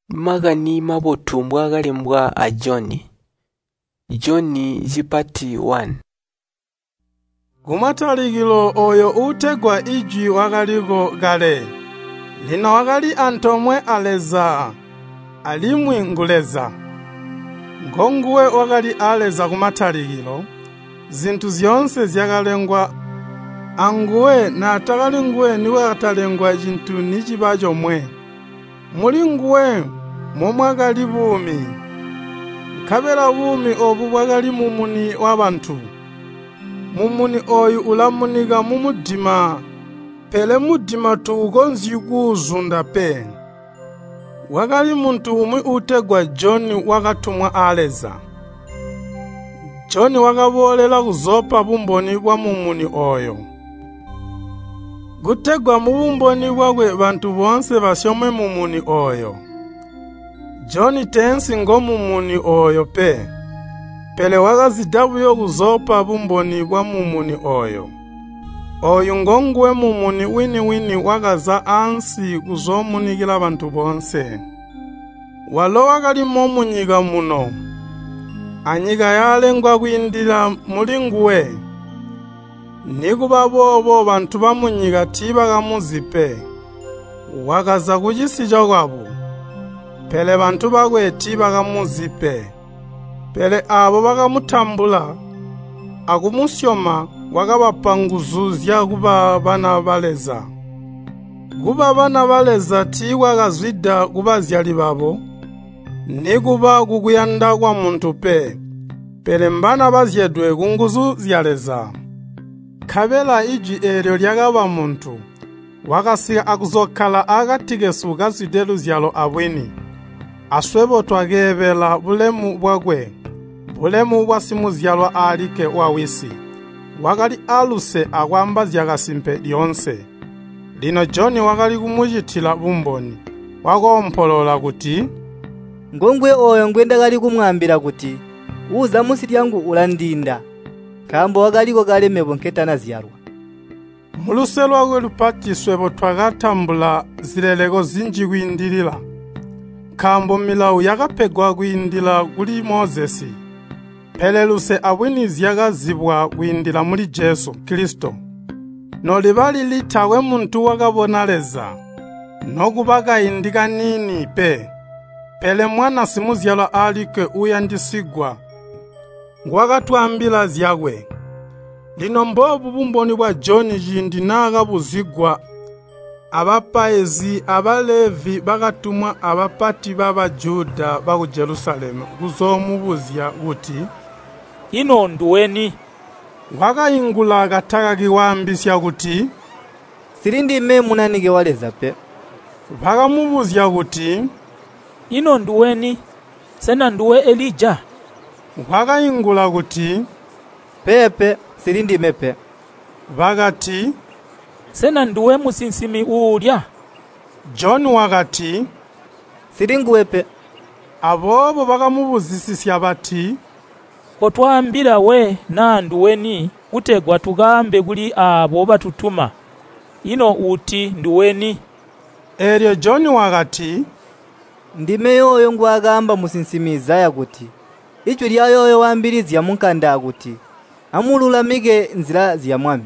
Makani Mabotu mbwaakalembwa a Joni. Joni cipati 1. Kumatalikilo ooyo uutegwa Ijwi wakaliko kale. Lino wakali antoomwe a Leza, alimwi ngu Leza. Ngonguwe wakali a Leza kumatalikilo. Zintu zyoonse zyakalengwa anguwe, naatakali nguwe nikwakatalengwa cintu niciba comwe. Mulinguwe momwakali buumi, nkabela buumi oobu bwakali mumuni wabantu. Mumuni ooyu ulamunika mumudima, pele mudima tuukonzyi kuuzunda pe. Kwakali muntu umwi uutegwa Joni wakatumwa a Leza. Joni wakaboolela kuzoopa bumboni bwamumuni ooyo, kutegwa mubumboni bwakwe bantu boonse basyome mumuni ooyo. Joni teensi ngomumuni ooyo pe, pele wakazida buyo kuzoopa bumboni bwamumuni ooyo. Ooyu ngonguwe mumuni wini-wini wakaza ansi kuzoomunikila bantu boonse. Walo wakalimo munyika muno, anyika yaalengwa kwiindila mulinguwe. Nikuba boobo bantu bamunyika tiibakamuzi pe. Wakaza kucisi cokwabo, pele bantu bakwe tiibakamuzi pe. Pele aabo bakamutambula akumusyoma wakabapa nguzu zyakuba bana ba Leza. Kuba bana ba Leza tiikwakazwida kubazyali babo, nikuba kukuyanda kwamuntu pe, pele mbana bazyedwe kunguzu zya Leza. Nkabela Ijwi eelyo lyakaba muntu, wakasika akuzokkala akati kesu kazwide luzyalo abwini. Aswebo twakeebela bulemu bwakwe, bulemu bwa simuzyalwa alikke wa Wisi. Wakali aaluse akwaamba zyakasimpe lyoonse. Lino Joni wakali kumucitila bumboni, wakoompolola kuti, “Ngonguwe ooyo ngwendakali kumwaambila kuti, ‘Uuza munsi lyangu ulandiinda, nkaambo wakaliko kale mebo nketanazyalwa.’” Muluse lwakwe lupati swebo twakatambula zileleko zinji kwiindilila. Nkaambo milawo yakapegwa kwiindila kuli Mozesi, pele luse abwini zyakazibwa kwiindila muli Jesu Kilisito. Noliba lili taakwe muntu wakabona Leza, nokuba kaindi kaniini pe. Pele Mwana simuzyalwa alikke uuyandisigwa nguwakatwaambila zyakwe. Lino mboobu bumboni bwa Joni ciindi naakabuzigwa abapaizi aba Levi bakatumwa abapati ba Bajuda baku Jelusalemu kuzoomubuzya kuti, “Ino nduweni?” Wakaingula katakaki kwaambisya kuti, “Nsili ndime Munanike wa Leza pe.” Bakamubuzya kuti, “Ino nduweni? Sena nduwe Elija?” Wakaingula kuti, “Peepe, nsili ndime pe.” Bakati, “Sena nduwe musinsimi uulya?” Joni wakati, “Nsilinguwe pe.” Aboobo bakamubuzisisya bati, “Kotwaambila we naa nduweni kutegwa tukaambe kuli aabo batutuma. Ino uti nduweni?” Eelyo Joni wakati, “Ndime yooyo ngwaakaamba musinsimi Izaya kuti, ‘Ijwi lyayooyo waambilizya munkanda kuti, Amululamike nzila zya Mwami.’”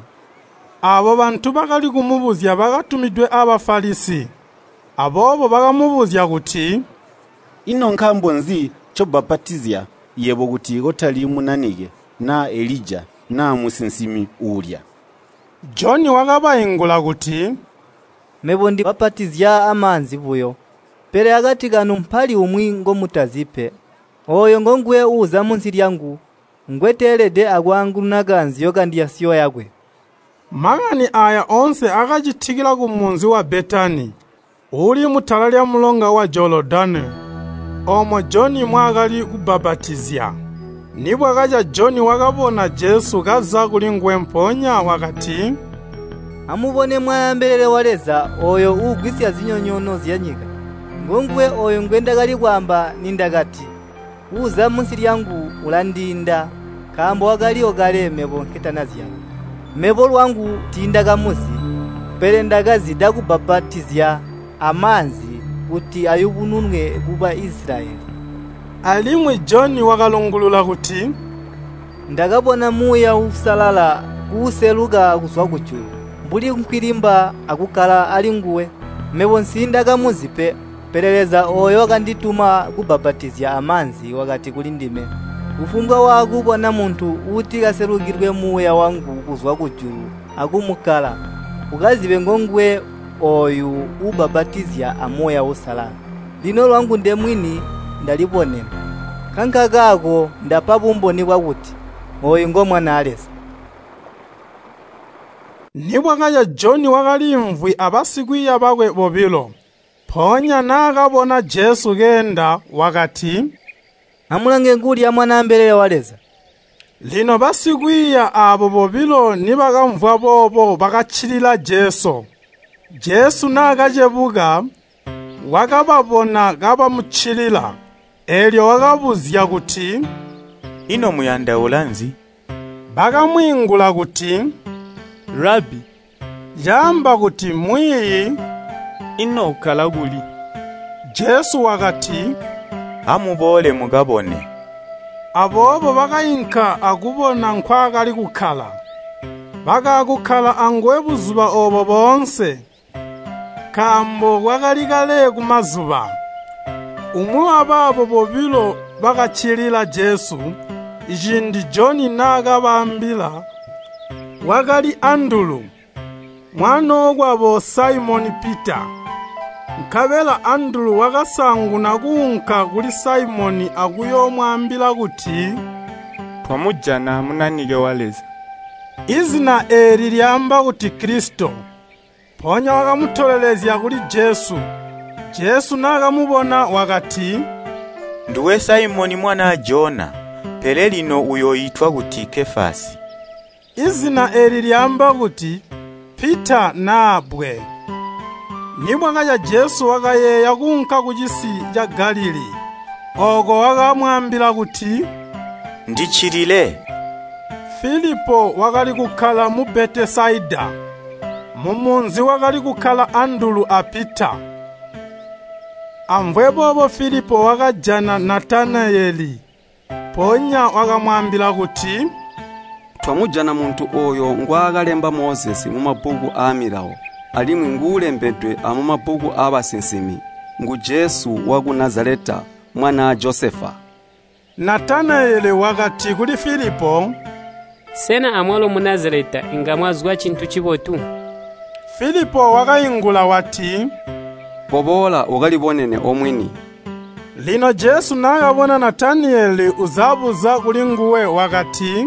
Aabo bantu bakali kumubuzya bakatumidwe a Bafalisi. Aboobo bakamubuzya kuti, “Ino nkaambo nzi ncobbapatizya yebo kuti kotali Munanike naa Elija naa musinsimi uulya?” Joni wakabaingula kuti, “Mebo ndibbapatizya amaanzi buyo, pele akati kanu mpali umwi ngomutazi pe. Ooyo ngonguwe uuza munsi lyangu, ngweteelede akwaangununa kaanzyo kandyasyo yakwe.” Makani aaya oonse akacitikila kumunzi wa Betani, uuli mutala lyamulonga wa Jolodani, oomo Joni mwaakali kubbapatizya. Nibwakaca Joni wakabona Jesu kaza kulinguwe mpoonya wakati, “Amubone Mwanaa mbelele wa Leza ooyo uugwisya zinyonyoono zyanyika. Ngonguwe ooyo ngwendakali kwaamba nindakati, ‘Uuza munsi lyangu ulandiinda, nkaambo wakaliko kale mebo nketanazyalwa.’ Mebo lwangu tiindakamuzi, pele ndakazida kubbapatizya amaanzi kuti ayubununwe ku Baisilayeli.” Alimwi Joni wakalungulula kuti, “Ndakabona Muuya Uusalala kuuseluka kuzwa kujulu, mbuli nkwilimba akukkala alinguwe. Mebo nsiindakamuzi pe, pele Leza ooyo wakandituma kubbapatizya amaanzi wakati kulindime, ‘Kufumbwa waakubona muntu uutikaselukilwe Muuya wangu kuzwa kujulu akumukkala, ukazibe ngonguwe ooyu uubbapatizya a Muuya Uusalala.’ Lino lwangu ndemwini ndalibonena, nkankakaako ndapa bumboni bwakuti ooyu ngo Mwanaa Leza.” Nibwakaca Joni wakaliimvwi abasikwiiya bakwe bobilo. Mpoonya naakabona Jesu keenda wakati, “Amulange nguulya Mwanaa mbelele wa Leza!” Lino basikwiiya aabo bobilo nibakamvwa boobo bakaccilila Jesu. Jesu naakacebuka, wakababona kabamuccilila, eelyo wakabuzya kuti, “Ino muyandaula nzi?” Bakamwiingula kuti, “Rabi,” caamba kuti Mwiiyi, “ino ukkala kuli?” Jesu wakati, “Amuboole mukabone.” Aboobo bakainka akubona nkwaakali kukkala. Bakaakukkala anguwe buzuba oobo boonse, nkaambo kwakali kale kumazuba. Umwi wabaabo bobilo bakaccilila Jesu, ciindi Joni naakabaambila, wakali Andulu, mwanookwabo Saimoni Pita. Nkabela Andulu wakasaanguna kuunka kuli Saimoni akuyoomwaambila kuti, “Twamujana Munanike wa Leza.” Izina eeli lyaamba kuti Kilisito. Mpoonya wakamutolelezya kuli Jesu. Jesu naakamubona wakati, “Nduwe Saimoni mwanaa Jona, pele lino uyooitwa kuti Kefasi.” Izina eeli lyaamba kuti Pita naa bbwe. Nibwakaca Jesu wakayeeya kuunka kucisi ca Galilii. Ooko wakamwaambila kuti, “Ndiccilile.” Filipo wakali kukkala mu Betesaida, mumunzi wakali kukkala Andulu a Pita. Amvwe boobo Filipo wakajana Natanayeli, mpoonya wakamwaambila kuti, “Twamujana muntu ooyo ngwaakalemba Mozesi mumabbuku aamilawo, alimwi nguulembedwe amumabbuku aabasinsimi, ngu Jesu waku Nazaleta, mwanaa Josefa.” Natanayeli wakati kuli Filipo, “Sena amwalo mu Nazaleta inga mwazwa cintu cibotu?” Filipo wakaingula wati, “Koboola ukalibonene omwini.” Lino Jesu naakabona Natanayeli uzabuza kulinguwe wakati,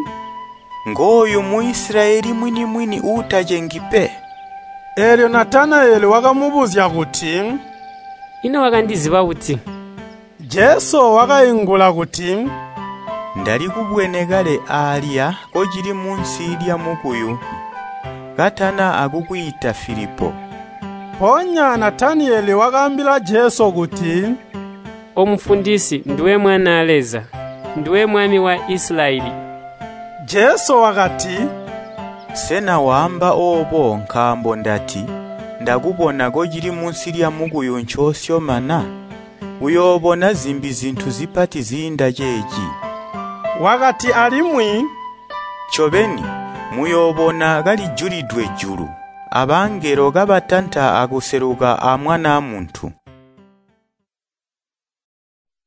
“Ngooyu Muisilayeli mwini-mwini uutacengi pe.” Eelyo Natanayeli wakamubuzya kuti, “Ino wakandiziba buti?” Jesu wakaingula kuti, “Ndalikubwene kale aalya kocili munsi lyamukuyu, katana akukwiita Filipo.” Mpoonya Natanayeli wakaambila Jesu kuti, “Omufundisi, nduwe Mwanaa Leza, nduwe Mwami wa Isilayeli.” Jesu wakati, “Sena waamba oobo nkaambo ndati, ndakubona kocili munsi lyamukuyu ncoosyoma na? Uyoobona zimbi zintu zipati ziinda ceeci.” Wakati alimwi, “Ncobeni, muyoobona kalijulidwe julu, abangelo kabatanta akuseluka a Mwanaa Muntu.”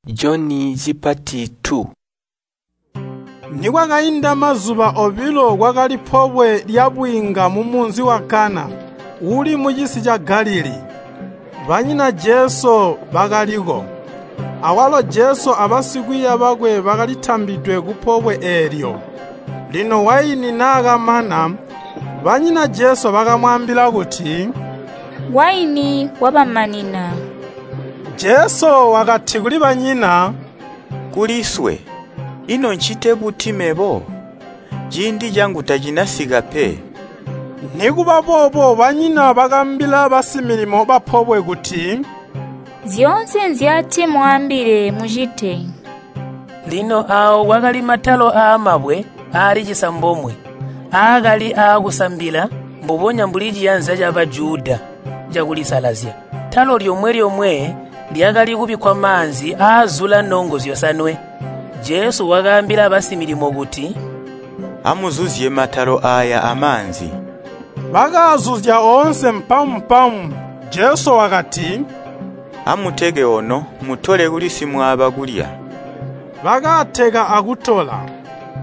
Joni cipati 2. Nikwakainda mazuba obilo kwakali pobwe lyabwiinga mumunzi wa Kana, uuli mucisi ca Galilii. Banyina Jesu bakaliko. Awalo Jesu abasikwiiya bakwe bakalitambidwe kupobwe eelyo. Lino waini naakamana, banyina Jesu bakamwaambila kuti, “Waini wabamanina.” Jesu wakati kuli banyina, “Kuliswe, ino ncite buti mebo? Ciindi cangu tacinasika pe.” Nikuba boobo banyina bakaambila basimilimo bapobwe kuti, “Zyoonse nzyati mwaambile mucite.” Lino aawo kwakali matalo aamabwe aali cisambomwe, aakali aakusambila mbubonya mbuli ciyanza ca Bajuda cakulisalazya. Talo lyomwe-lyomwe lyakali kubikkwa maanzi aazula nongo zyosanwe. Jesu wakaambila basimilimo kuti, “Amuzuzye matalo aaya amaanzi.” Bakaazuzya oonse mpamu-mpamu. Jesu wakati, “Amuteke ono mutole kuli simwaaba kulya.” Bakaateka akutola.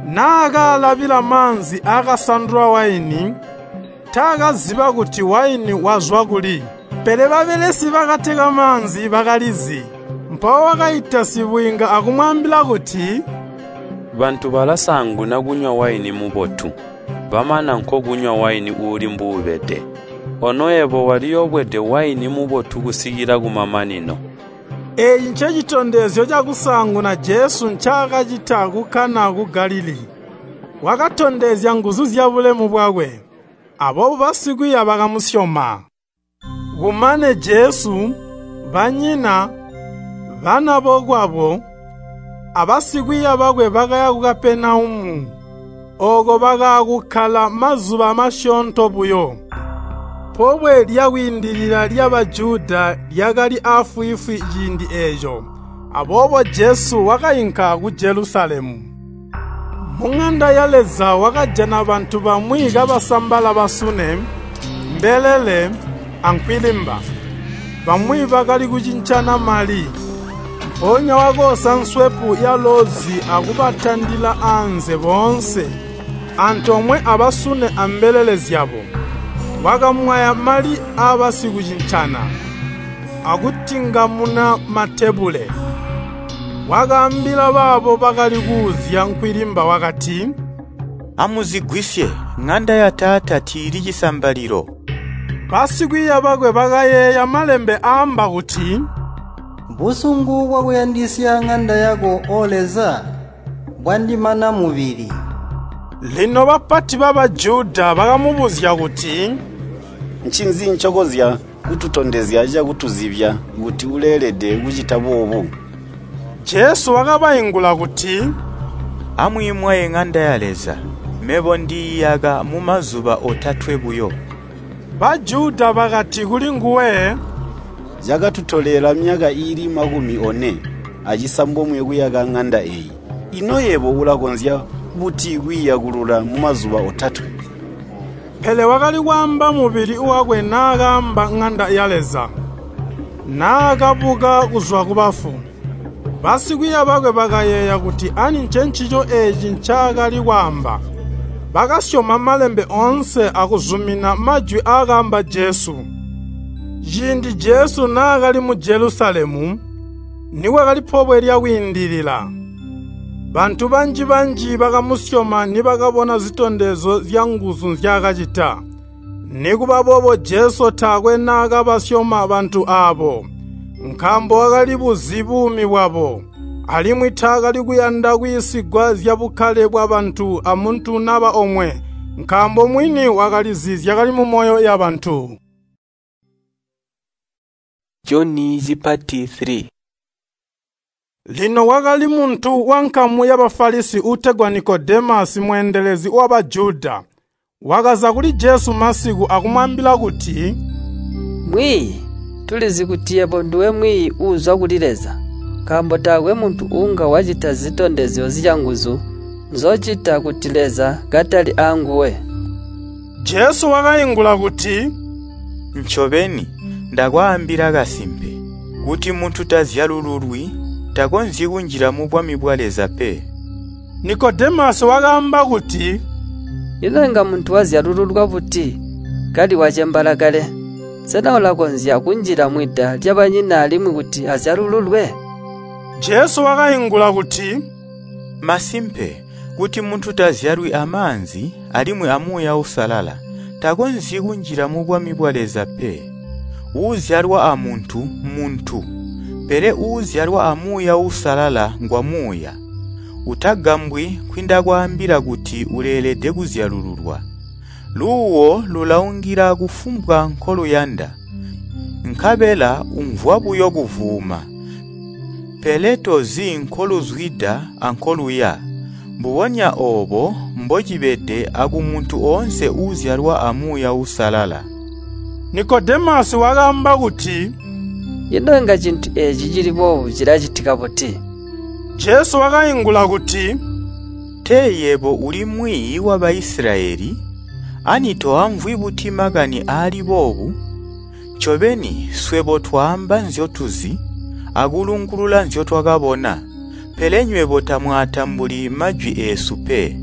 Naakaalabila maanzi aakasandulwa waini, taakaziba kuti waini wazwa kuli. Pele babelesi bakateka maanzi bakalizi. Mpawo wakaita sibwiinga akumwaambila kuti, “Bantu balasaanguna kunywa waini mubotu, bamana nkokunywa waini uuli mbuubede. Ono yebo waliyobwede waini mubotu kusikila kumamanino.” Eeci ncecitondezyo cakusaanguna Jesu ncaakacita ku Kana ku Galilii. Wakatondezya nguzu zyabulemu bwakwe, aboobo basikwiiya bakamusyoma. Kumane Jesu, banyina, bana bokwabo, abasikwiiya bakwe bakaya ku Kapenaumu. Ooko bakaakukkala mazuba masyoonto buyo. Pobwe lya Kwiindilila lya Bajuda lyakali aafwiifwi ciindi eeco, aboobo Jesu wakainka ku Jelusalemu. Muŋanda ya Leza wakajana bantu bamwi kabasambala basune, mbelele, ankwilimba. Bamwi bakali kucincana mali. Mpoonya wakoosa nswepu yalozi akubatandila anze boonse, antoomwe abasune ambelele zyabo. Wakamwaya mali aabasikucincana, akutingamuna matebule. Wakaambila baabo bakali kuuzya nkwilimba wakati, “Amuzigwisye, ŋanda ya Taata tiili cisambalilo.” Basikwiiya bakwe bakayeeya malembe aamba kuti, “Busungu bwakuyandisya ŋanda yako, O Leza, bwandimana mubili.” Lino bapati ba Bajuda bakamubuzya kuti, “Ncinzi ncokonzya kututondezya cakutuzibya kuti uleelede kucita boobu?” Jesu wakabaingula kuti, “Amwiimwaye ŋanda ya Leza, mebo ndiiyaka mumazuba otatwe buyo.” Bajuda bakati kulinguwe, “Cakatutolela myaka iili 46 kuyaka ŋanda eeyi. Ino yebo ulakonzya buti kwiiyakulula mumazuba otatwe?” Pele wakali kwaamba mubili wakwe naakaamba ŋanda ya Leza. Naakabuka kuzwa kubafu, basikwiiya bakwe bakayeeya kuti ani ncencico eeci ncaakali kwaamba. Bakasyoma Malembe oonse akuzumina majwi aakaamba Jesu. Ciindi Jesu naakali mu Jelusalemu, nikwakali Pobwe lya Kwiindilila, bantu banji-banji bakamusyoma nibakabona zitondezyo zyanguzu nzyaakacita. Nikuba boobo Jesu taakwe naakabasyoma bantu aabo, nkaambo wakalibuzi buumi bwabo, alimwi taakali kuyanda kwiisigwa zyabukkale bwabantu amuntu naba omwe, nkaambo mwini wakalizi zyakali mumoyo yabantu. Joni Chipati 3. Lino kwakali muntu wankamu ya Bafalisi uutegwa Nikodemasi mweendelezi wa Bajuda. Wakaza kuli Jesu masiku akumwaambila kuti, “Mwiiyi, tulizi kuti yebo nduwe mwiiyi uuzwa kuli Leza, nkaambo taakwe muntu uunga wacita zitondezyo zyanguzu nzocita kuti Leza katali aanguwe.” Jesu wakaingula kuti, “Ncobeni, ndakwaambila kasimpe, kuti muntu tazyalululwi, takonzyi kunjila mubwami bwa Leza pe.” Nikodemasi wakaamba kuti, “Ino inga muntu wazyalululwa buti kali wacembaala kale? Sena ulakonzya kunjila mwida lyabanyina alimwi kuti azyalululwe?” Jesu wakaingula kuti, “Masimpe, kuti muntu tazyalwi amaanzi alimwi a Muuya Uusalala, takonzyi kunjila mubwami bwa Leza pe. Uuzyalwa amuntu, muntu, pele uuzyalwa a Muuya Uusalala ngwa muuya. Utagambwi nkwindakwaambila kuti uleelede kuzyalululwa. Luuwo lulaungila kufumbwa nkoluyanda, nkabela umvwa buyo kuvuuma, pele tozi nkoluzwida ankoluya. Mbubonya oobo mbocibede akumuntu oonse uuzyalwa a Muuya Uusalala.” Nikodemasi wakaamba kuti, Ino inga cintu eeci cili boobu cilacitika buti?” Jesu wakaingula kuti, “Tee yebo uli mwiiyi wa Baisilayeli, ani toamvwi buti makani aali boobu? Ncobeni swebo twaamba nzyotuzi, akulungulula nzyotwakabona, pele nywebo tamwaatambuli majwi eesu pe.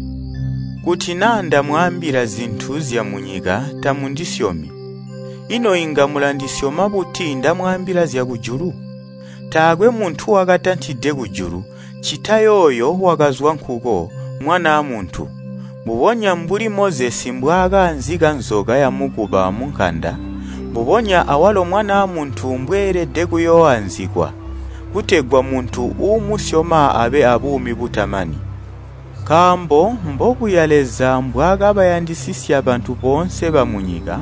Kuti naa ndamwaambila zintu zyamunyika tamundisyomi, ino inga mulandisyoma buti ndamwaambila zyakujulu? Taakwe muntu wakatantide kujulu, ccita yooyo wakazwa nkuko, Mwanaa Muntu. Mbubonya mbuli Mozesi mbwaakaanzika nzoka yamukuba munkanda, mbubonya awalo Mwanaa Muntu mbweelede kuyooanzikwa, kutegwa muntu uumusyoma abe abuumi butamani. Nkaambo mbobuya Leza mbwaakabayandisisya bantu boonse bamunyika,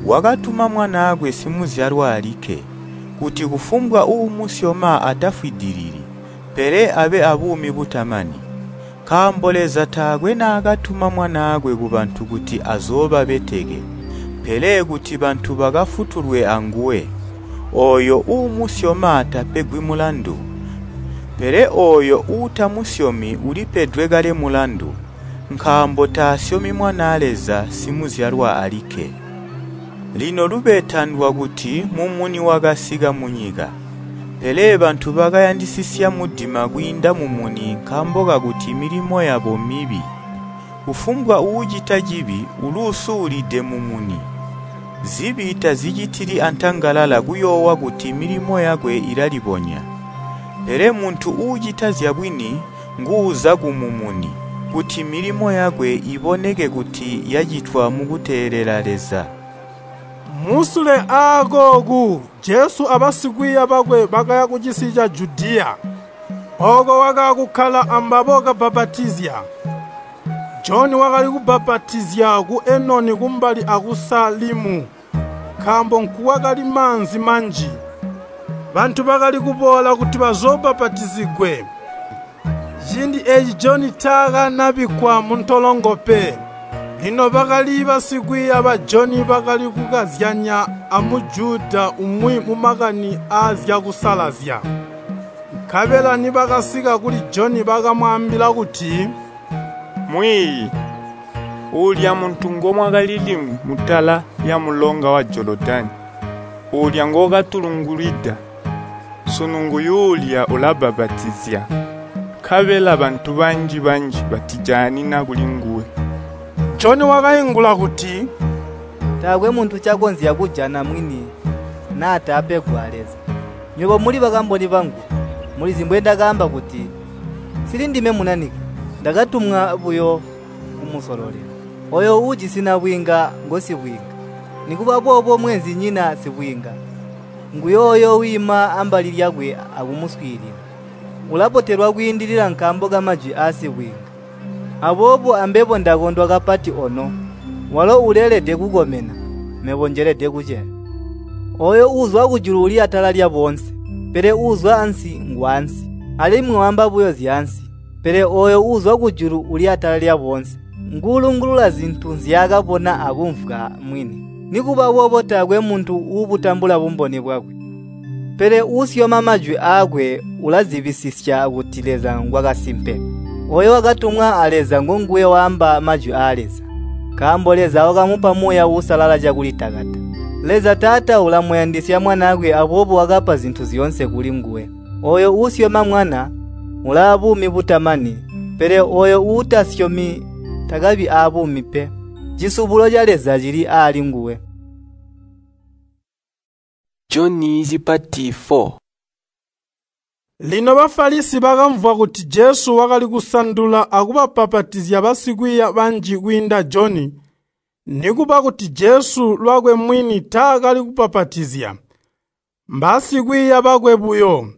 wakatuma Mwanaakwe simuzyalwa alikke, kuti kufumbwa uumusyoma atafwidilili, pele abe abuumi butamani. Nkaambo Leza taakwe naakatuma Mwanaakwe kubantu kuti azoobabeteke, pele kuti bantu bakafutulwe anguwe. Ooyo uumusyoma tapegwi mulandu, pele ooyo uutamusyomi ulipedwe kale mulandu, nkaambo taasyomi Mwanaa Leza simuzyalwa alikke. Lino lubeta ndwakuti mumuni wakasika munyika, pele bantu bakayandisisya mudima kwiinda mumuni nkaambo kakuti milimo yabo mibi. Kufumbwa uucita cibi uluusulide mumuni. Zibi tazicitili antangalala kuyoowa kuti milimo yakwe ilalibonya. Pele muntu uucita zyabwini nguuza kumumuni, kuti milimo yakwe iboneke kuti yacitwa mukuteelela Leza. Musule aakooku Jesu abasikwiiya bakwe bakaya kucisi ca Judiya. Ooko wakaakukkala ambabo kabbapatizya. Joni wakali kubbapatizya ku Enoni kumbali aku Salimu, nkaambo nkukwakali maanzi manji. Bantu bakali kuboola kuti bazoobbapatizigwe. Ciindi eeci Joni taakanabikkwa muntolongo pe. Lino bakali basikwiiya ba Joni bakali kukazyanya a Mujuda umwi mumakani aazyakusalazya. Nkabela nibakasika kuli Joni bakamwaambila kuti, “Mwiiyi, uulya muntu ngomwakali limwi mutala lyamulonga wa Jolodani, uulya ngookatulungulwida, sunu nguyuulya ulabbapatizya, nkabela bantu banji-banji batijaanina kulinguwe.” Joni wakaingula kuti, “Taakwe muntu ncakonzya kujana mwini naatapegwa a Leza. Nywebo muli bakamboni bangu, mulizi mbwendakaamba kuti, ‘Nsili ndime Munanike, ndakatumwa buyo kumusololela.’ Ooyo uujisi nabwiinga ngosibwiinga. Nikuba boobo mweenzinyina sibwiinga nguyooyo wiima ambali lyakwe akumuswiilila. Ulabotelwa kwiindilila nkaambo kamajwi aasibwiinga. Aboobo ambebo ndakondwa kapati ono. Walo uleelede kukomena, mebo njelede kuceya. Ooyo uuzwa kujulu uli atala lyaboonse, pele uuzwa ansi ngwaansi, alimwi waamba buyo zyaansi. Pele ooyo uuzwa kujulu uli atala lyaboonse, nguulungulula zintu nzyaakabona akumvwa mwini. Nikuba boobo taakwe muntu uubutambula bumboni bwakwe. Pele uusyoma majwi aakwe ulazibisisya kuti Leza ngwakasimpe. Ooyo wakatumwa a Leza ngonguwe waamba majwi aa Leza, nkaambo Leza wakamupa Muuya Uusalala cakulitakata. Leza Taata ulamuyandisya Mwanaakwe aboobo wakapa zintu zyoonse kulinguwe. Ooyo uusyoma Mwana ulaabuumi butamani, pele ooyo uutasyomi takabi aabuumi pe. Cisubulo ca Leza cili aalinguwe. Joni cipati 4. Lino Bafalisi bakamvwa kuti Jesu wakali kusandula akubabbapatizya basikwiiya banji kwiinda Joni, nikuba kuti Jesu lwakwe mwini taakali kubbapatizya, mbasikwiiya bakwe buyo.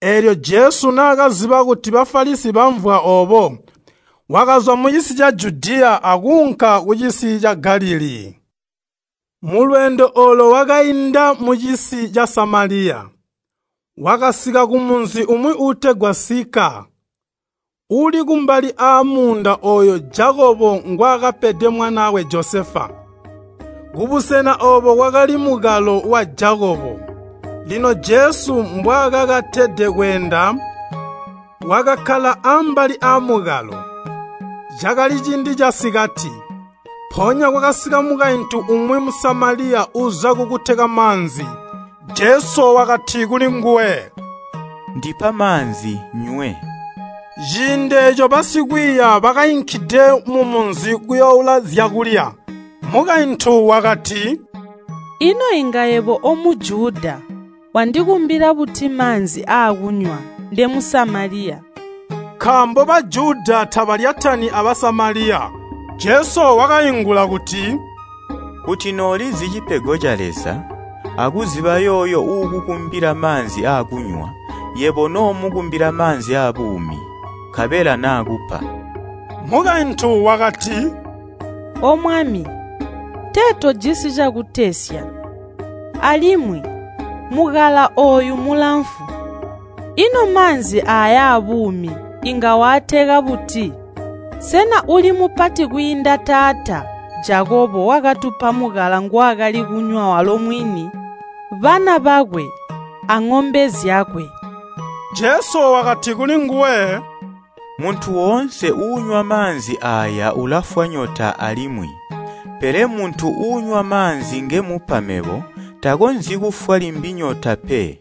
Eelyo Jesu naakaziba kuti Bafalisi bamvwa oobo, wakazwa mucisi ca Judiya akuunka kucisi ca Galilii. Mulweendo oolo wakainda mucisi ca Samaliya. Wakasika kumunzi umwi uutegwa Sika, uuli kumbali aamuunda ooyo Jakobo ngwaakapede mwanaakwe Josefa. Kubusena oobo kwakali mukalo wa Jakobo. Lino Jesu mbwaakakatede kweenda, wakakkala ambali aamukalo. Cakali ciindi casikati. Mpoonya kwakasika mukaintu umwi Musamaliya uza kukuteka maanzi. Jesu wakati kulinguwe, “Ndipa maanzi nywe.” Ciindi eeco basikwiiya bakainkide mumunzi kuyooula zyakulya. Mukaintu wakati, “Ino inga yebo o Mujuda wandikumbila buti maanzi aakunywa nde Musamaliya?” Nkaambo Bajuda tabalyatani a Basamaliya. Jesu wakaingula kuti, “Kuti noolizi cipego ca Leza, akuziba yooyo uukukumbila maanzi aakunywa, yebo noomukumbila maanzi aabuumi, nkabela naakupa.” Mukaintu wakati, “O Mwami, tee tojisi cakutesya, alimwi mukala ooyu mulamfu. Ino maanzi aaya aabuumi inga waateka buti? Sena uli mupati kwiinda taata Jakobo wakatupa mukala ngwaakali kunywa walo mwini, bana bakwe, aŋombe zyakwe?” Jesu wakati kulinguwe, “Muntu woonse uunywa maanzi aaya ulafwa nyota alimwi. Pele muntu uunywa maanzi ngemupa mebo takonzyi kufwa limbi nyota pe.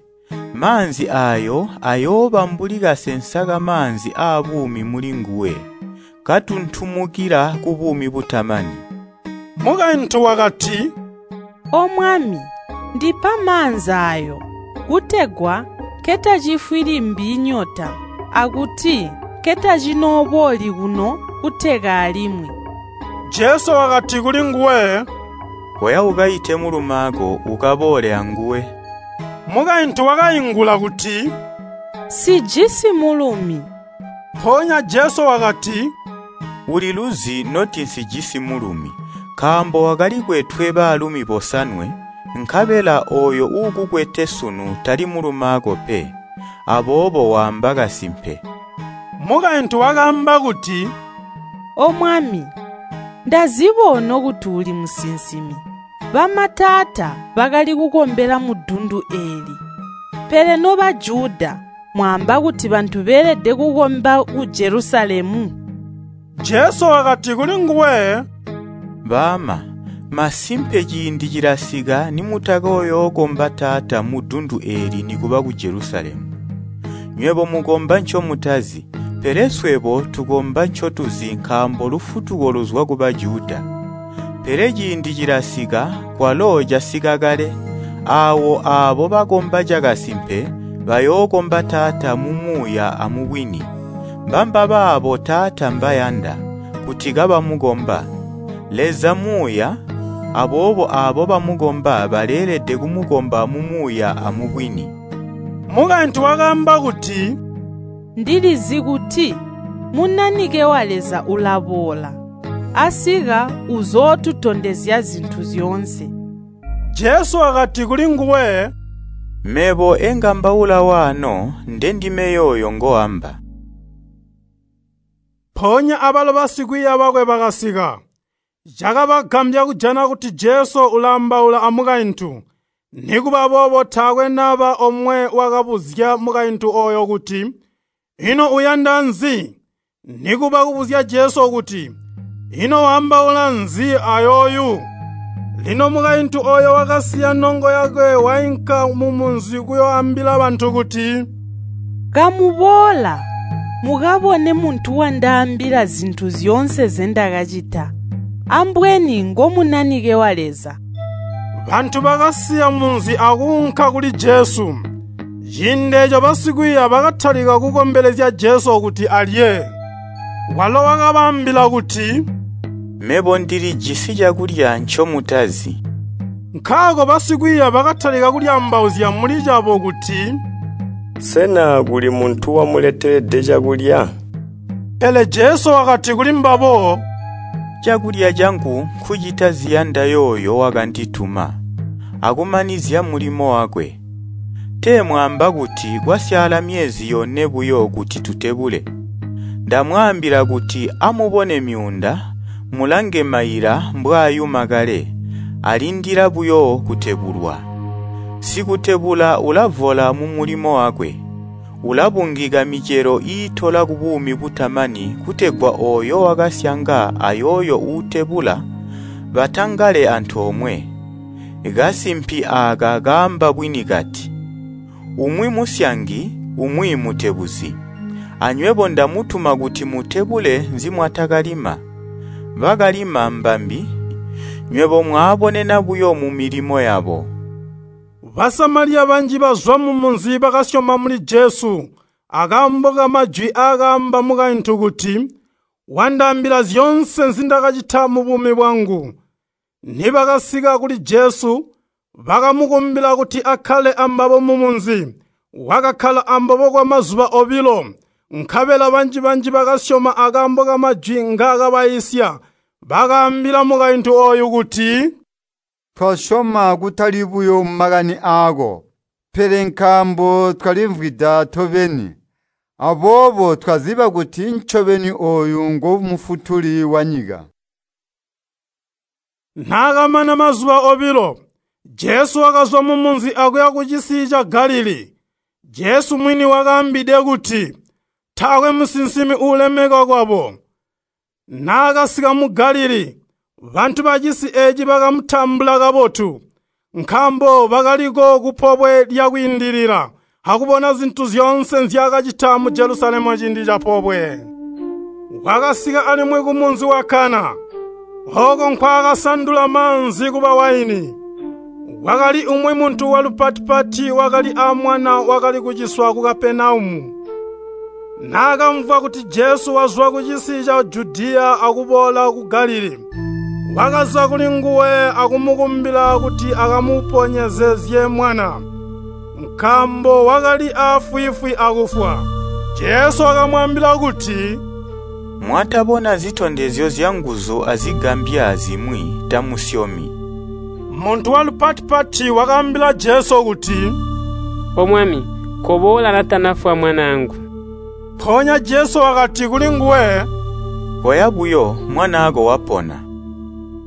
Maanzi aayo ayooba mbuli kasensa kamaanzi aabuumi mulinguwe, katuntumukila kubuumi butamani.” Mukaintu wakati, “O Mwami, ndipa maanzi aayo, kutegwa nketacifwi limbi nyota akuti nketacinooboli kuno kuteka alimwi.” Jesu wakati kulinguwe, “Koya ukaite mulumaako ukaboole anguwe.” Mukaintu wakaingula kuti, “Sijisi mulumi.” Mpoonya Jesu wakati, “Uliluzi noti nsijisi mulumi, nkaambo wakalikwetwe baalumi bosanwe, nkabela ooyo uukukwete sunu tali mulumaako pe. Aboobo waamba kasimpe.” Mukaintu wakaamba kuti, “O Mwami, ndazibona kuti uli musinsimi. Bamataata bakali kukombela mudundu eeli, pele no Bajuda mwaamba kuti bantu beelede kukomba ku Jelusalemu.” Jesu wakati kulinguwe, “Baama, masimpe ciindi cilasika nimutakooyookomba Taata mudundu eeli nikuba ku Jelusalemu. Nywebo mukomba ncomutazi, pele swebo tukomba ncotuzi nkaambo lufutuko luzwa ku Bajuda. Pele ciindi cilasika, kwalo casika kale, aawo aabo bakomba cakasimpe bayookomba Taata mu Muuya amubwini. Mbambabaabo Taata mbayanda, kuti kabamukomba. Leza Muuya, aboobo aabo bamukomba baleelede kumukomba mu Muuya amubwini.” Mukaintu wakaamba kuti, “Ndilizi kuti Munanike wa Leza ulaboola. Asika uzootutondezya zintu zyoonse.” Jesu wakati kulinguwe, “Mebo engambaula waano ndendime yooyo ngoamba.” Mpoonya abalo basikwiiya bakwe bakasika. Cakabagambya kujana kuti Jesu ulaambaula amukaintu. Nikuba boobo taakwe naba omwe wakabuzya mukaintu ooyo kuti, “Ino uyanda nzi?” Nikuba kubuzya Jesu kuti, “Ino waambaula nzi ayooyu?” Lino mukaintu ooyo wakasiya nongo yakwe wainka mumunzi kuyooambila bantu kuti, “Kamuboola, mukabone muntu wandaambila zintu zyoonse nzendakacita. Ambweni ngo Munanike wa Leza.” Bantu bakasiya munzi akuunka kuli Jesu. Ciindi eeco basikwiiya bakatalika kukombelezya Jesu kuti alye. Walo wakabaambila kuti, “Mebo ndilijisi cakulya ncomutazi.” Nkaako basikwiiya bakatalika kulyaambauzya muli cabo kuti, “Sena kuli muntu wamuletelede cakulya?” Pele Jesu wakati kulimbabo, “Cakulya cangu nkucita ziyanda yooyo wakandituma, akumanizya mulimo wakwe. Tee mwaamba kuti kwasyaala myezi yone buyo kuti tutebule? Ndamwaambila kuti amubone myuunda, mulange maila mbwaayuma kale, alindila buyo kutebulwa. Sikutebula ulavola mumulimo wakwe, ulabungika micelo iitola kubuumi butamani kutegwa ooyo wakasyanga ayooyo uutebula batangale antoomwe. Kasimpi aaka kaamba bwini kati, ‘Umwi musyangi, umwi mutebuzi.’ Anywebo ndamutuma kuti mutebule nzimwatakalima. Bakalima mbambi, nywebo mwaabonena buyo mumilimo yabo.” Basamaliya banji bazwa mumunzi bakasyoma muli Jesu akaambo kamajwi aakaamba mukaintu kuti, “Wandaambila zyoonse nzindakacita mubuumi bwangu.” Nibakasika kuli Jesu, bakamukumbila kuti akkale ambabo mumunzi. Wakakkala ambabo kwamazuba obilo, nkabela banji-banji bakasyoma akaambo kamajwi ngaakabaiisya. Bakaambila mukaintu ooyu kuti, “Twasyoma kutali buyo mumakani aako, pele nkaambo twalimvwida tobeni. Aboobo twaziba kuti ncobeni ooyu ngo Mufutuli wanyika.” Naakamana mazuba obilo, Jesu wakazwa mumunzi akuya kucisi ca Galilii. Jesu mwini wakaambide kuti, “Taakwe musinsimi uulemekwa kwabo.” Naakasika mu Galilii, bantu bacisi eeci bakamutambula kabotu, nkaambo bakaliko kupobwe lya Kwiindilila akubona zintu zyoonse nzyaakacita mu Jelusalemu ciindi capobwe. Wakasika alimwi kumunzi wa Kana, ooko nkwaakasandula maanzi kuba waini. Kwakali umwi muntu walupati-pati wakali aamwana wakali kuciswa ku Kapenaumu. Naakamvwa kuti Jesu wazwa kucisi ca Judiya akuboola ku Galilii, wakaza kulinguwe akumukumbila kuti akamuponyezezye mwana, nkaambo wakali aafwiifwi akufwa. Jesu wakamwaambila kuti, “Mwatabona zitondezyo zyanguzu azigambya zimwi tamusyomi.” Muntu walupati-pati wakaambila Jesu kuti, “O Mwami, koboola natanafwa mwanaangu.” Mpoonya Jesu wakati kulinguwe, “Koya buyo, mwanaako wapona.”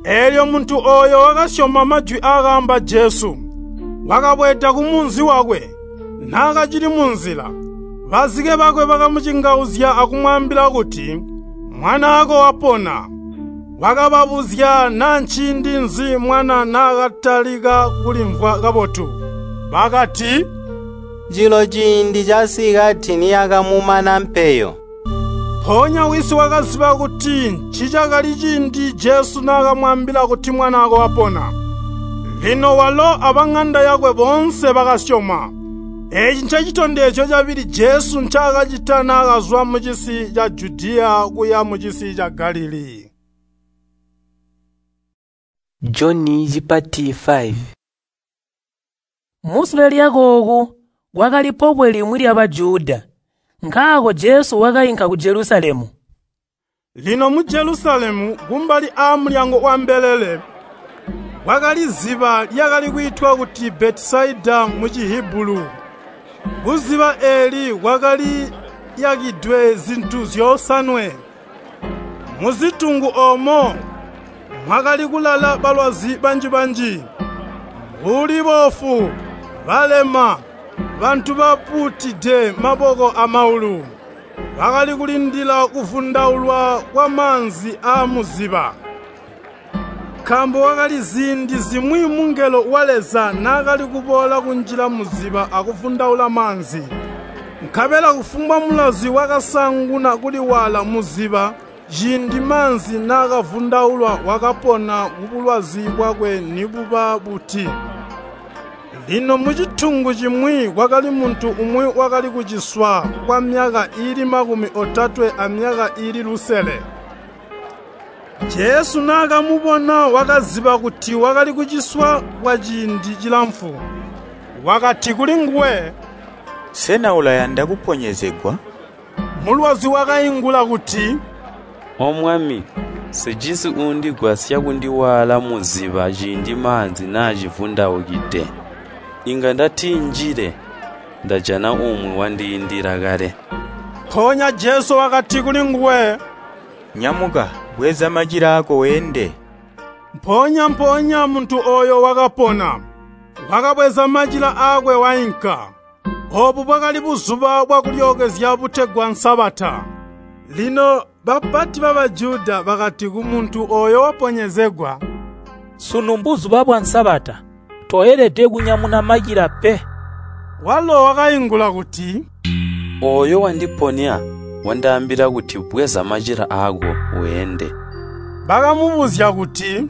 Eelyo muntu ooyo wakasyoma majwi aakaamba Jesu, wakabweeda kumunzi wakwe. Naakacili munzila, bazike bakwe bakamucingauzya akumwaambila kuti, “Mwanaako wapona.” Wakababuzya naa nciindi nzi mwana naakatalika kulimvwa kabotu. Bakati, “Cilo ciindi casikati niyakamumana mpeyo.” Mpoonya wisi wakaziba kuti ncicakali ciindi Jesu naakamwaambila kuti mwanaako wapona. Lino walo abaŋanda yakwe boonse bakasyoma. Eeci ncecitondezyo cabili Jesu ncaakacita naakazwa mucisi ca Judiya kuya mucisi ca Galilii. Joni cipati 5. Musule lyakooku kwakali pobwe limwi lya Bajuda, nkaako Jesu wakainka ku Jelusalemu. Lino mu Jelusalemu kumbali aamulyango wambelele kwakali ziba lyakali kwiitwa kuti Betisaida mu Cihibulu. Kuziba eeli kwakali yakidwe zintu zyosanwe. Muzitungu oomo mwakali kulala balwazi banji-banji, mbuli boofu, balema, bantu bapuutide maboko amaulu. Bakali kulindila kuvundaulwa kwamaanzi aamuziba. Nkaambo kwakali ziindi zimwi mungelo wa Leza naakali kuboola kunjila muziba akuvundaula maanzi. Nkabela kufumbwa mulwazi wakasaanguna kuliwaala muziba ciindi maanzi naakavundaulwa wakapona kubulwazi bwakwe nibuba buti. Lino mucitungu cimwi kwakali muntu umwi wakali kuciswa kwamyaka iili 36 amyaka iili lusele. Jesu naakamubona wakaziba kuti wakali kuciswa kwaciindi cilamfu. Wakati kulinguwe, “Sena ulayanda kuponyezegwa?” Mulwazi wakaingula kuti, “O Mwami, nsijisi uundigwasya kundiwaala muziba ciindi maanzi naacivundaukide. Inga ndatinjile, ndajana umwi wandiindila kale.” Mpoonya Jesu wakati kulinguwe, “Nyamuka, bweza macila aako weende.” Mpoonya-mpoonya muntu ooyo wakapona. Wakabweza macila aakwe wainka. Oobu bwakali buzuba bwakulyookezya butegwa Sabata. Lino bapati ba Bajuda bakati kumuntu ooyo waponyezegwa, “Sunu mbuzuba bwa Sabata, toelede kunyamuna macila pe.” Walo wakaingula kuti, “Ooyo wandiponya wandaambila kuti, ‘Bweza macila aako weende.’” Bakamubuzya kuti,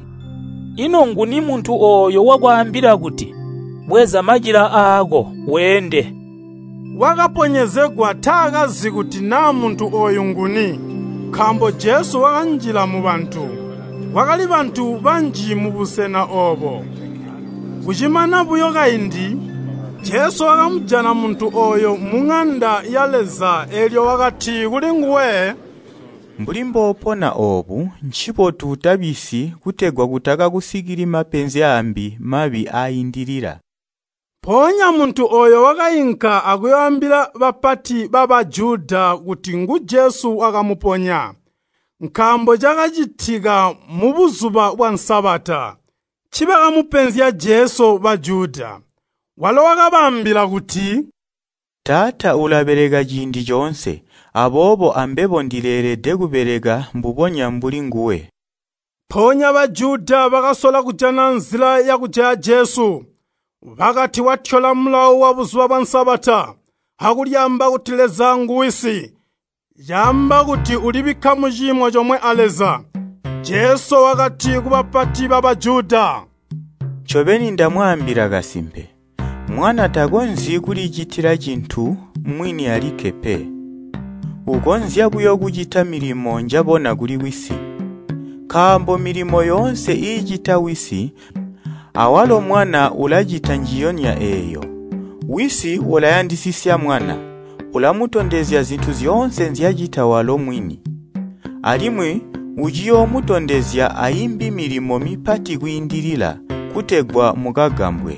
“Ino nguni muntu ooyo wakwaambila kuti, ‘Bweza macila aako, weende?’” Wakaponyezegwa taakazi kuti naa muntu ooyu nguni, nkaambo Jesu wakanjila mubantu. Kwakali bantu banji mubusena oobo. Kucimana buyo kaindi, Jesu wakamujana muntu ooyo muŋanda ya Leza eelyo wakati kulinguwe, “Mbuli mboopona oobu, ncibotu utabisyi kutegwa kutakakusikili mapenzi aambi mabi aaindilila.” Mpoonya muntu ooyo wakainka akuyooambila bapati ba Bajuda kuti ngu Jesu wakamuponya, nkaambo cakacitika mubuzuba bwa Sabata. Ncibakamupenzya Jesu Bajuda. Walo wakabaambila kuti, “Taata ulabeleka ciindi coonse, aboobo ambebo ndileelede kubeleka mbubonya mbuli nguwe.” Mpoonya Bajuda bakasola kujana nzila yakujaya Jesu. Bakati watyola mulawo wabuzuba bwa Sabata, akulyaamba kuti Leza ngu Wisi, caamba kuti ulibikka muciimo comwe a Leza. Jesu wakati kubapati ba Bajuda, “Ncobeni ndamwaambila kasimpe, Mwana takonzyi kulicitila cintu mwini alikke pe. Ukonzya buyo kucita milimo njabona kuli Wisi. Nkaambo milimo yoonse iicita Wisi, awalo Mwana ulacita njiyonya eeyo. Wisi ulayandisisya Mwana, ulamutondezya zintu zyoonse nzyacita walo mwini. Alimwi uciyoomutondezya aimbi milimo mipati kwiindilila, kutegwa mukagambwe.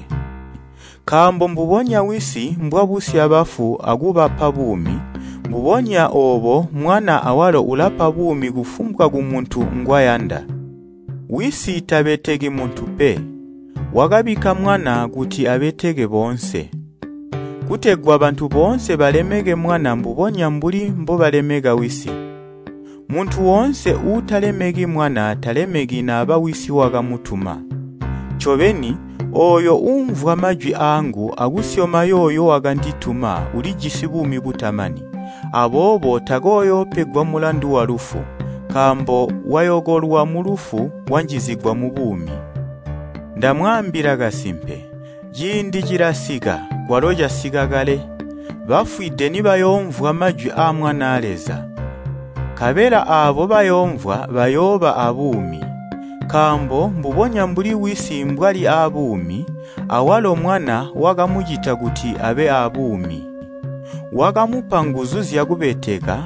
Nkaambo mbubonya Wisi mbwabusya bafu akubapa buumi, mbubonya oobo Mwana awalo ulapa buumi kufumbwa kumuntu ngwayanda. Wisi tabeteki muntu pe, wakabikka Mwana kuti abeteke boonse, kutegwa bantu boonse balemeke Mwana mbubonya mbuli mbobalemeka Wisi. Muntu woonse uutalemeki Mwana talemeki naba Wisi wakamutuma. Ncobeni, ooyo uumvwa majwi aangu akusyoma yooyo wakandituma ulijisi buumi butamani, aboobo takooyoopegwa mulandu walufu, nkaambo wayokolwa mulufu wanjizigwa mubuumi. Ndamwaambila kasimpe, ciindi cilasika, kwalo casika kale, bafwide nibayoomvwa majwi aa Mwanaa Leza. Nkabela aabo bayoomvwa bayooba abuumi. Nkaambo mbubonya mbuli Wisi mbwali aabuumi, awalo Mwana wakamucita kuti abe aabuumi. Wakamupa nguzu zyakubeteka,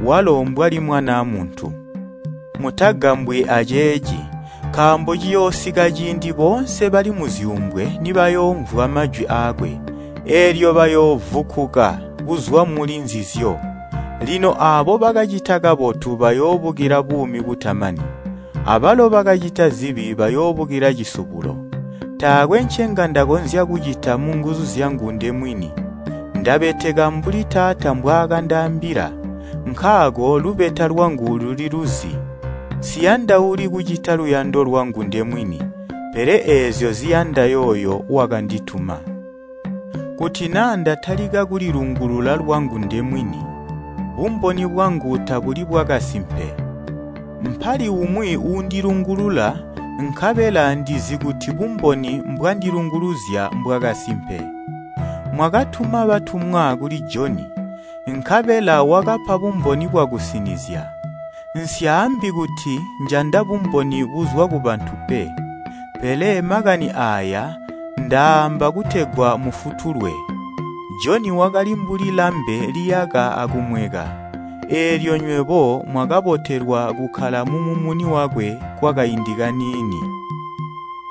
walo mbwali Mwanaa Muntu. Mutagambwi aceeci, nkaambo ciyoosika ciindi boonse bali muzyuumbwe nibayoomvwa majwi aakwe, eelyo bayoovukkuka kuzwa muli nzizyo. Lino aabo bakacita kabotu bayoobukila buumi butamani, abalo bakacita zibi bayoobukila cisubulo. Taakwe ncenga ndakonzya kucita munguzu zyangu ndemwini. Ndabeteka mbuli Taata mbwaakandaambila, nkaako lubeta lwangu luliluzi. Nsiyandauli kucita luyando lwangu ndemwini, pele eezyo ziyanda yooyo wakandituma. Kuti naa ndatalika kulilungulula lwangu ndemwini, bumboni bwangu tabuli bwakasimpe. Mpali umwi uundilungulula, nkabela ndizi kuti bumboni mbwandilunguluzya mbwakasimpe. Mwakatuma batumwa kuli Joni, nkabela wakapa bumboni bwakusinizya. Nsyaambi kuti njanda bumboni buzwa kubantu pe, pele makani aaya ndaamba kutegwa mufutulwe. Joni wakali mbuli lambe liyaka akumweka, eelyo nywebo mwakabotelwa kukkala mumumuni wakwe kwakaindi kaniini.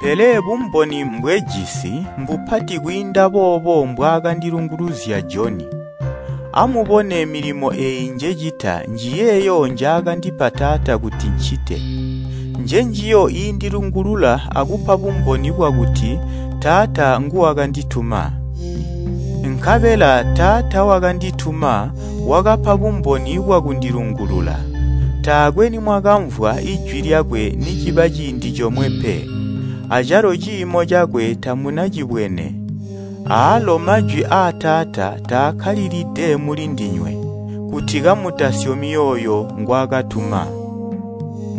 Pele bumboni mbwejisi mbupati kwiinda boobo mbwaakandilunguluzya Joni. Amubone milimo eeyi njecita njiyeeyo njaakandipa Taata kuti ncite. Njenjiyo iindilungulula akupa bumboni bwakuti Taata nguwakandituma. Nkabela Taata wakandituma wakapa bumboni bwakundilungulula. Taakwe nimwakamvwa ijwi lyakwe niciba ciindi comwe pe, acalo ciimo cakwe tamunacibwene. Aalo majwi aa Taata taakkalilide mulindinywe, kuti kamutasyomi yooyo ngwaakatuma.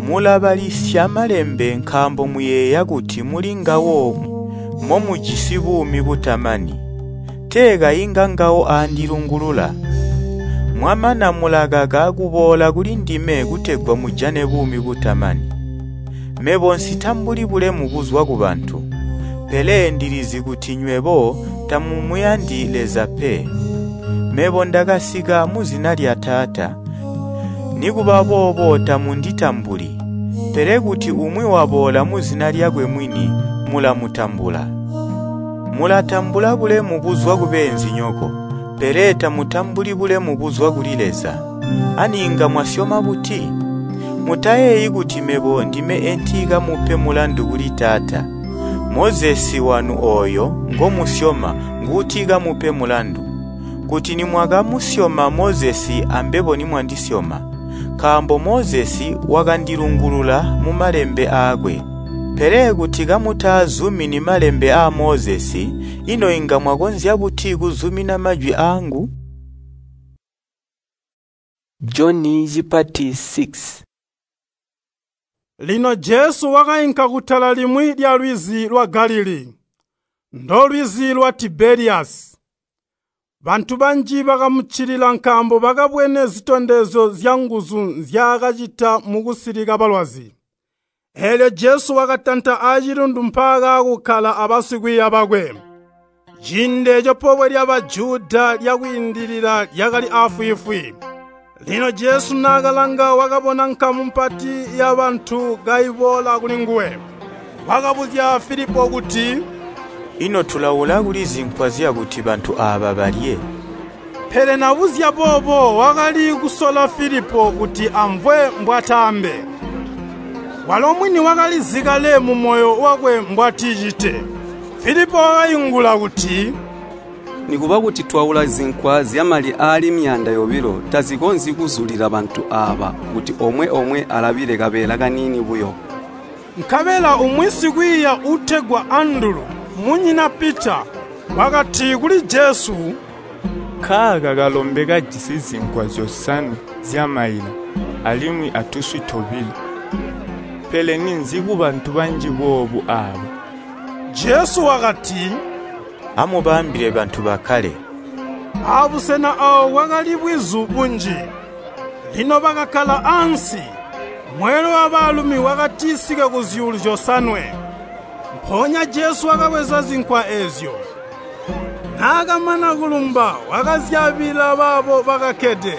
Mulabalisya Malembe nkaambo muyeeya kuti mulingawo momujisi buumi butamani. Tee kayi ngangawo aandilungulula. Mwamana mulakaka kuboola kulindime kutegwa mujane buumi butamani. Mebo nsitambuli bulemu buzwa kubantu, pele ndilizi kuti nywebo tamumuyandi Leza pe. Mebo ndakasika muzina lya Taata, nikuba boobo tamunditambuli. Pele kuti umwi waboola muzina lyakwe mwini, mulamutambula. Mulatambula bulemu buzwa kubeenzinyoko, pele tamutambuli bulemu buzwa kuli Leza. Ani inga mwasyoma buti? Mutayeeyi kuti mebo ndime entiikamupe mulandu kuli Taata. Mozesi wanu ooyo ngomusyoma nguutikamupe mulandu. Kuti nimwakamusyoma Mozesi ambebo nimwandisyoma, nkaambo Mozesi wakandilungulula mumalembe aakwe. Pele kuti kamutaazumini malembe aa Mozesi, ino inga mwakonzya buti kuzumina majwi aangu? Joni chipati 6. Lino Jesu wakainka kutala limwi lya lwizi lwa Galilii, ndolwizi lwa Tibeliyasi. Bantu banji bakamuccilila nkaambo bakabwene zitondezyo zyanguzu nzyaakacita mukusilika balwazi. Eelyo Jesu wakatanta aacilundu mpaakaakukkala abasikwiiya bakwe. Ciindi eeco pobwe lya Bajuda lyakwiindilila lyakali aafwiifwi. Lino Jesu naakalanga wakabona nkamu mpati yabantu kaiboola kulinguwe. Wakabuzya Filipo kuti, “Ino tulaula kuli zinkwa zyakuti bantu aaba balye?” Pele nabuzya boobo wakali kusola Filipo kuti amvwe mbwataambe. Walo mwini wakalizi kale mumoyo wakwe mbwaticite. Filipo wakaingula kuti, Nikuba kuti twaula zinkwa zyamali aali 200,000 tazikonzyi kuzulila bantu aaba kuti omwe-omwe alabile kabeela kaniini buyo. Nkabela umwi sikwiiya uutegwa Andulu, munyina Pita, wakati kuli Jesu, “Nkaaka kalombe kajisi zinkwa 5 zyamaila alimwi atuswi tobilo. Pele ninzi kubantu banji boobu aaba?” Jesu wakati, “Amubaambile bantu bakkale.” Abusena aawo kwakali bwizu bunji. Lino bakakkala ansi. Mweelwe wabaalumi wakatisike ku 7,000. Mpoonya Jesu wakabweza zinkwa eezyo. Naakamana kulumba wakazyaabila baabo bakakkede,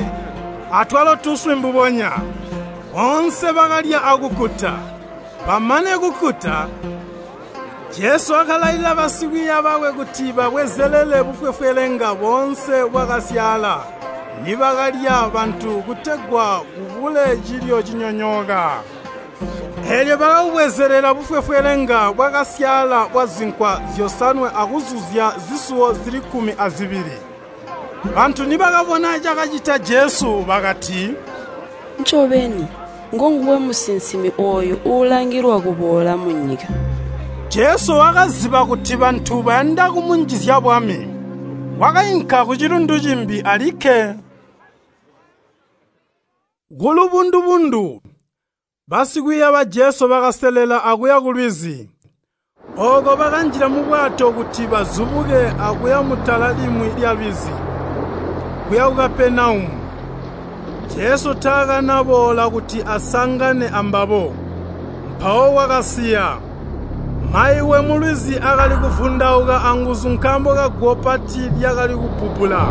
atwalo tuswi mbubonya. Boonse bakalya akukkuta. Bamane kukkuta, Jesu wakalailila basikwiiya bakwe kuti babwezelele bufwefwelenga boonse bwakasyaala nibakalya bantu kutegwa kubule cilyo cinyonyooka. Eelyo bakabubwezelela bufwefwelenga bwakasyaala bwazinkwa 5 akuzuzya zisuwo zili 12. Bantu nibakabona cakacita Jesu bakati, “Ncobeni, ngonguwe musinsimi ooyu uulangilwa kuboola munyika.” Jesu wakaziba kuti bantu bayanda kumunjizya bwami. Wakainka kucilundu cimbi alikke. Kulubundubundu, basikwiiya ba Jesu bakaselela akuya kulwizi. Ooko bakanjila mubwato kuti bazubuke akuya mutala limwi lyalwizi, kuya ku Kapenaumu. Jesu taakanaboola kuti asangane ambabo, mpawo wakasiya. Maiwe mulwizi akali kuvundauka anguzu nkaambo kaguwo pati lyakali kubbubbula.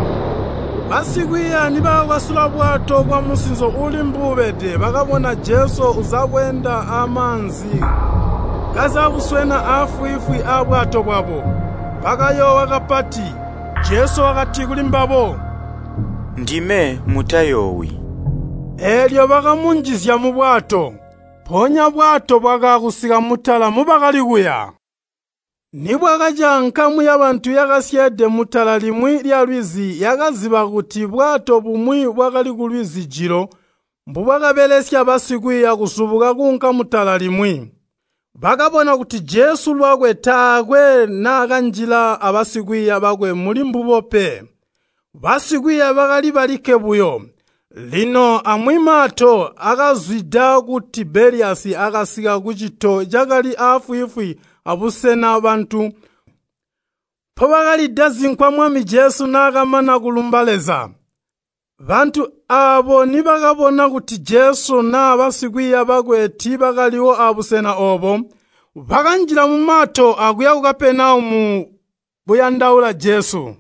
Basikwiiya nibakakwasula bwato kwamusinzo uuli mbuubede bakabona Jesu uzabweenda amaanzi kazabuswena aafwiifwi aabwato bwabo. Bakayoowa kapati. Jesu wakati kulimbabo, “Ndime, mutayoowi.” Eelyo bakamunjizya mubwato. Mpoonya bwato bwakaakusika mutala mubakali kuya. Nibwakaca nkamu yabantu yakasyeede mutala limwi lyalwizi yakaziba kuti bwato bumwi bwakali kulwizi jilo mbubwakabelesya basikwiiya kuzubuka kuunka mutala limwi. Bakabona kuti Jesu lwakwe taakwe naakanjila abasikwiiya bakwe muli mbubo pe. Basikwiiya bakali balikke buyo. Lino amwi mato akazwida ku Tibeliyasi akasika kucito cakali aafwiifwi abusena bantu mpobakalida zinkwa Mwami Jesu naakamana kulumba Leza. Bantu aabo nibakabona kuti Jesu naa basikwiiya bakwe tiibakaliwo abusena oobo, bakanjila mumato akuya ku Kapenaumu kuyandaula Jesu.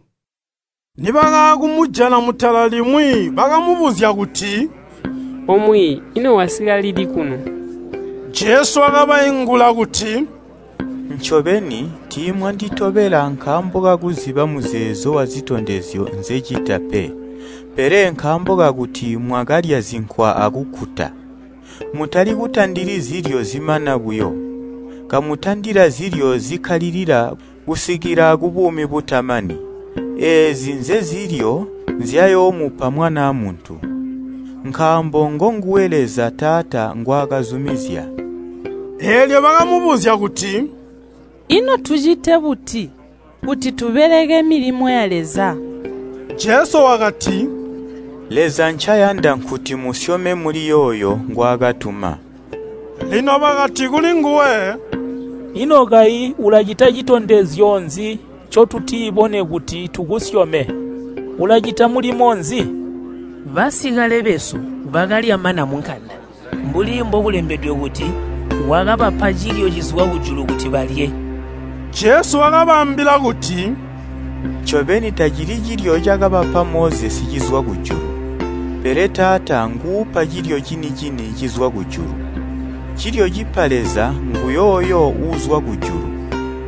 Nibakaakumujana mutala limwi bakamubuzya kuti, “Omwiiyi, ino wasika lili kuno?” Jesu wakabaingula kuti, “Ncobeni tiimwanditobela nkaambo kakuziba muzeezo wazitondezyo nzecita pe, pele nkaambo kakuti mwakalya zinkwa akukkuta. Mutali kutandili zilyo zimana buyo, kamutandila zilyo zikkalilila kusikila kubuumi butamani. Eezi nzezilyo nzyayoomupa Mwanaa Muntu, nkaambo ngonguwe Leza Taata ngwaakazumizya.” Eelyo bakamubuzya kuti, “Ino tucite buti kuti tubeleke milimo ya Leza?” Jesu wakati, “Leza ncayanda nkuti musyome muli yooyo ngwaakatuma.” Lino bakati kulinguwe, “Ino kayi ulacita citondezyo nzi ncotutibone kuti tukusyome? Ulacita mulimo nzi? Basikale besu bakalya mana munkanda, mbuli mbokulembedwe kuti, ‘Wakabapa cilyo cizwa kujulu kuti balye.’” Jesu wakabaambila kuti, “Ncobeni tacili cilyo cakabapa Mozesi cizwa kujulu, pele Taata nguupa cilyo cini-cini cizwa kujulu. Cilyo cipa Leza nguyooyo uuzwa kujulu,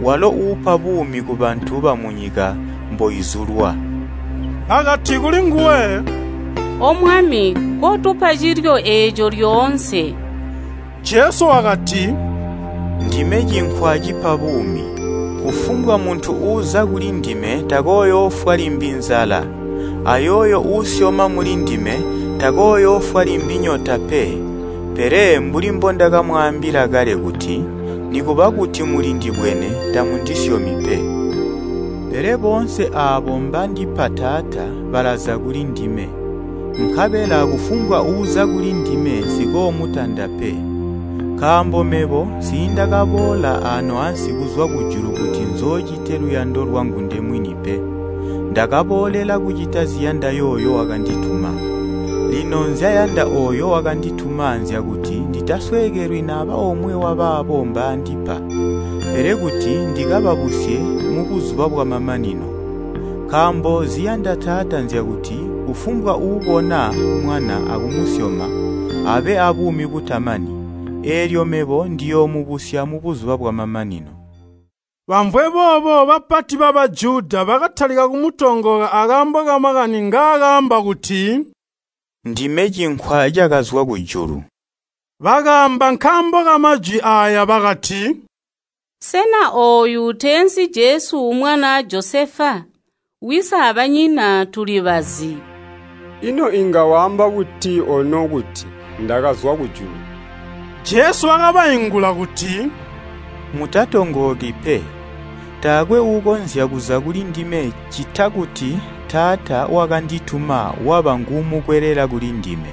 walo uupa buumi kubantu bamunyika mboizulwa.” Bakati kulinguwe, “O Mwami, kotupa cilyo eeco lyoonse.” Jesu wakati, “Ndime cinkwa cipa buumi. Kufumbwa muntu uuza kulindime takooyoofwa limbi nzala, ayooyo uusyoma mulindime takooyoofwa limbi nyota pe. Pele mbuli mbondakamwaambila kale kuti, nikuba kuti mulindibwene tamundisyomi pe. Pele boonse aabo mbandipa Taata balaza kulindime, nkabela kufumbwa uuza kulindime nsikoomutanda pe. Nkaambo mebo nsiindakaboola aano ansi kuzwa kujulu kuti nzoocite luyando lwangu ndemwini pe. Ndakaboolela kucita ziyanda yooyo wakandituma. Lino nzyayanda ooyo wakandituma nzyakuti nditasweekelwi naba omwe wabaabo mbaandipa, pele kuti ndikababusye mubuzuba bwamamanino. Nkaambo ziyanda Taata nzyakuti kufumbwa uubona Mwana akumusyoma abe abuumi butamani, eelyo mebo ndiyoomubusya mubuzuba bwamamanino. Bamvwe boobo bapati ba Bajuda bakatalika kumutongooka akaambo kamakani ngaakaamba kuti, “Ndime cinkwa cakazwa kujulu.” Bakaamba nkaambo kamajwi aaya bakati, “Sena ooyu teensi Jesu mwanaa Josefa? Wisi abanyina tulibazi.” Ino inga waamba buti ono kuti, ‘Ndakazwa kujulu?’” Jesu wakabaingula kuti, “Mutatongooki pe. Taakwe uukonzya kuza kulindime ccita kuti Taata wakandituma waba nguumukwelela kulindime.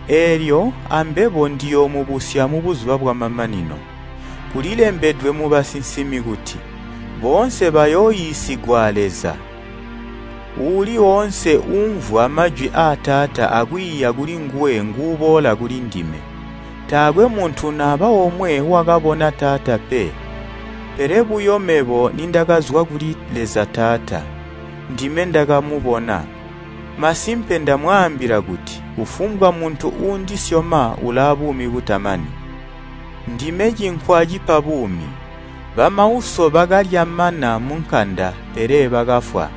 Eelyo ambebo ndiyoomubusya mubuzuba bwamamanino. Kulilembedwe mubasinsimi kuti, ‘Boonse bayooyiisigwa a Leza.’ Uuli woonse uumvwa majwi aa Taata akwiiya kulinguwe nguuboola kulindime. Taakwe muntu naba omwe wakabona Taata pe, pele buyo mebo nindakazwa kuli Leza Taata, ndime ndakamubona. Masimpe ndamwaambila kuti kufumbwa muntu uundisyoma ulaabuumi butamani. Ndime cinkwa cipa buumi. Bamauso bakalya mana munkanda pele bakafwa.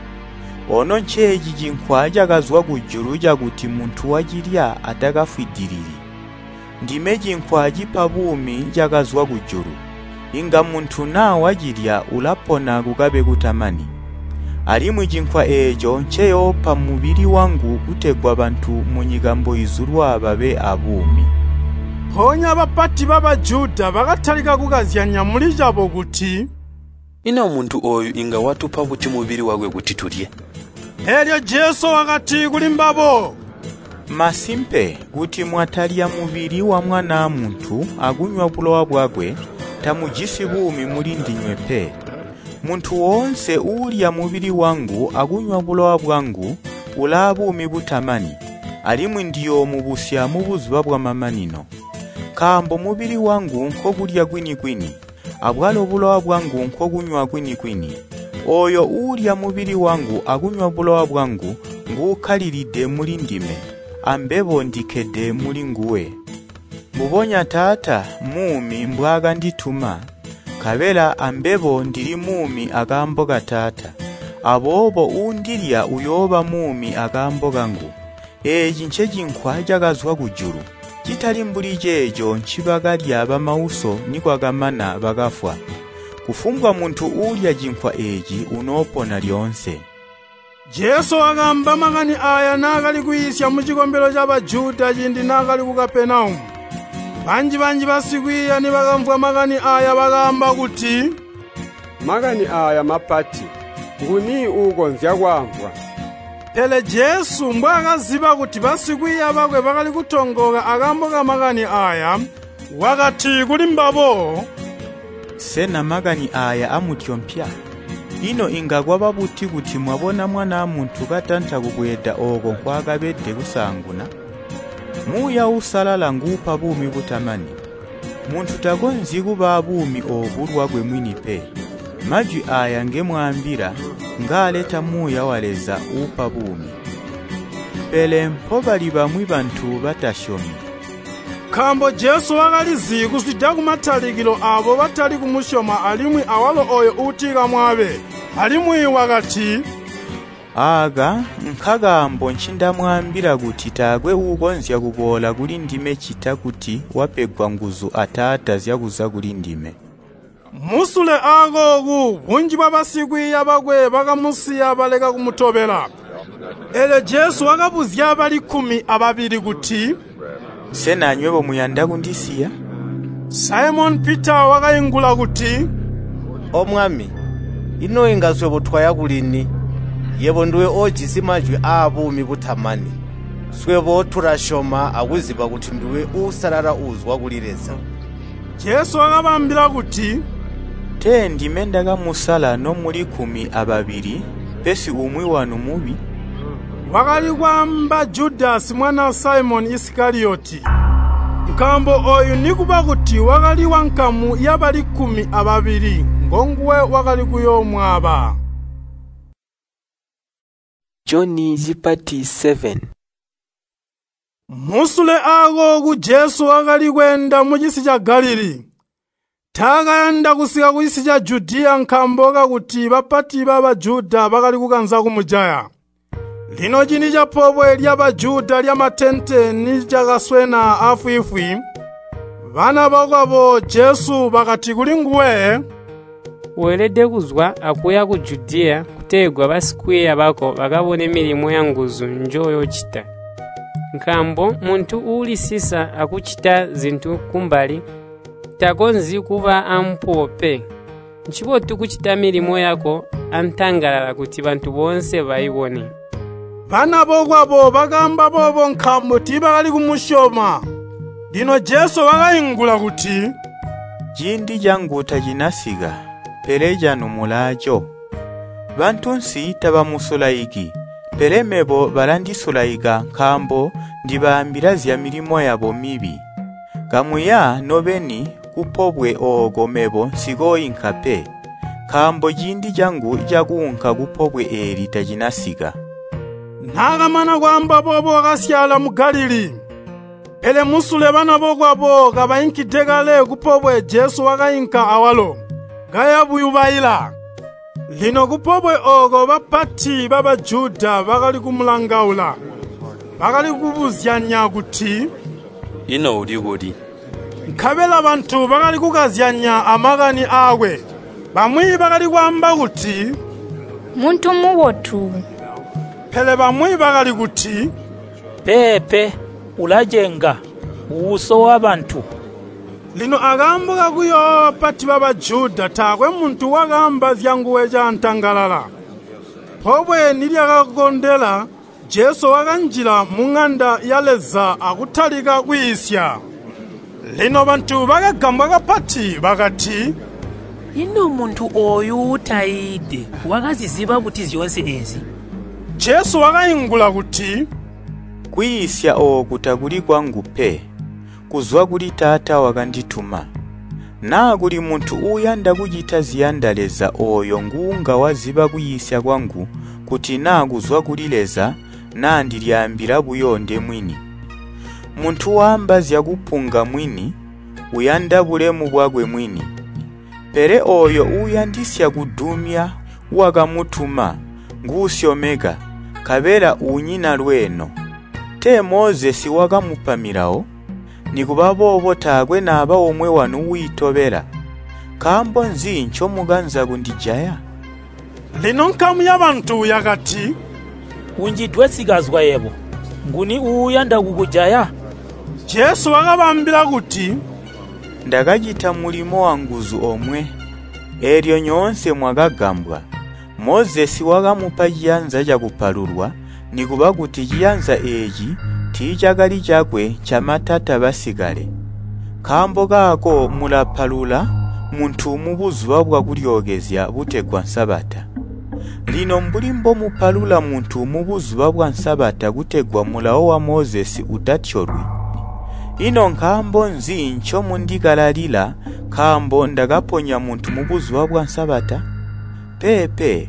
Ono nceeci cinkwa cakazwa kujulu cakuti muntu wacilya atakafwidilili. Ndime cinkwa cipa buumi cakazwa kujulu. Inga muntu naa wacilya ulapona kukabe kutamani. Alimwi cinkwa eeco nceyoopa mubili wangu kutegwa bantu munyika mboizulwa babe abuumi. Mpoonya bapati ba Bajuda bakatalika kukazyanya muli cabo kuti, Ino muntu ooyu inga watupa buti mubili wakwe kuti tulye? Eelyo Jesu wakati kulimbabo, Masimpe kuti mwatalya mubili wa Mwanaa Muntu akunywa bulowa bwakwe, tamujisi buumi mulindinywe pe. Muntu woonse uulya mubili wangu akunywa bulowa bwangu ulaabuumi butamani, alimwi ndiyoomubusya mubuzuba bwamamanino. Nkaambo mubili wangu nkokulya kwini-kwini, abwalo bulowa bwangu nkokunywa kwini-kwini. Ooyo uulya mubili wangu akunywa bulowa bwangu nguukkalilide mulindime, ambebo ndikkede mulinguwe. Mbubonya Taata muumi mbwaakandituma, nkabela ambebo ndili muumi akaambo ka Taata. Aboobo uundilya uyooba muumi akaambo kangu. Eeci ncecinkwa cakazwa kujulu, citali mbuli ceeco ncibakalya bamauso nikwakamana bakafwa. Kufumbwa muntu uulya cinkwa eeci unoopona lyoonse. Jesu wakaamba makani aaya naakali kwiisya mucikombelo ca Bajuda ciindi naakali ku Kapenaumu. Banji-banji basikwiiya nibakamvwa makani aaya bakaamba kuti, Makani aaya mapati, nguni uukonzya kwaamvwa? Pele Jesu mbwaakaziba kuti basikwiiya bakwe bakali kutongooka akaambo kamakani aaya, wakati kulimbabo, Sena makani aaya amutyompya? Ino inga kwaba buti kuti mwabona Mwanaa Muntu katanta kubweeda ooko nkwaakabede kusaanguna? Muuya Uusalala nguupa buumi butamani. Muntu takonzyi kuba abuumi oobu lwakwe mwini pe. Majwi aaya ngemwaambila ngaaleta Muuya wa Leza uupa buumi. Pele mpobali bamwi bantu batasyomi. Nkaambo Jesu wakalizi kuzwida kumatalikilo aabo batali kumusyoma alimwi awalo ooyo uutikamwaabe. Alimwi wakati, Aaka nkakaambo ncindamwaambila kuti taakwe uukonzya kuboola kulindime ccita kuti wapegwa nguzu a Taata zyakuza kulindime. Musule aakooku bunji bwabasikwiiya bakwe bakamusiya baleka kumutobela. Eelyo Jesu wakabuzya bali 12 kuti, Sena anywebo muyanda kundisiya? Saimoni Pita wakaingula kuti, O Mwami, ino inga swebo twaya kuli ni? Yebo nduwe oojisi majwi aabuumi butamani. Swebo tulasyoma akuziba kuti nduwe Uusalala uuzwa kuli Leza. Jesu wakabaambila kuti, Tee ndime ndakamusala nomuli 12, pesi umwi wanu mubi. Wakali kwaamba Judasi mwanaa Saimoni Isikaliyoti. Nkaambo ooyu nikuba kuti wakali wankamu yabali 12, ngonguwe wakali kuyoomwaaba. Joni chipati 7. Musule aakooku Jesu wakali kweenda mucisi ca Galilii. Taakayanda kusika kucisi ca Judiya nkaambo kakuti bapati ba Bajuda bakali kukanza kumujaya. Lino ciindi capobwe lya Bajuda lyamatente nicakaswena aafwiifwi, bana bakwabo Jesu bakati kulinguwe, Weelede kuzwa akuya ku Judiya kutegwa basikwiiya bako bakabone milimo yanguzu njoyoocita. Nkaambo muntu uulisisa akucita zintu kumbali takonzyi kuba ampuwo pe. Ncibotu kucita milimo yako antangalala kuti bantu boonse baibone. Bana bokwabo bakaamba boobo nkaambo tiibakali kumusyoma. Lino Jesu wakaingula kuti, Ciindi cangu tacinasika, pele canu mulaaco. Bantunsi tabamusulaiki, pele mebo balandisulaika nkaambo ndibaambila zyamilimo yabo mibi. Kamuya nobeni kupobwe ooko mebo nsikooinka pe, nkaambo ciindi cangu cakuunka kupobwe eeli tacinasika. Naakamana kwaamba boobo wakasyaala mu Galilii. Pele musule bana bokwabo kabainkide kale kupobwe Jesu wakainka awalo, kaya buyubaila. Lino kupobwe ooko bapati ba Bajuda bakali kumulangaula. Bakali kubuzyanya kuti, Ino uli kuli?” Nkabela bantu bakali kukazyanya amakani aakwe. Bamwi bakali kwaamba kuti, “Muntu mubotu.” Pele bamwi bakali kuti, “Peepe, ulacenga, usowa bantu.” Lino akaambo kakuyoowa bapati ba Bajuda taakwe muntu wakaamba zyanguwe caantangalala. Pobwe nilyakakondela, Jesu wakanjila muŋanda ya Leza akutalika kwiisya. Lino bantu bakagambwa kapati bakati, “Ino muntu ooyu uutaiide wakaziziba buti zyoonse eezi?” Jesu wakaingula kuti, “Kwiisya ooku takuli kwangu pe, kuzwa kuli Taata wakandituma. Naa kuli muntu uuyanda kucita ziyanda Leza ooyo nguunga waziba kwiisya kwangu kuti naa kuzwa kuli Leza naa ndilyaambila buyo ndemwini. Muntu waamba zyakupunga mwini, uyanda bulemu bwakwe mwini. Pele ooyo uuyandisya kudumya wakamutuma, nguusyomeka, nkabela unyina lweeno. Tee Mozesi wakamupa milawo? Nikuba boobo taakwe naba omwe wanu wiitobela. Nkaambo nzi ncomukanza kundijaya?” Lino nkamu yabantu yakati, “Unjidwe sikazwa yebo, nguni uuyanda kukujaya?” Jesu wakabaambila kuti, “Ndakacita mulimo wanguzu omwe, eelyo nyoonse mwakagambwa. Mozesi wakamupa ciyanza cakupalulwa, nikuba kuti ciyanza eeci tiicakali cakwe ncamatata basikale. Nkaambo kaako mulapalula muntu mubuzuba bwa kulyookezya butegwa Sabata. Lino mbuli mbomupalula muntu mubuzuba bwa Sabata kutegwa mulawo wa Mozesi utatyolwi, ino nkaambo nzi ncomundikalalila nkaambo ndakaponya muntu mubuzuba bwa Sabata? Peepe,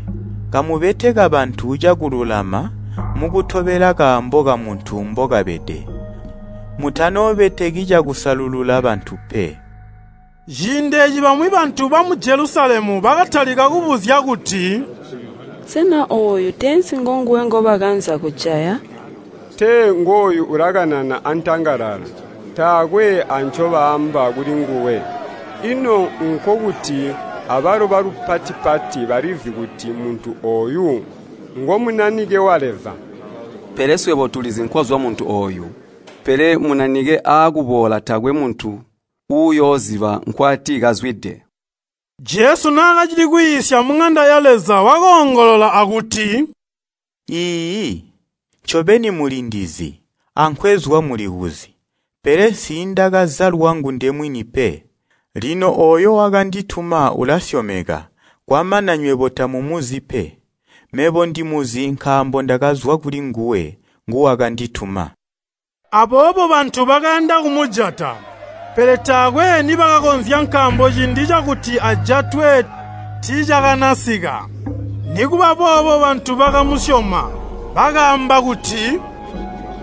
kamubeteka bantu cakululama mukutobela kaambo kamuntu mbokabede. Mutanoobeteki cakusalulula bantu pe.” Ciindi eeci bamwi bantu bamu Jelusalemu bakatalika kubuzya kuti, “Sena ooyu teensi ngonguwe ngobakanza kujaya? Tee ngooyu ulakanana antangalala, taakwe ancobaamba kulinguwe. Ino nkokuti abalo balupati-pati balizi kuti muntu ooyu ngo Munanike wa Leza. Pele swebo tulizi nkwazwa muntu ooyu. Pele Munanike aakuboola taakwe muntu uuyooziba nkwati kazwide.” Jesu naakacili kwiisya muŋanda ya Leza wakoongolola akuti, “Iiyi, ncobeni mulindizi, ankwezwa mulikuzi, pele nsiindakaza lwangu ndemwini pe. Lino ooyo wakandituma ulasyomeka, kwamana nywebo tamumuzi pe. Mebo ndimuzi nkaambo ndakazwa kulinguwe, nguwakandituma.” Aboobo bantu bakayanda kumujata, pele taakwe nibakakonzya nkaambo ciindi cakuti ajatwe tiicakanasika. Nikuba boobo bantu bakamusyoma, bakaamba kuti,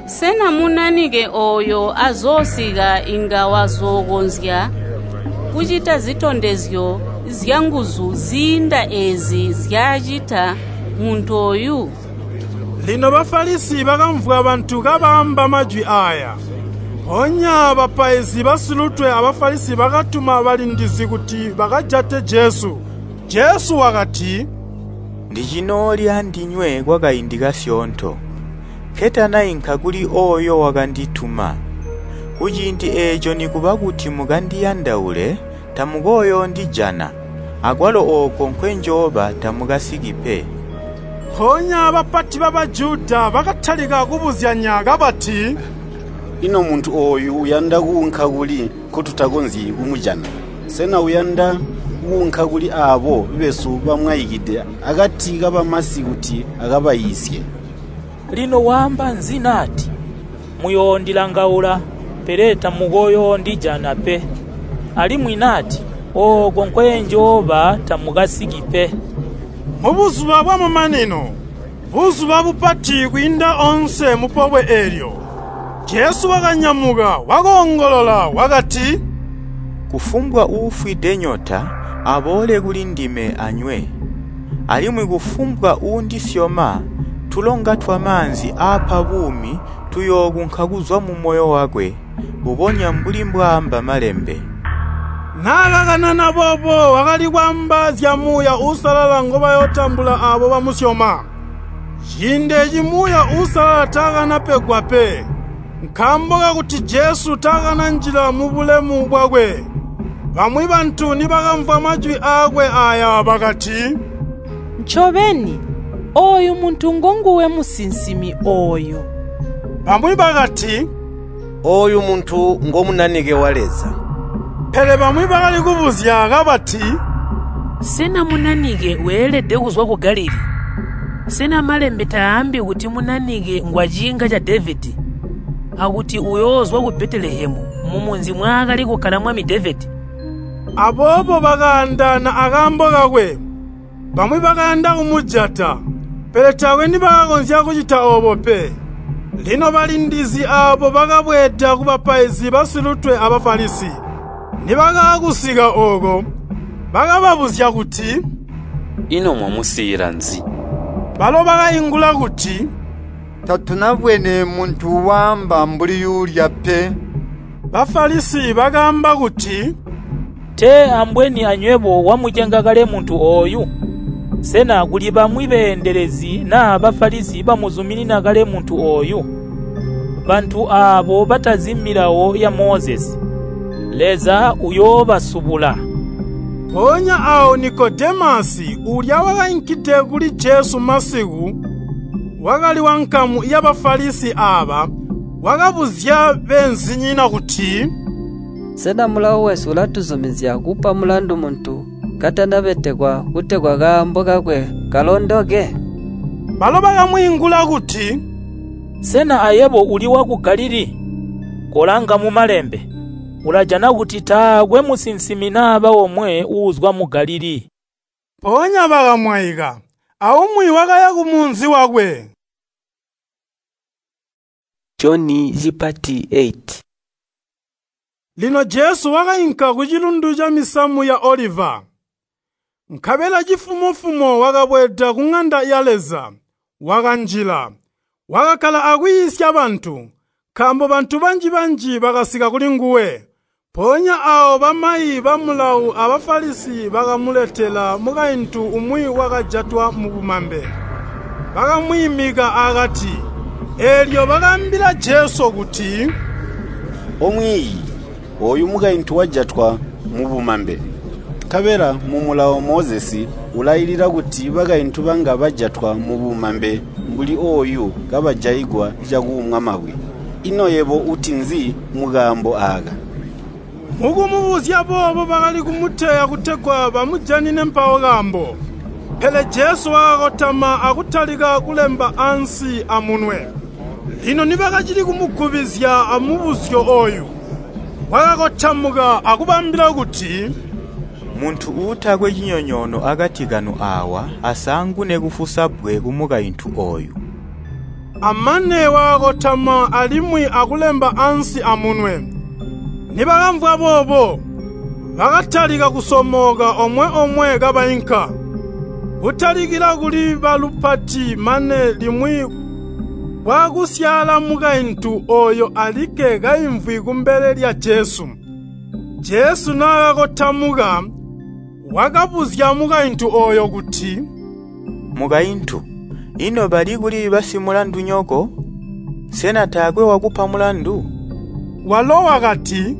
“Sena Munanike ooyo azoosika inga wazookonzya kucita zitondezyo zyanguzu ziinda eezi nzyaacita muntu ooyu?” Lino Bafalisi bakamvwa bantu kabaamba majwi aaya. Mpoonya bapaizi basilutwe a Bafalisi bakatuma balindizi kuti bakajate Jesu. Jesu wakati, “Ndicinooli andinywe kwakaindi kasyoonto, nketanainka kuli ooyo wakandituma. Kuciindi eeco nikuba kuti mukandiyandaule, tamukooyoondijana, akwalo ooko nkwenjooba tamukasiki pe.” Mpoonya bapati ba Bajuda bakatalika kubuzyanya kabati, “Ino muntu ooyu uyanda kuunka kuli nkotutakonzyi kumujana? Sena uyanda kuunka kuli aabo besu bamwaikide akati kabamasi kuti akabaiisye? Lino waamba nzi nati, ‘Muyoondilangaula, pele tamukooyoondijana pe,’ alimwi nati, ‘Ooko nkwenjooba tamukasiki pe?’” Mubuzuba bwamamanino, buzuba bupati kwiinda oonse mupobwe eelyo, Jesu wakanyamuka wakoongolola wakati, “Kufumbwa uufwide nyota aboole kulindime anywe. Alimwi kufumbwa uundisyoma, tulonga twamaanzi aapa buumi Tuyookunka kuzwa mumoyo wakwe, mbubonya mbuli mbwaamba Malembe.” Naakakanana boobo wakali kwaamba zya Muuya Uusalala ngobayootambula aabo bamusyoma. Ciindi eeci Muuya Uusalala taakanapegwa pe, nkaambo kakuti Jesu taakananjila mubulemu bwakwe. Bamwi bantu nibakamvwa majwi aakwe aaya bakati, “Ncobeni, ooyu muntu ngonguwe musinsimi ooyo.” Bamwi bakati, “Ooyu muntu ngo Munanike wa Leza.” Pele bamwi bakali kubuzya kabati, “Sena Munanike weelede kuzwa ku Galilii? Sena Malembe taambi kuti Munanike ngwaciinga ca Devedi, akuti uyoozwa ku Betelehemu mumunzi mwaakali kukkala mwami Devedi?” Aboobo bakaandaana akaambo kakwe. Bamwi bakayanda kumujata, pele taakwe nibakakonzya kucita oobo pe. Lino balindizi aabo bakabweeda kubapaizi basilutwe a Bafalisi. Nibakaakusika ooko, bakababuzya kuti, “Ino mwamusiila nzi?” Balo bakaingula kuti, “Tatunabwene muntu waamba mbuli yuulya pe.” Bafalisi bakaamba kuti, “Tee ambweni anywebo wamucenga kale muntu ooyu? Sena kuli bamwi beendelezi naa Bafalisi bamuzuminina kale muntu ooyu? Bantu aabo batazi milawo ya Mozesi, Leza uyoobasubula.” Mpoonya aawo Nikodemasi, uulya wakainkide kuli Jesu masiku, wakali wankamu ya Bafalisi aaba, wakabuzya beenzinyina kuti, “Sena mulawo wesu ulatuzumizya kupa mulandu muntu katanabetekwa kutegwa kaambo kakwe kalondoke?” Balo bakamwiingula kuti, “Sena ayebo uli waku Galilii? Kolanga mu Malembe, ulajana kuti taakwe musinsimi naba omwe uuzwa mu Galilii.” Mpoonya bakamwaika, aumwi wakaya kumunzi wakwe. Joni cipati 8. Lino Jesu wakainka kucilundu camisamu ya Oliva. Nkabela cifumo-fumo wakabweeda kuŋanda ya Leza, wakanjila, wakakkala akwiisya bantu, nkaambo bantu banji-banji bakasika kulinguwe. Mpoonya aawo bamayi ba Mulawo a Bafalisi bakamuletela mukaintu umwi wakajatwa mubumambe. Bakamwiimika akati, eelyo bakaambila Jesu kuti, “Omwiiyi, ooyu mukaintu wajatwa mubumambe. Nkabela mu Mulawo Mozesi ulailila kuti bakaintu banga bajatwa mubumambe mbuli ooyu kabajaigwa cakuumwa mabwe. Ino yebo uti nzi mukaambo aaka?” Mukumubuzya boobo bakali kumuteya kutegwa bamujanine mpawo kaambo. Pele Jesu wakakotama akutalika kulemba ansi amunwe. Lino nibakacili kumugubizya amubuzyo ooyu, wakakotamuka akubaambila kuti, “Muntu uutakwe cinyonyoono akati kanu aawa asaangune kufusa bbwe kumukaintu ooyu.” Amane wakakotama alimwi akulemba ansi amunwe. Nibakamvwa boobo, bakatalika kusomoka omwe-omwe kabainka, kutalikila kuli balupati mane limwi kwaakusyaala mukaintu ooyo alikke kaimvwi kumbele lya Jesu. Jesu naakakotamuka, wakabuzya mukaintu ooyo kuti, “Mukaintu, ino bali kuli basimulandunyoko? Sena taakwe wakupa mulandu?” Walo wakati,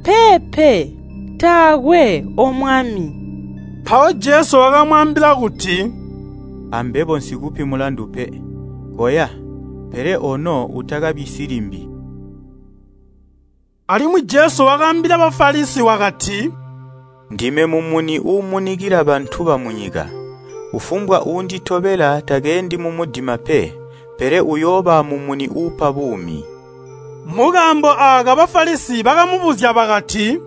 “Peepe, taakwe, O Mwami.” Mpawo Jesu wakamwaambila kuti, “Ambebo nsikupi mulandu pe. Koya, pele ono utakabisyi limbi.” Alimwi Jesu wakaambila Bafalisi wakati, “Ndime mumuni uumunikila bantu bamunyika. Kufumbwa uunditobela takeendi mumudima pe, pele uyooba amumuni uupa buumi.” Mukaambo aaka Bafalisi bakamubuzya bakati,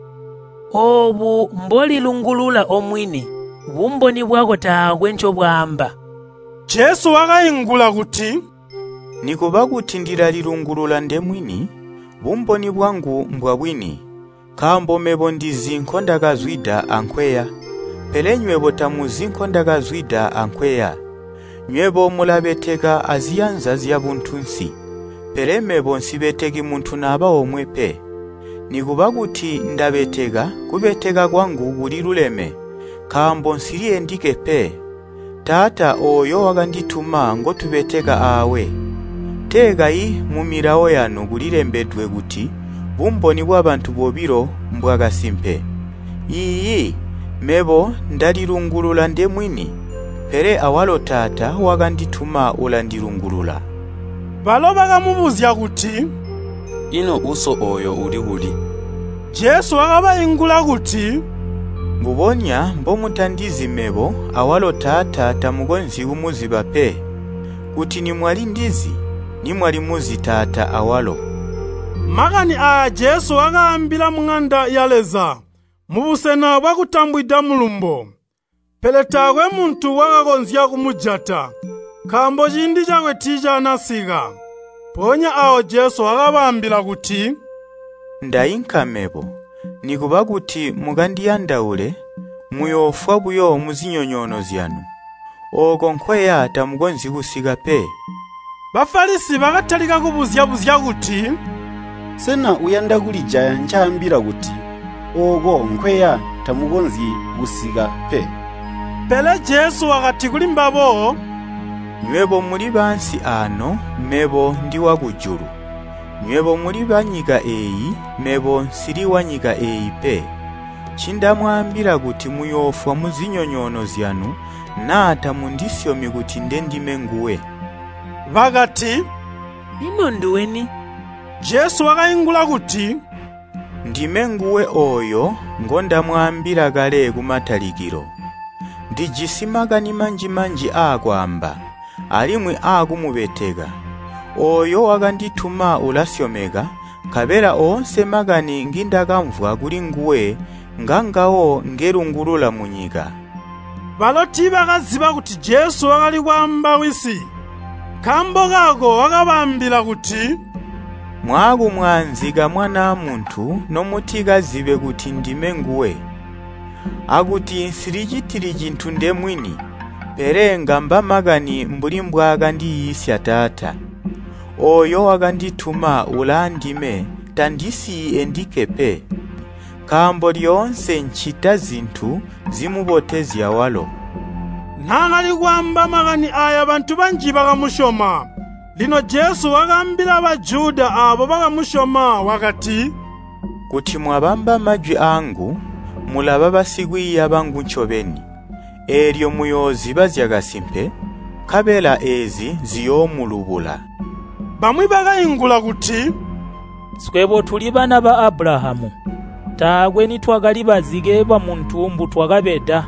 “Oobu mbolilungulula omwini, bumboni bwako taakwe ncobwaamba.” Jesu wakaingula kuti, “Nikuba kuti ndilalilungulula ndemwini, bumboni bwangu mbwabwini, nkaambo mebo ndizi nkondakazwida ankweya. Pele nywebo tamuzi nkondakazwida ankweya. Nywebo mulabeteka aziyanza zyabuntunsi, Pele mebo nsibeteki muntu naba omwe pe. Nikuba kuti ndabeteka, kubeteka kwangu kuliluleme, nkaambo nsili endikke pe. Taata ooyo wakandituma ngotubeteka aawe. Tee kayi mumilawo yanu kulilembedwe kuti bumboni bwabantu bobilo mbwakasimpe. Iiyi, mebo ndalilungulula ndemwini, pele awalo Taata wakandituma ulandilungulula.” Balo bakamubuzya kuti, “Ino Uso ooyo uli kuli?” Jesu wakabaingula kuti, “Mbubonya mbomutandizi mebo, awalo Taata tamukonzyi kumuziba pe. Kuti nimwalindizi, nimwalimuzi Taata awalo.” Makani aaya Jesu wakaambila muŋanda ya Leza, mubusena bwakutambwida mulumbo. Pele taakwe muntu wakakonzya kumujata, nkaambo ciindi cakwe tiicaanasika. Mpoonya aawo Jesu wakabaambila kuti, “Ndainka mebo, nikuba kuti mukandiyandaule, muyoofwa buyo muzinyonyoono zyanu. Ooko nkweya tamukonzyi kusika pe.” Bafalisi bakatalika kubuzya-buzya kuti, “Sena uyanda kulijaya ncaambila kuti, ‘Ooko nkweya tamukonzyi kusika pe?’” Pele Jesu wakati kulimbabo, “Nywebo muli baansi aano, mebo ndi wakujulu. Nywebo muli banyika eeyi, mebo nsili wanyika eeyi pe. Ncindamwaambila kuti muyoofwa muzinyonyoono zyanu naa tamundisyomi kuti ndendime nguwe.” Bakati, “Ino nduweni?” Jesu wakaingula kuti, “Ndime nguwe ooyo ngondamwaambila kale kumatalikilo. Ndijisi makani manji-manji aakwaamba, alimwi aakumubeteka. Ooyo wakandituma ulasyomeka, nkabela oonse makani ngindakamvwa kulinguwe ngangawo ngelungulula munyika.” Balo tiibakaziba kuti Jesu wakali kwaamba Wisi. Nkaambo kaako wakabaambila kuti, “Mwaakumwaanzika Mwanaa Muntu nomutikazibe kuti ndime nguwe, akuti nsilicitili cintu ndemwini, pele ngamba makani mbuli mbwaakandiyiisya Taata. Ooyo wakandituma ulaandime tandisiyi endikke pe, nkaambo lyoonse ncita zintu zimubotezya walo.” Naakali kwaamba makani aaya bantu banji bakamusyoma. Lino Jesu wakaambila Bajuda aabo bakamusyoma wakati, “Kuti mwabamba majwi aangu, mulaba basikwiiya bangu ncobeni. Eelyo muyooziba zyakasimpe, nkabela eezi ziyoomulubula.” Bamwi bakaingula kuti, “Swebo tuli bana ba Abulahamu, taakwe nitwakali bazike bamuntu mbutwakabeda.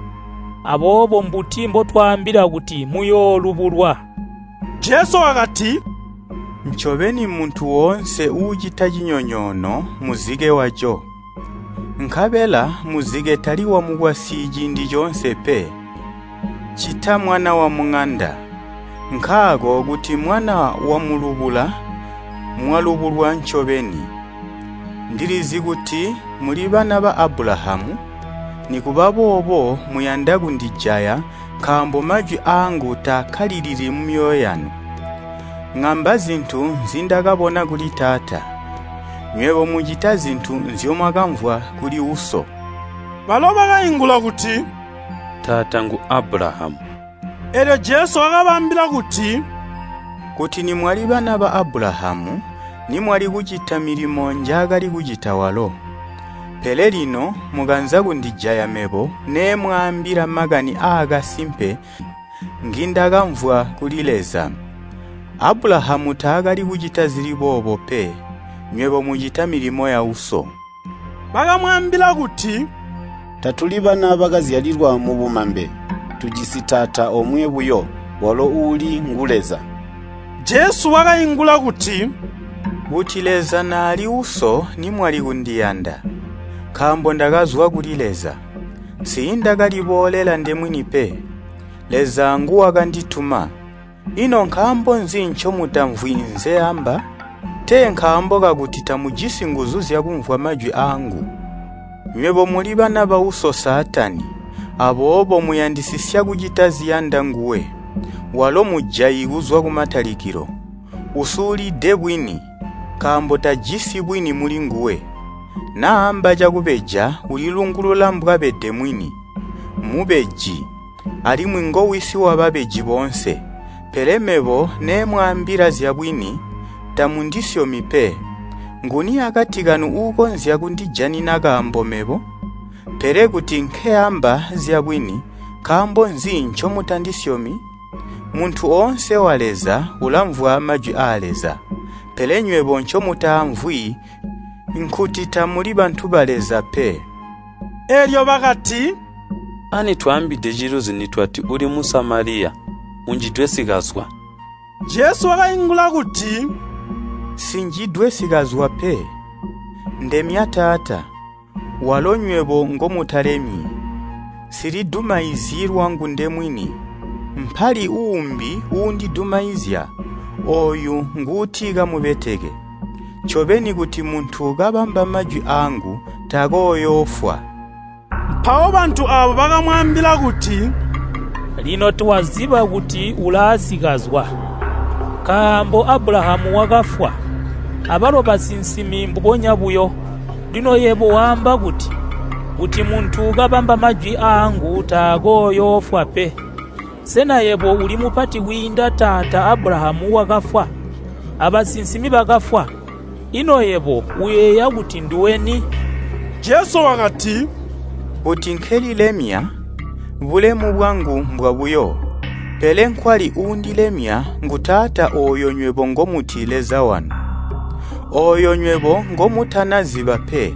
Aboobo mbuti mbotwaambila kuti muyoolubulwa?” Jesu wakati, “Ncobeni muntu woonse uucita cinyonyoono muzike waco. Nkabela muzike tali wamukwasyi ciindi coonse pe, ccita mwana wamuŋanda. Nkaako kuti Mwana wamulubula, mwalubulwa ncobeni. Ndilizi kuti muli bana ba Abulahamu, nikuba boobo muyanda kundijaya nkaambo majwi aangu taakkalilili mumyoyo yanu. Ŋamba zintu nzindakabona kuli Taata. Nywebo mucita zintu nzyomwakamvwa kuli uso.” Balo bakaingula kuti, “Taata ngu Abulahamu.” Eelyo Jesu wakabaambila kuti, “Kuti nimwali bana ba Abulahamu, nimwali kucita milimo njaakali kucita walo. Pele lino mukanza kundijaya mebo neemwaambila makani aakasimpe ngindakamvwa kuli Leza. Abulahamu taakali kucita zili boobo pe. Nywebo mucita milimo yauso.” Bakamwaambila kuti, “Tatuli bana bakazyalilwa mubumambe, tujisi Taata omwe buyo, walo uuli ngu Leza.” Jesu wakaingula kuti, “Kuti Leza naali Uso nimwali kundiyanda, nkaambo ndakazwa kuli Leza. Nsiindakaliboolela ndemwini pe, Leza nguwakandituma. Ino nkaambo nzi ncomutamvwi nzeamba? Tee nkaambo kakuti tamujisi nguzu zyakumvwa majwi aangu. Nywebo muli bana bauso Saatani, aboobo muyandisisya kucita ziyanda nguwe. Walo mujayi kuzwa kumatalikilo. Usulide bwini, nkaambo tajisi bwini mulinguwe. Naamba cakubeja ulilungulula mbwabede mwini. Mubeji, alimwi ngowisi wababeji boonse. Pele mebo neemwaambila zyabwini, tamundisyomi pe. Nguni akati kanu uukonzya kundijanina kaambo mebo? Pele kuti nkeamba zyabwini, nkaambo nzi ncomutandisyomi? Muntu oonse wa Leza ulamvwa majwi aa Leza. Pele nywebo ncomutaamvwi nkuti tamuli bantu ba Leza pe. Eelyo bakati, Ani twaambide ciluzi nitwati uli Musamaliya, unjidwe sikazwa. Jesu wakaingula kuti, Sinjidwe sikazwa pe. Ndemya Taata, walo nywebo ngomutalemyi. Nsilidumaizyi lwangu ndemwini. Mpali uumbi uundidumaizya, ooyu nguuti kamubeteke. Ncobeni kuti muntu kabamba majwi aangu takooyoofwa. Mpawo bantu aabo bakamwaambila kuti, Lino twaziba kuti ulaasikazwa, nkaambo Abulahamu wakafwa, abalo basinsimi mbubonya buyo. Lino yebo waamba kuti, ‘Kuti muntu kabamba majwi aangu takooyoofwa pe.’ Sena yebo uli mupati kwiinda taata Abulahamu wakafwa? Abasinsimi bakafwa. Ino yebo uyeeya kuti nduwe ni?” Jesu wakati, Kuti nkelilemya, bulemu bwangu mbwabuyo. Pele nkwali uundilemya ngu Taata ooyo nywebo ngomuti Leza wanu. Ooyo nywebo ngomutanaziba pe,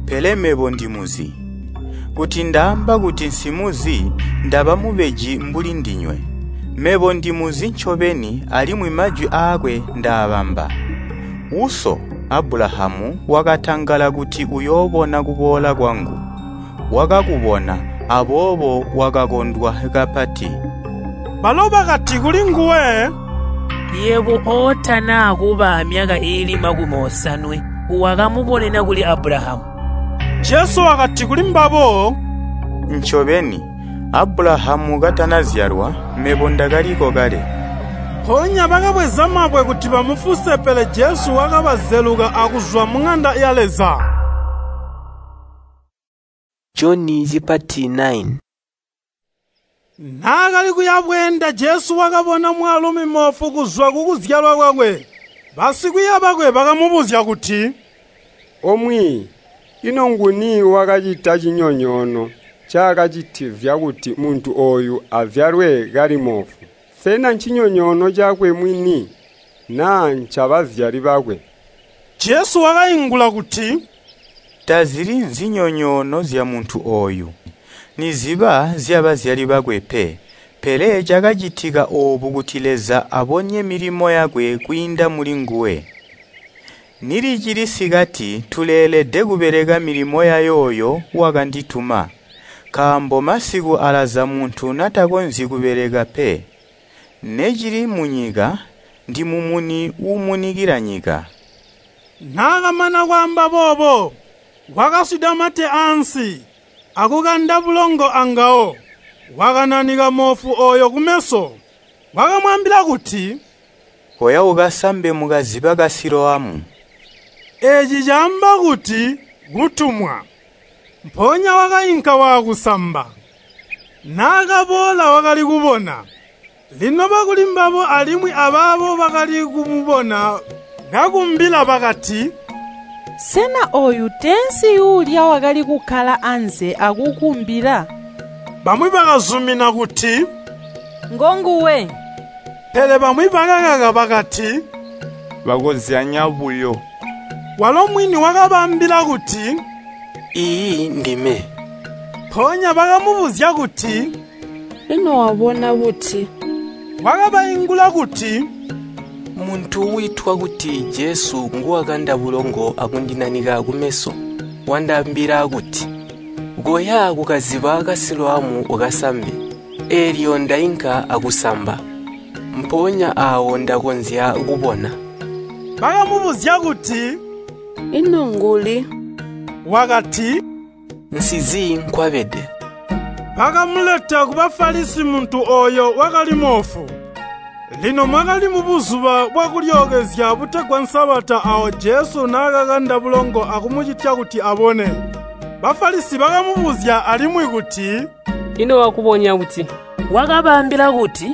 pele mebo ndimuzi. Kuti ndaamba kuti nsimuzi, ndaba mubeji mbuli ndinywe. Mebo ndimuzi ncobeni alimwi majwi aakwe ndaabamba. Uso, Abulahamu, wakatangala kuti uyoobona kuboola kwangu. Wakakubona, aboobo wakakondwa kapati. Balo bakati kulinguwe, Yebo ootana kuba amyaka iili 80 wakamubonena kuli Abulahamu. Jesu wakati kulimbabo, Ncobeni, Abulahamu katanazyalwa, mebo ndakaliko kale. Mpoonya bakabweza mabwe kuti bamufuse pele Jesu wakabazeluka akuzwa muŋanda ya Leza. Joni chipati 9. Naakali kuya bweenda Jesu wakabona mwaalumi moofu kuzwa kukuzyalwa kwakwe. Basikwiiya bakwe bakamubuzya kuti, Omwiiyi, ino nguni wakacita cinyonyoono ncaakacitivya kuti muntu ooyu azyalwe kali moofu? Sena ncinyonyoono cakwe mwini naa ncabazyali bakwe?” Jesu wakaingula kuti, Tazili nzinyonyoono zyamuntu ooyu, niziba zyabazyali bakwe pe. Pele cakacitika oobu kuti Leza abonye milimo yakwe kwiinda mulinguwe. Nilicili sikati tuleelede kubeleka milimo yayooyo wakandituma, nkaambo masiku alaza muntu natakonzyi kubeleka pe. Necili munyika, ndimumuni uumunikila nyika. Naakamana kwaamba boobo, wakaswida mate ansi, akukanda bulongo angawo. Wakananika moofu ooyo kumeso. Wakamwaambila kuti, Koya ukasambe mukaziba ka Siloamu. Eeci caamba kuti kutumwa. Mpoonya wakainka waakusamba. Naakaboola wakali kubona. Lino bakulimbabo alimwi abaabo bakali kumubona kakumbila bakati, Sena ooyu teensi uulya wakali kukkala anze akukumbila? Bamwi bakazumina kuti, Ngonguwe. Pele bamwi bakakaka bakati, Bakozyanya buyo. Walo mwini wakabaambila kuti, Iiyi ndime. Mpoonya bakamubuzya kuti, Ino wabona buti? Wakabaingula kuti, Muntu wiitwa kuti Jesu nguwakanda bulongo akundinanika kumeso. Wandaambila kuti, ‘Koya kukaziba ka Siloamu ukasambe.’ Eelyo ndainka akusamba. Mpoonya aawo ndakonzya kubona. Bakamubuzya kuti, Ino nguli? Wakati, Nsizi nkwabede. Bakamuleta ku Bafalisi muntu ooyo wakali moofu. Lino mwakali mubuzuba bwakulyookezya butegwa Nsabata aawo Jesu naakakanda bulongo akumucitya kuti abone. Bafalisi bakamubuzya alimwi kuti, “Ino wakubonya buti?” Wakabaambila kuti,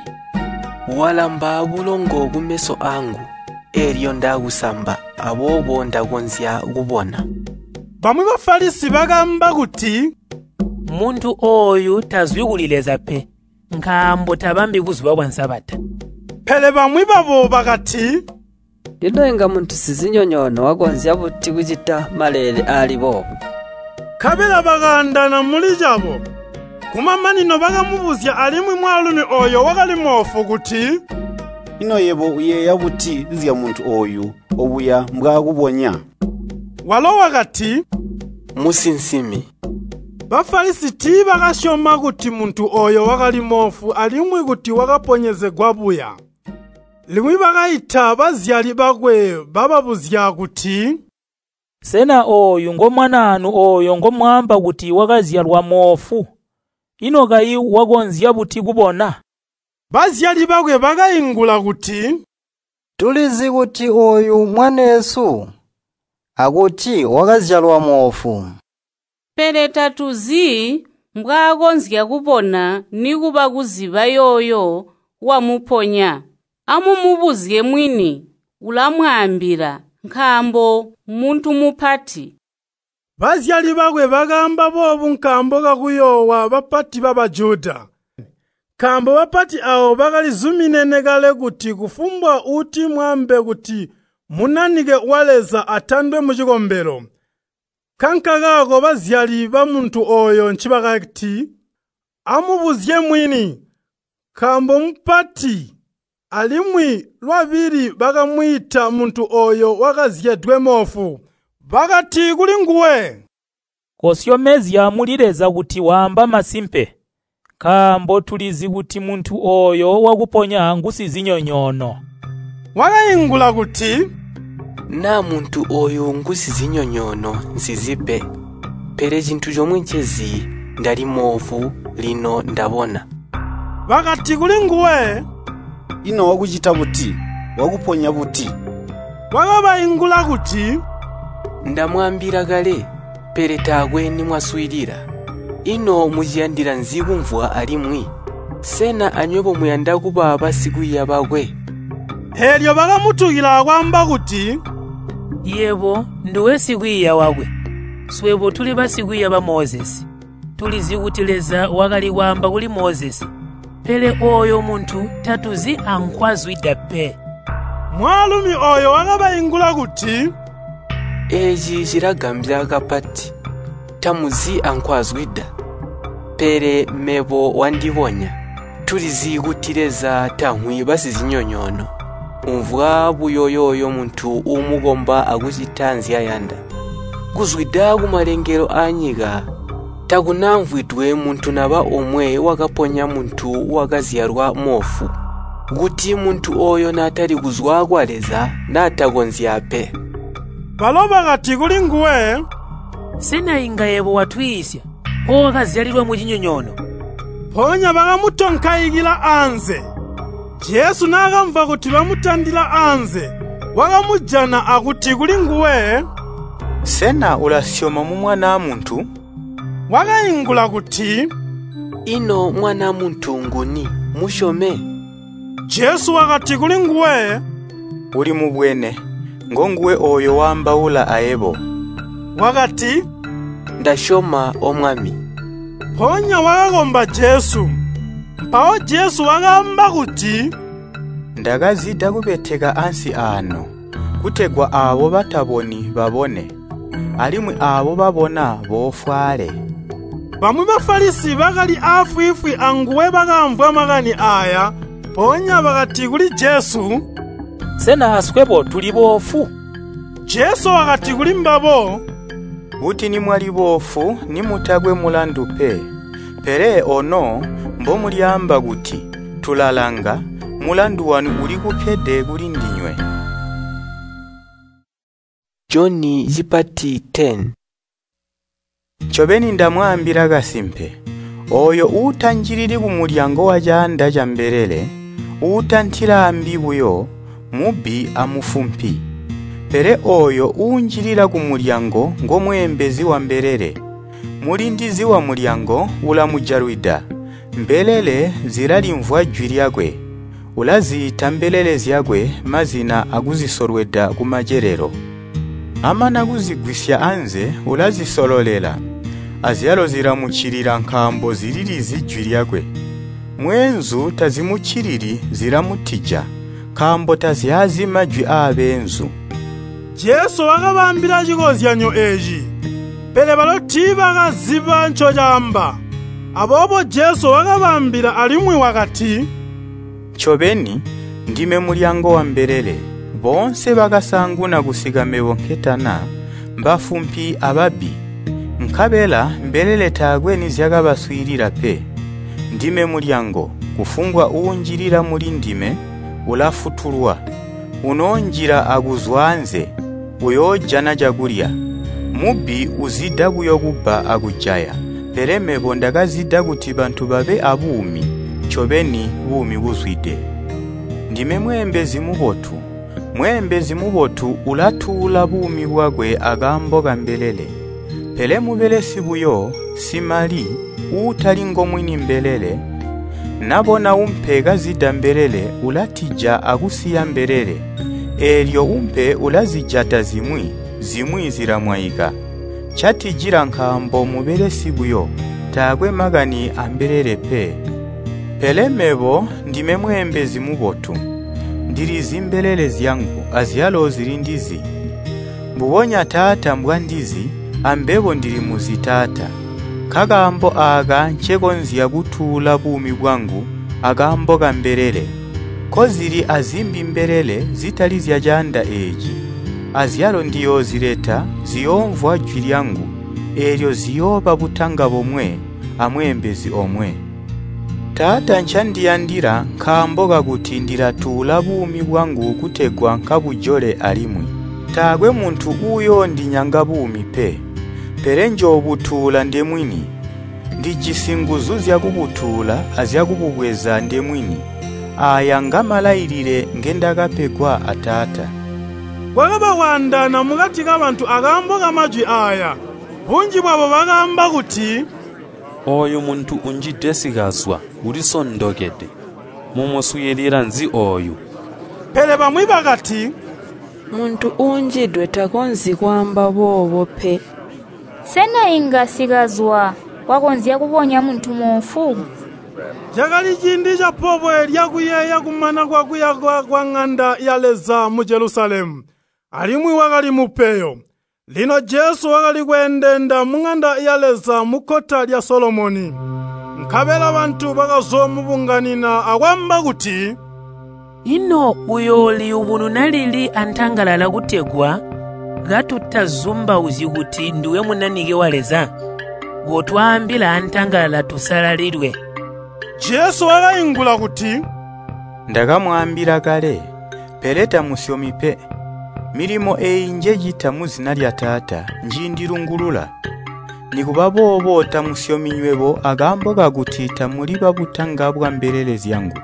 “Walamba bulongo kumeso aangu, eelyo ndakusamba, aboobo ndakonzya kubona.” Bamwi Bafalisi bakaamba kuti, “Muntu ooyu tazwi kuli Leza pe, nkaambo tabambi buzuba bwa Sabata.” Pele bamwi babo bakati, “Ino inga muntu sizinyonyoono wakonzya buti kucita maleele aali boobu?” Nkabela bakaandana muli cabo. Kumamanino bakamubuzya alimwi mwaalumi ooyo wakali moofu kuti, “Ino yebo uyeeya buti zyamuntu ooyu obuya mbwaakubonya?” Walo wakati, “Musinsimi.” Bafalisi tiibakasyoma kuti muntu ooyo wakali moofu alimwi kuti wakaponyezegwa buya. Limwi bakaita bazyali bakwe bababuzya kuti, “Sena ooyu ngomwanaanu ooyo ngomwaamba kuti wakazyalwa moofu? Ino kayi wakonzya buti kubona?” Bazyali bakwe bakaingula kuti, “Tulizi kuti ooyu mwaneesu, akuti wakazyalwa moofu. Pele tatuzi mbwaakonzya kubona nikuba kuziba yooyo wamuponya. Amumubuzye mwini, ulamwaambila, nkaambo muntu mupati.” Bazyali bakwe bakaamba boobu nkaambo kakuyoowa bapati ba Bajuda. Nkaambo bapati aabo bakalizuminene kale kuti kufumbwa uutimwaambe kuti Munanike wa Leza atandwe mucikombelo. Nkankakaako bazyali bamuntu ooyo ncibakati, “Amubuzye mwini, nkaambo mupati.” Alimwi lwabili bakamwiita muntu ooyo wakazyedwe moofu. Bakati kulinguwe, “Kosyomezya muli Leza kuti waamba masimpe, nkaambo tulizi kuti muntu ooyo wakuponya ngusizinyonyoono.” Wakaingula kuti, “Naa muntu ooyu ngusizinyonyoono nsizi pe. Pele cintu comwe ncezi, ndali moofu, lino ndabona.” Bakati kulinguwe, “Ino wakucita buti? Wakuponya buti?” Wakabaingula kuti, “Ndamwaambila kale, pele taakwe nimwaswiilila. Ino muciyandila nzi kumvwa alimwi? Sena anywebo muyanda kuba basikwiiya bakwe?” Eelyo bakamutukila akwaamba kuti, “Yebo nduwe sikwiiya wakwe, swebo tuli basikwiiya ba Mozesi. Tulizi kuti Leza wakali kwaamba kuli Mozesi, pele ooyo muntu tatuzi ankwazwida pe.” Mwaalumi ooyo wakabaingula kuti, “Eeci cilagambya kapati, tamuzi ankwazwida, pele mebo wandibonya. Tulizi kuti Leza tamvwi basizinyonyoono, umvwa buyo yooyo muntu uumukomba akucita nzyayanda. Kuzwida kumalengelo aanyika, takunamvwidwe muntu naba omwe wakaponya muntu wakazyalwa moofu. Kuti muntu ooyo naatali kuzwa kwa Leza, naatakonzya pe.” Balo bakati kulinguwe, “Sena inga yebo watwiisya owakazyalilwa mucinyonyoono?” Mpoonya bakamutonkaikila anze. Jesu naakamvwa kuti bamutandila anze, wakamujana akuti kulinguwe, “Sena ulasyoma mu Mwanaa Muntu?” Wakaingula kuti, “Ino Mwanaa Muntu nguni, musyome?” Jesu wakati kulinguwe, “Ulimubwene, ngonguwe ooyo waambaula ayebo.” Wakati, “Ndasyoma, O Mwami.” Mpoonya wakakomba Jesu. Mpawo Jesu wakaamba kuti, “Ndakazida kubeteka ansi aano, kutegwa aabo bataboni babone, alimwi aabo babona boofwaale.” Bamwi Bafalisi bakali aafwiifwi anguwe bakamvwa makani aaya, mpoonya bakati kuli Jesu, “Sena aswebo tuli boofu?” Jesu wakati kulimbabo, “Kuti nimwali boofu nimutakwe mulandu pe. Pele ono mbomulyaamba kuti, ‘Tulalanga,’ mulandu wanu ulikukkede kulindinywe.” Joni cipati 10. Ncobeni ndamwaambila kasimpe, ooyo uutanjilili kumulyango wacaanda cambelele, Uutantila ambi buyo, mubbi amufumpi. Pele ooyo uunjilila kumulyango ngomweembezi wambelele. Mulindizi wamulyango ulamujalwida. Mbelele zilalimvwa jwi lyakwe. Ulaziita mbelele zyakwe mazina akuzisolweda kumacelelo. Amana kuzigwisya anze ulazisololela, azyalo zilamuccilila nkaambo zililizi jwi lyakwe. Mweenzu tazimuccilili zilamutija, nkaambo tazyazi majwi aabeenzu. Jesu wakabaambila cikozyanyo eeci, pele balo tiibakaziba ncocaamba. Aboobo Jesu wakabaambila alimwi wakati, Ncobeni, ndime mulyango wambelele. Boonse bakasaanguna kusika mebo nketana, mbafumpi ababbi. Nkabela mbelele taakwe nizyakabaswiilila pe. Ndime mulyango, kufumbwa uunjilila mulindime ulafutulwa. Unoonjila akuzwa anze, uyoojana cakulya. Mubbi uzida buyo kubba akujaya, pele mebo ndakazida kuti bantu babe abuumi, ncobeni buumi buzwide. Ndime mweembezi mubotu. Mweembezi mubotu ulatuula buumi bwakwe akaambo kambelele. Pele mubelesi buyo, simali, uutali ngomwini mbelele, nabona umpe kazida mbelele ulatija akusiya mbelele. Eelyo umpe ulazijata zimwi, zimwi zilamwaika. Ncatijila nkaambo mubelesi buyo, taakwe makani ambelele pe. Pele mebo ndime mweembezi mubotu. Ndilizi mbelele zyangu, azyalo zilindizi. Mbubonya Taata mbwandizi, ambebo ndilimuzi Taata. Nkakaambo aaka ncekonzya kutuula buumi bwangu akaambo kambelele. Nkozili azimbi mbelele zitali zyacaanda eeci. Azyalo ndiyoozileta ziyoomvwa jwi lyangu, eelyo ziyooba butanga bomwe amweembezi omwe. Taata ncandiyandila nkaambo kakuti ndilatuula buumi bwangu kutegwa nkabujole alimwi. Taakwe muntu uuyoondinyanga buumi pe, pele njoobutuula ndemwini. Ndijisi nguzu zyakubutuula azyakububweza ndemwini. Aaya ngamalailile ngendakapegwa a Taata. Kwakaba kwaandaana mukati kabantu akaambo kamajwi aaya. Bunji bwabo bakaamba kuti, Ooyu muntu unjide sikazwa, ulisondokede. Mumuswiilila nzi ooyu? Pele bamwi bakati, Muntu uunjidwe takonzyi kwaamba boobo pe. Sena inga sikazwa wakonzya kubonya muntu moofu? Cakali ciindi capobwe lyakuyeeya kumana kwakuyakwa kwaŋanda ya Leza mu Jelusalemu, alimwi wakali mupeyo. Lino Jesu wakali kweendeenda muŋanda ya Leza mukkota lya Solomoni. Nkabela bantu bakazoomubunganina akwaamba kuti, Ino uyooliyubununa lili antangalala kutegwa katutazumbauzyi kuti ndiwe Munanike wa Leza? Kotwaambila antangalala tusalalilwe. Jesu wakaingula kuti, Ndakamwaambila kale, pele tamusyomi pe. Milimo eeyi njecita muzina lya Taata njiindilungulula. Nikuba boobo tamusyomi nywebo akaambo kakuti tamuli babutanga bwambelele zyangu.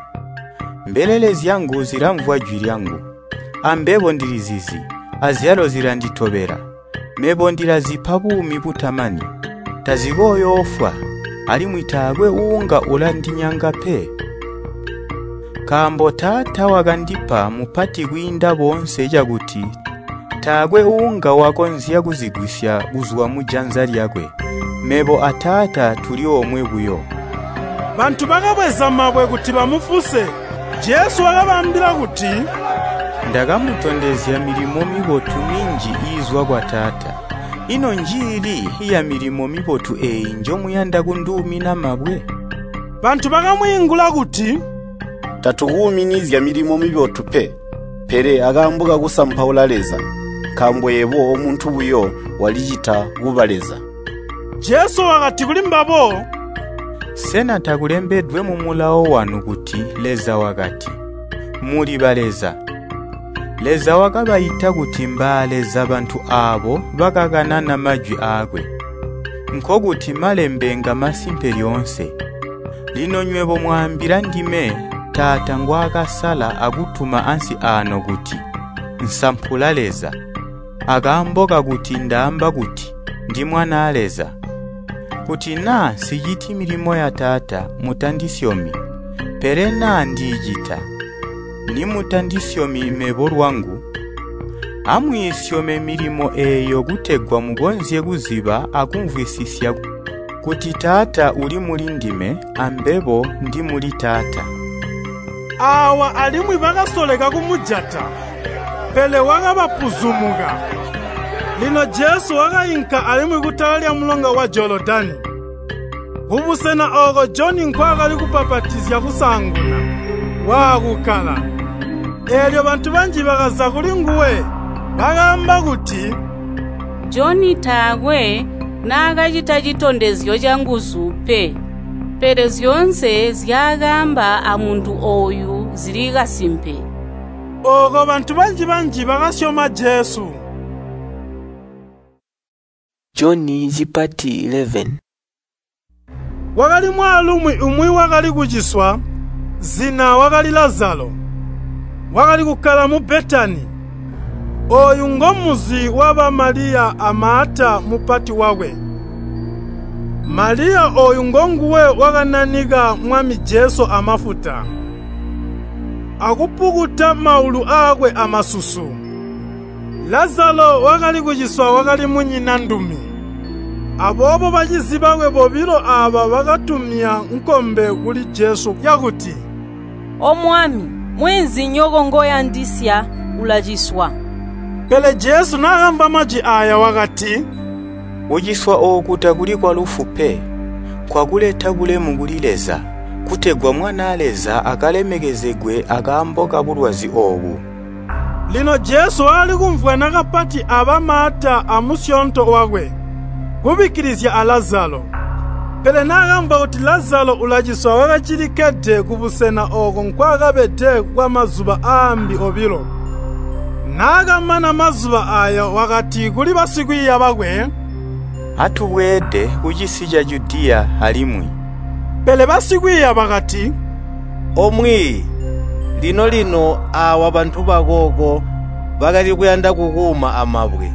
Mbelele zyangu zilamvwa jwi lyangu, ambebo ndilizizi, azyalo zilanditobela. Mebo ndilazipa buumi butamani, tazikooyoofwa, alimwi taakwe uunga ulandinyanga pe. Nkaambo Taata wakandipa mupati kwiinda boonse cakuti taakwe uunga wakonzya kuzigwisya kuzwa mujanza lyakwe. Mebo a Taata tuli omwe buyo. Bantu bakabweza mabwe kuti bamufuse. Jesu wakabaambila kuti, Ndakamutondezya milimo mibotu minji iizwa kwa Taata. Ino njiili yamilimo mibotu eeyi njomuyanda kunduumina mabwe? Bantu bakamwiingula kuti, Tatukuuminizya milimo mibotu pe, pele akaambo kakusampaula Leza, nkaambo yebo omuntu buyo walicita kuba Leza. Jesu wakati kulimbabo, Sena takulembedwe mu mulawo wanu kuti Leza wakati, ‘Muli baleza?’ Leza wakabaita kuti mbaaleza bantu aabo bakakanana majwi aakwe. Nkokuti malembe ngamasimpe lyoonse. Lino nywebo mwaambila ndime Taata ngwaakasala akutuma ansi aano kuti, ‘Nsampula Leza,’ akaambo kakuti ndaamba kuti, ‘Ndi Mwanaa Leza.’ Kuti naa nsiciti milimo ya Taata, mutandisyomi. Pele naa ndiicita, nimutandisyomi mebo lwangu, amwiisyome milimo eeyo kutegwa mukonzye kuziba akumvwisisya kuti Taata uli mulindime ambebo ndi muli Taata.” Aawa alimwi bakasoleka kumujata, pele wakabapuzumuka. Lino Jesu wakainka alimwi kutala lyamulonga wa Jolodani, kubusena ooko Joni nkwaakali kubbapatizya kusaanguna, waakukkala. Eelyo bantu banji bakaza kulinguwe, bakaamba kuti, Joni taakwe naakacita citondezyo canguzu pe, pele zyoonse nzyaakaamba amuntu ooyu zili kasimpe. Ooko bantu banji-banji bakasyoma Jesu. Joni cipati 11. Kwakali mwaalumi umwi wakali kuciswa, zina wakali Lazalo. Wakali kukkala mu Betani. Ooyu ngomunzi waba Maliya a Maata mupati wakwe. Maliya ooyu ngonguwe wakananika Mwami Jesu amafuta, akupukuta maulu aakwe amasusu. Lazalo wakali kuciswa wakali munyina ndumi. Aboobo bacizi bakwe bobilo aaba bakatumya nkombe kuli Jesu yakuti, “O Mwami, mweenzinyoko ngoyandisya ulaciswa.” Pele Jesu naakamvwa majwi aaya wakati, “Kuciswa ooku takuli kwalufu pe, nkwakuleta bulemu kuli Leza, kutegwa Mwanaa Leza akalemekezegwe akaambo kabulwazi oobu.” Lino Jesu wakali kumvwana kapati aba Maata amusyoonto wakwe, kubikkilizya a Lazalo. Pele naakamvwa kuti Lazalo ulaciswa wakacilikkede kubusena ooko nkwaakabede kwamazuba aambi obilo. Naakamana mazuba aaya wakati kuli basikwiiya bakwe, “Atubweede kucisi ca Judiya alimwi.” Pele basikwiiya bakati, “O Mwiiyi, lino-lino aawa bantu bakooko bakali kuyanda kukuuma amabwe.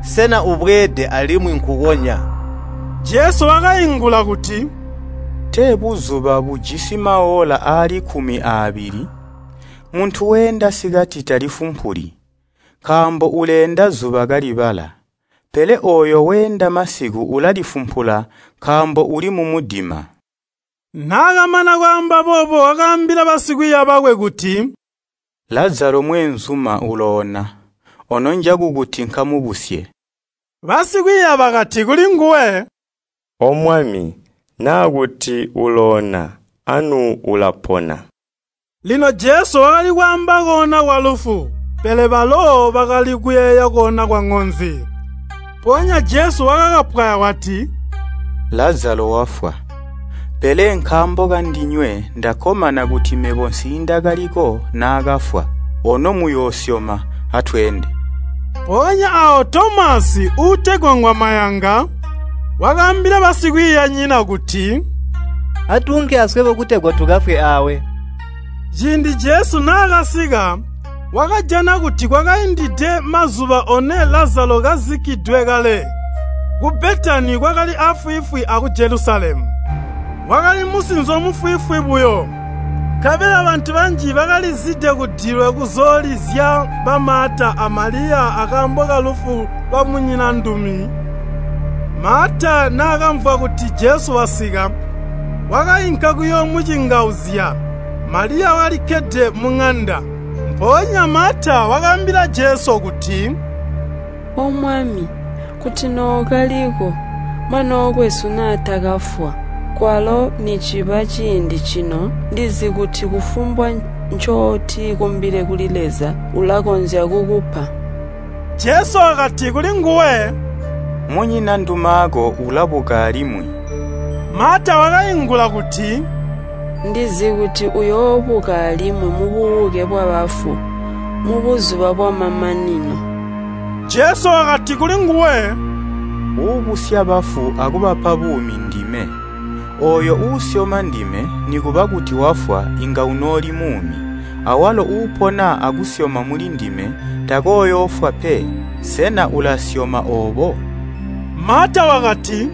Sena ubweede alimwi nkukonya?” Jesu wakaingula kuti, “Tee buzuba bujisi maola aali 12? Muntu weenda sikati talifumpuli, nkaambo uleenda zuba kalibala. Pele ooyo weenda masiku ulalifumpula nkaambo uli mumudima.” Naakamana kwaamba boobo wakaambila basikwiiya bakwe kuti, “Lazalo mweenzuma uloona, ono njakukuti nkamubusye.” Basikwiiya bakati kulinguwe, “O Mwami, naa kuti uloona, anu ulapona.” Lino Jesu wakali kwaamba koona kwalufu, pele balo bakali kuyeeya koona kwaŋonzi. Mpoonya Jesu wakakapwaya wati, “Lazalo wafwa. Pele nkaambo kandinywe ndakkomana kuti mebo nsiindakaliko naakafwa. Ono muyoosyoma, atweende.” Mpoonya aawo Tomasi uutegwa Ngwamayanga wakaambila basikwiiyanyina kuti, “Atuunke aswebo kutegwa tukafwe aawe.” Ciindi Jesu naakasika, wakajana kuti kwakaindide mazuba one Lazalo kazikkidwe kale. Ku Betani kwakali afwiifwi aku Jelusalemu. Wakali musinzo mufwiifwi buyo. Nkabela bantu banji bakalizide kudilwe kuzoolizya ba Maata a Maliya akaambo kalufu lwa munyinandumi. Maata naakamvwa kuti Jesu wasika, wakainka kuyoomucingauzya. Maliya walikkede muŋanda. Mpoonya Maata wakaambila Jesu kuti, “O Mwami, kuti nookaliko, mwanookwesu naatakafwa. Kwalo niciba ciindi cino ndizi kuti kufumbwa ncootikumbile kuli Leza ulakonzya kukupa.” Jesu wakati kulinguwe, “Munyina ndumaako ulabuka alimwi.” Maata wakaingula kuti, “Ndizi kuti uyoobuka alimwi mububuke bwabafu mubuzuba bwamamanino.” Jesu wakati kulinguwe, “Uubusya bafu akubapa buumi ndime. Ooyo uusyoma ndime nikuba kuti wafwa inga unooli muumi. Awalo uupona akusyoma muli ndime takooyoofwa pe. Sena ulasyoma oobo?” Maata wakati,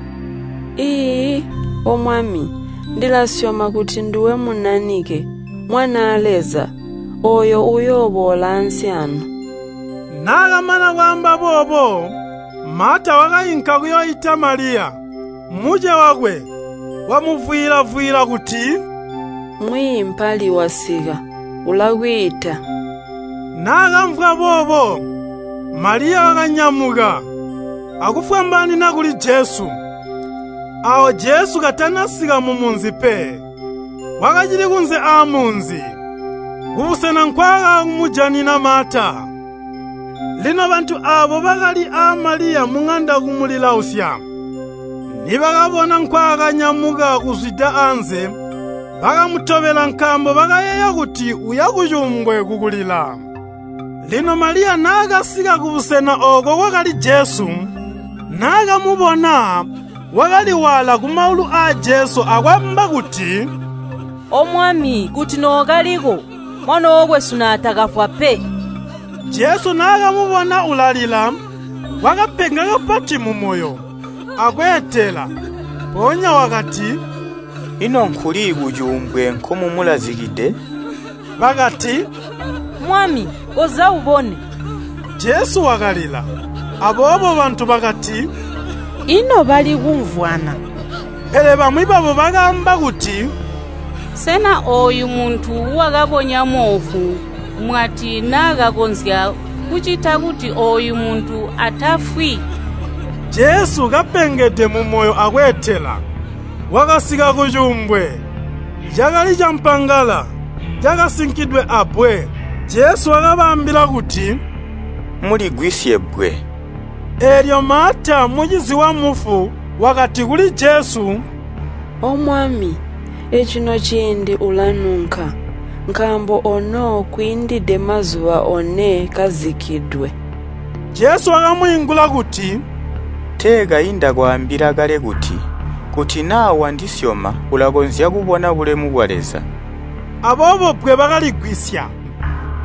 “Iiyi, O Mwami, ndilasyoma kuti nduwe Munanike, Mwanaa Leza, ooyo uyooboola ansi aano.” Naakamana kwaamba boobo, Maata wakainka kuyooita Maliya, muce wakwe, wamuvwiila-vwiila kuti, “Mwiiyi mpali wasika, ulakwiita.” Naakamvwa boobo, Maliya wakanyamuka akufwambaanina kuli Jesu. Aawo Jesu katanasika mumunzi pe, wakacili kunze aamunzi, kubusena nkwaakaamujanina Maata. Lino bantu aabo bakali aa Maliya muŋanda kumulilausya, nibakabona nkwaakanyamuka kuzwida anze, bakamutobela nkaambo bakayeeya kuti uya kucuumbwe kukulila. Lino Maliya naakasika kubusena ooko kwakali Jesu, naakamubona, wakaliwaala kumaulu aa Jesu akwaamba kuti, “O Mwami, kuti nookaliko, mwanookwesu naatakafwa pe.” Jesu naakamubona ulalila, wakapenga kapati mumoyo, akweetela. Mpoonya wakati, “Ino nkuli kucuumbwe nkomumulazikide?” Bakati, “Mwami, koza ubone.” Jesu wakalila. Aboobo bantu bakati, “Ino bali kumvwana?” Pele bamwi babo bakaamba kuti, “Sena ooyu muntu wakabonya moofu mwati naakakonzya kucita kuti ooyu muntu atafwi?” Jesu kapengede mumoyo akweetela, wakasika kucuumbwe. Cakali campangala, cakasinkidwe abbwe. Jesu wakabaambila kuti, “Muligwisye bbwe.” Eelyo Maata mucizi wamufu wakati kuli Jesu, “O Mwami, ecino ciindi ulanunka, nkaambo ono kwiindide mazuba 4 kazikkidwe.” Jesu wakamwiingula kuti, “Tee kayi ndakwaambila kale kuti, kuti naa wandisyoma ulakonzya kubona bulemu bwa Leza.” Aboobo bbwe bakaligwisya.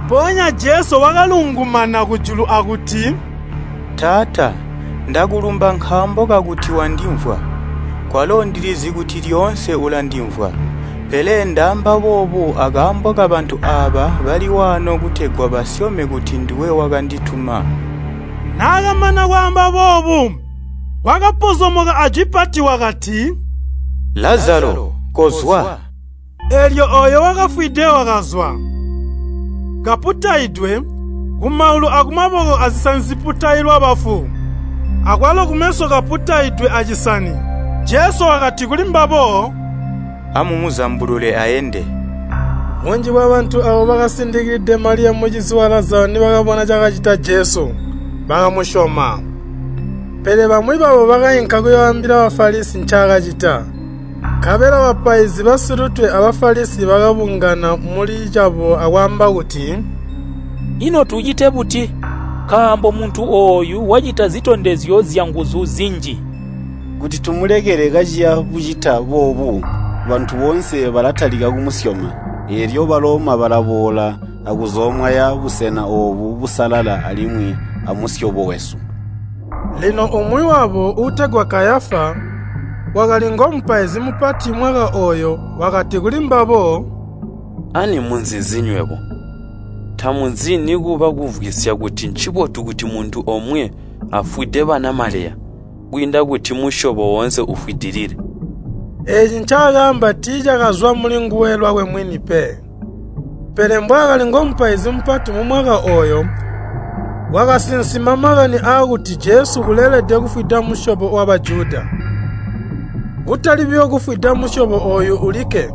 Mpoonya Jesu wakalungumana kujulu akuti, “Taata, ndakulumba nkaambo kakuti wandimvwa. Kwalo ndilizi kuti lyoonse ulandimvwa, pele ndaamba boobu akaambo kabantu aaba bali waano kutegwa basyome kuti nduwe wakandituma.” Naakamana kwaamba boobu, wakapozomoka ajwi pati wakati, “Lazalo, kozwa!” Eelyo ooyo wakafwide wakazwa, kaputaidwe kumaulu akumaboko azisani ziputailwa bafu, akwalo kumeso kaputaidwe acisani. Jesu wakati kulimbabo, “Amumuzambulule aende.” Bunji bwabantu aabo bakasindikilide Maliya mucizi wa Lazalo nibakabona cakacita Jesu, bakamusyoma. Pele bamwi babo bakainka kuyooambila Bafalisi ncaakacita. Nkabela bapaizi basilutwe a Bafalisi bakabungana muli cabo akwaamba kuti, “Ino tucite buti? Nkaambo muntu ooyu wacita zitondezyo zyanguzu zinji. Kuti tumulekele kaciya bucita boobu, bantu boonse balatalika kumusyoma, eelyo Baloma balaboola akuzoomwaya busena oobu busalala alimwi amusyobo wesu.” Lino umwi wabo uutegwa Kayafa, wakali ngomupaizi mupati mwaka ooyo wakati kulimbabo, “Ani munzizi nywebo? Tamuzi nikuba kumvwisya kuti ncibotu kuti muntu omwe afwide banamaleya, kwiinda kuti musyobo woonse ufwidilile.” Eeci ncaakaamba tiicakazwa mulinguwe lwakwe mwini pe. Pele mbwaakali ngomupaizi mupati mumwaka ooyo, wakasinsima makani aakuti Jesu uleelede kufwida musyobo wa Bajuda. Kutali buyo kufwida musyobo ooyu ulikke,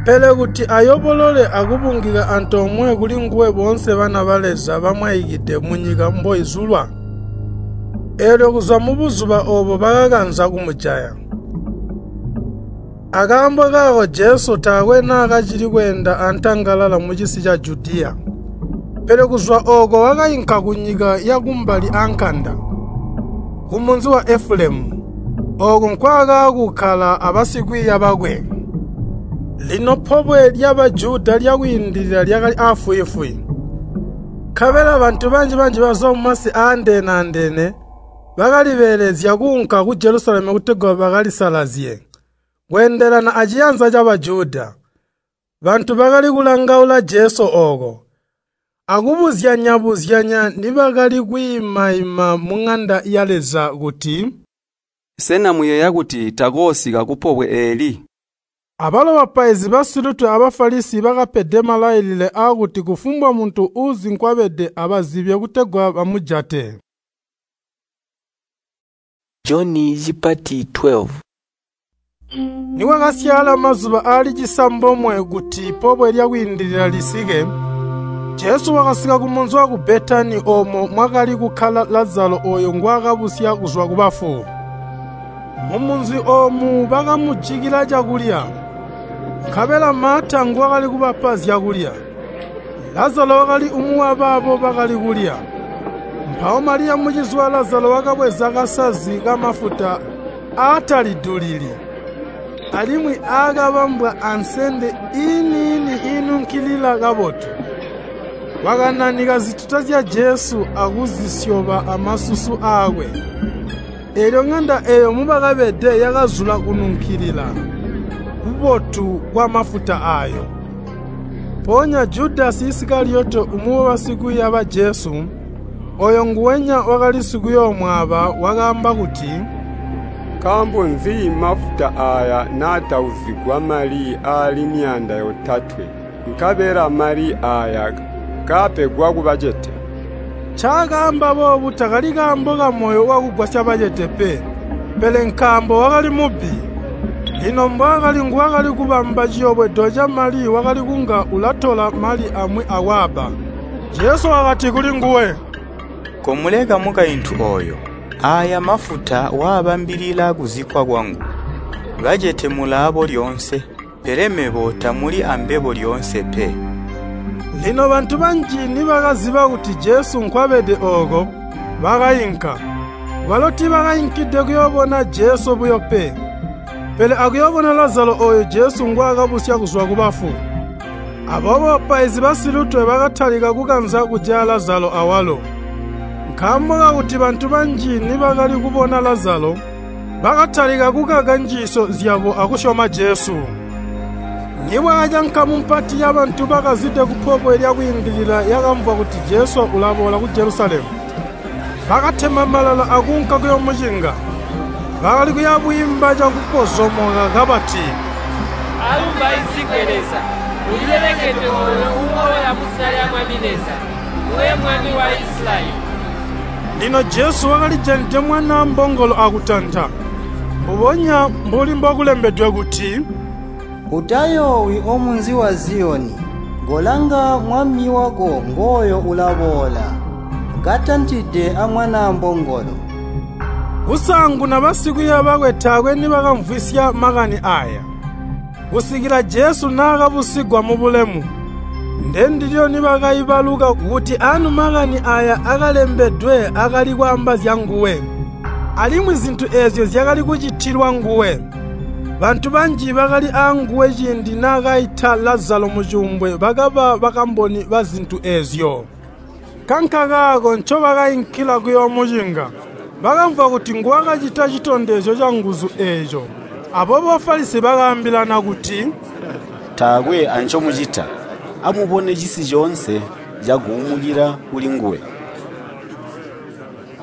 pele kuti ayobolole akubungika antoomwe kulinguwe boonse bana ba Leza bamwaikide munyika mboizulwa. Eelyo kuzwa mubuzuba oobo bakakanza kumujaya. Akaambo kaako Jesu taakwe naakacili kweenda antangalala mucisi ca Judiya. Pele kuzwa ooko wakainka kunyika yakumbali aankanda, kumunzi wa Efulemu. Ooko nkwaakaakukkala abasikwiiya bakwe. Lino pobwe lya Bajuda lyakwiindilila lyakali aafwiifwi. Nkabela bantu banji-banji bazwa mumasi aandeene-andeene bakalibeelezya kuunka ku Jelusalemu kutegwa bakalisalazye, kweendelana aciyanza ca Bajuda. Bantu bakali kulangaula Jesu ooko, akubuzyanya-buzyanya nibakali kwiima-ima muŋanda ya Leza kuti, “Sena muyeeya kuti takoosika kupobwe eeli?” Abalo bapaizi basilutwe a Bafalisi bakapede malailile aakuti kufumbwa muntu uuzi nkwabede abazibye kutegwa bamujate. Joni cipati 12. Nikwakasyaala mazuba aali cisambomwe kuti pobwe lyakwiindilila lisike, Jesu wakasika kumunzi waku Betani oomo mwakali kukkala Lazalo ooyo ngwaakabusya kuzwa kubafu. Mumunzi oomu bakamujikila cakulya, nkabela Maata nguwakali kubapa zyakulya. Lazalo wakali umwi wabaabo bakali kulya. Mpawo Maliya mucizi wa Lazalo wakabweza kasazi kamafuta aatalidulili, alimwi aakabambwa ansende iini-ini iinunkilila kabotu. Wakananika zituta zya Jesu akuzisyoba amasusu aakwe. Eelyo ŋanda eeyo mubakabede yakazula kununkilila kubotu kwamafuta aayo. Mpoonya Judasi Isikaliyoti umwi wabasikwiiya ba Jesu, ooyo nguwenya wakali sikuyoomwaaba wakaamba kuti, “Nkaambo nzi mafuta aaya naatauzigwa mali aali 300, nkabela mali aaya kaapegwa kubacete?” Ncaakaamba boobu takali kaambo kamoyo wakugwasya bacete pe, pele nkaambo wakali mubbi. Lino mbwaakali nguwakali kubamba ciyobwedo camali wakali kunga ulatola mali amwi akwaaba. Jesu wakati kulinguwe, “Komuleka mukaintu ooyo, aaya mafuta waabambilila kuzikkwa kwangu. Bacete mulaabo lyoonse, pele mebo tamuli ambebo lyoonse pe.” Lino bantu banji nibakaziba kuti Jesu nkwabede ooko, bakainka. Balo tiibakainkide kuyoobona Jesu buyo pe, pele akuyoobona Lazalo ooyo Jesu ngwaakabusya kuzwa kubafu. Aboobo bapaizi basilutwe bakatalika kukanza kujaya Lazalo awalo. Nkaambo kakuti bantu banji nibakali kubona Lazalo, bakatalika kukaka njiisyo zyabo akusyoma Jesu. Nibwakaca nkamu mpati yabantu bakazide kupobwe lyakwiindilila yakamvwa kuti Jesu ulaboola ku Jelusalemu. Bakatema malala akuunka kuyoomucinga. Bakali kuya bwiimba cakupozomoka kabati, “Alumbaizigwe Leza! Ulilelekedwe ooyo uuboola muzina lya Mwami Leza, nguwe Mwami wa Isilayeli!” Lino Jesu wakalijanide mwanaa mbongolo akutanta, mbubonya mbuli mbokulembedwe kuti, “Utayoowi omunzi wa Ziyoni, kolanga mwami wako ngooyo ulaboola, katantide amwanaa mbongolo.” Kusaanguna basikwiiya bakwe taakwe nibakamvwisya makani aaya, kusikila Jesu naakabusigwa mubulemu. Ndendilyo nibakaibaluka kuti anu makani aaya akalembedwe akali kwaamba zyanguwe, alimwi zintu eezyo zyakali kucitilwa nguwe. Bantu banji bakali aanguwe ciindi naakaita Lazalo mucuumbwe bakaba bakamboni bazintu eezyo. Nkankakaako ncobakainkila kuyoomucinga. Bakamvwa kuti nguwakacita citondezyo canguzu eeco. Aboobo Bafalisi bakaambilana kuti, “Taakwe ancomucita. Amubone cisi coonse caguumukila kulinguwe.”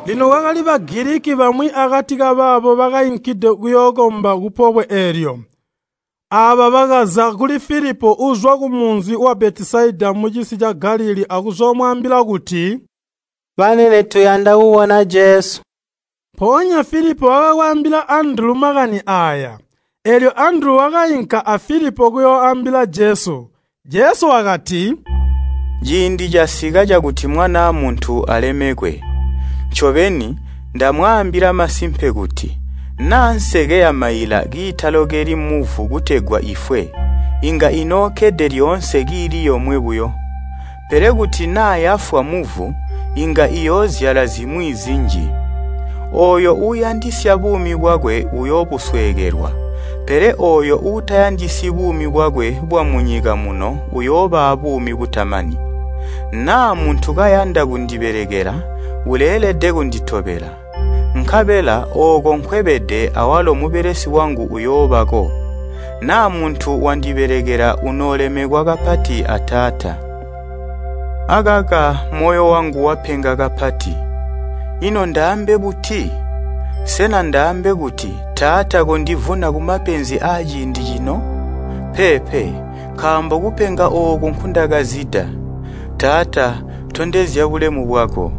Lino kwakali Bagiliki bamwi akati kabaabo bakainkide kuyookomba kupobwe eelyo. Aaba bakaza kuli Filipo uuzwa kumunzi wa Betisaida mucisi ca Galilii akuzoomwaambila kuti, “Banene tuyanda kubona Jesu.” Mpoonya Filipo wakakwaambila Andulu makani aaya. Eelyo Andulu wakainka a Filipo kuyooambila Jesu. Jesu wakati, “Ciindi casika cakuti Mwanaa Muntu alemekwe. Ncobeni, ndamwaambila masimpe kuti, naa nseke yamaila kiitalokeli muvu kutegwa ifwe, inga inookkede lyoonse kiili yomwe buyo. Pele kuti naa yafwa muvu, inga iyoozyala zimwi zinji. Ooyo uuyandisya buumi bwakwe uyoobusweekelwa, pele ooyo uutayandisyi buumi bwakwe bwamunyika muno uyooba abuumi butamani. Naa muntu kayanda kundibelekela, uleelede kunditobela. Nkabela ooko nkwebede awalo mubelesi wangu uyoobako. Naa muntu wandibelekela unoolemekwa kapati a Taata. Akaka moyo wangu wapenga kapati. Ino ndaambe buti? Sena ndaambe kuti, Taata kondivuna kumapenzi aaciindi cino? Peepe, nkaambo kupenga ooku nkundakazida. Taata, tondezya bulemu bwako.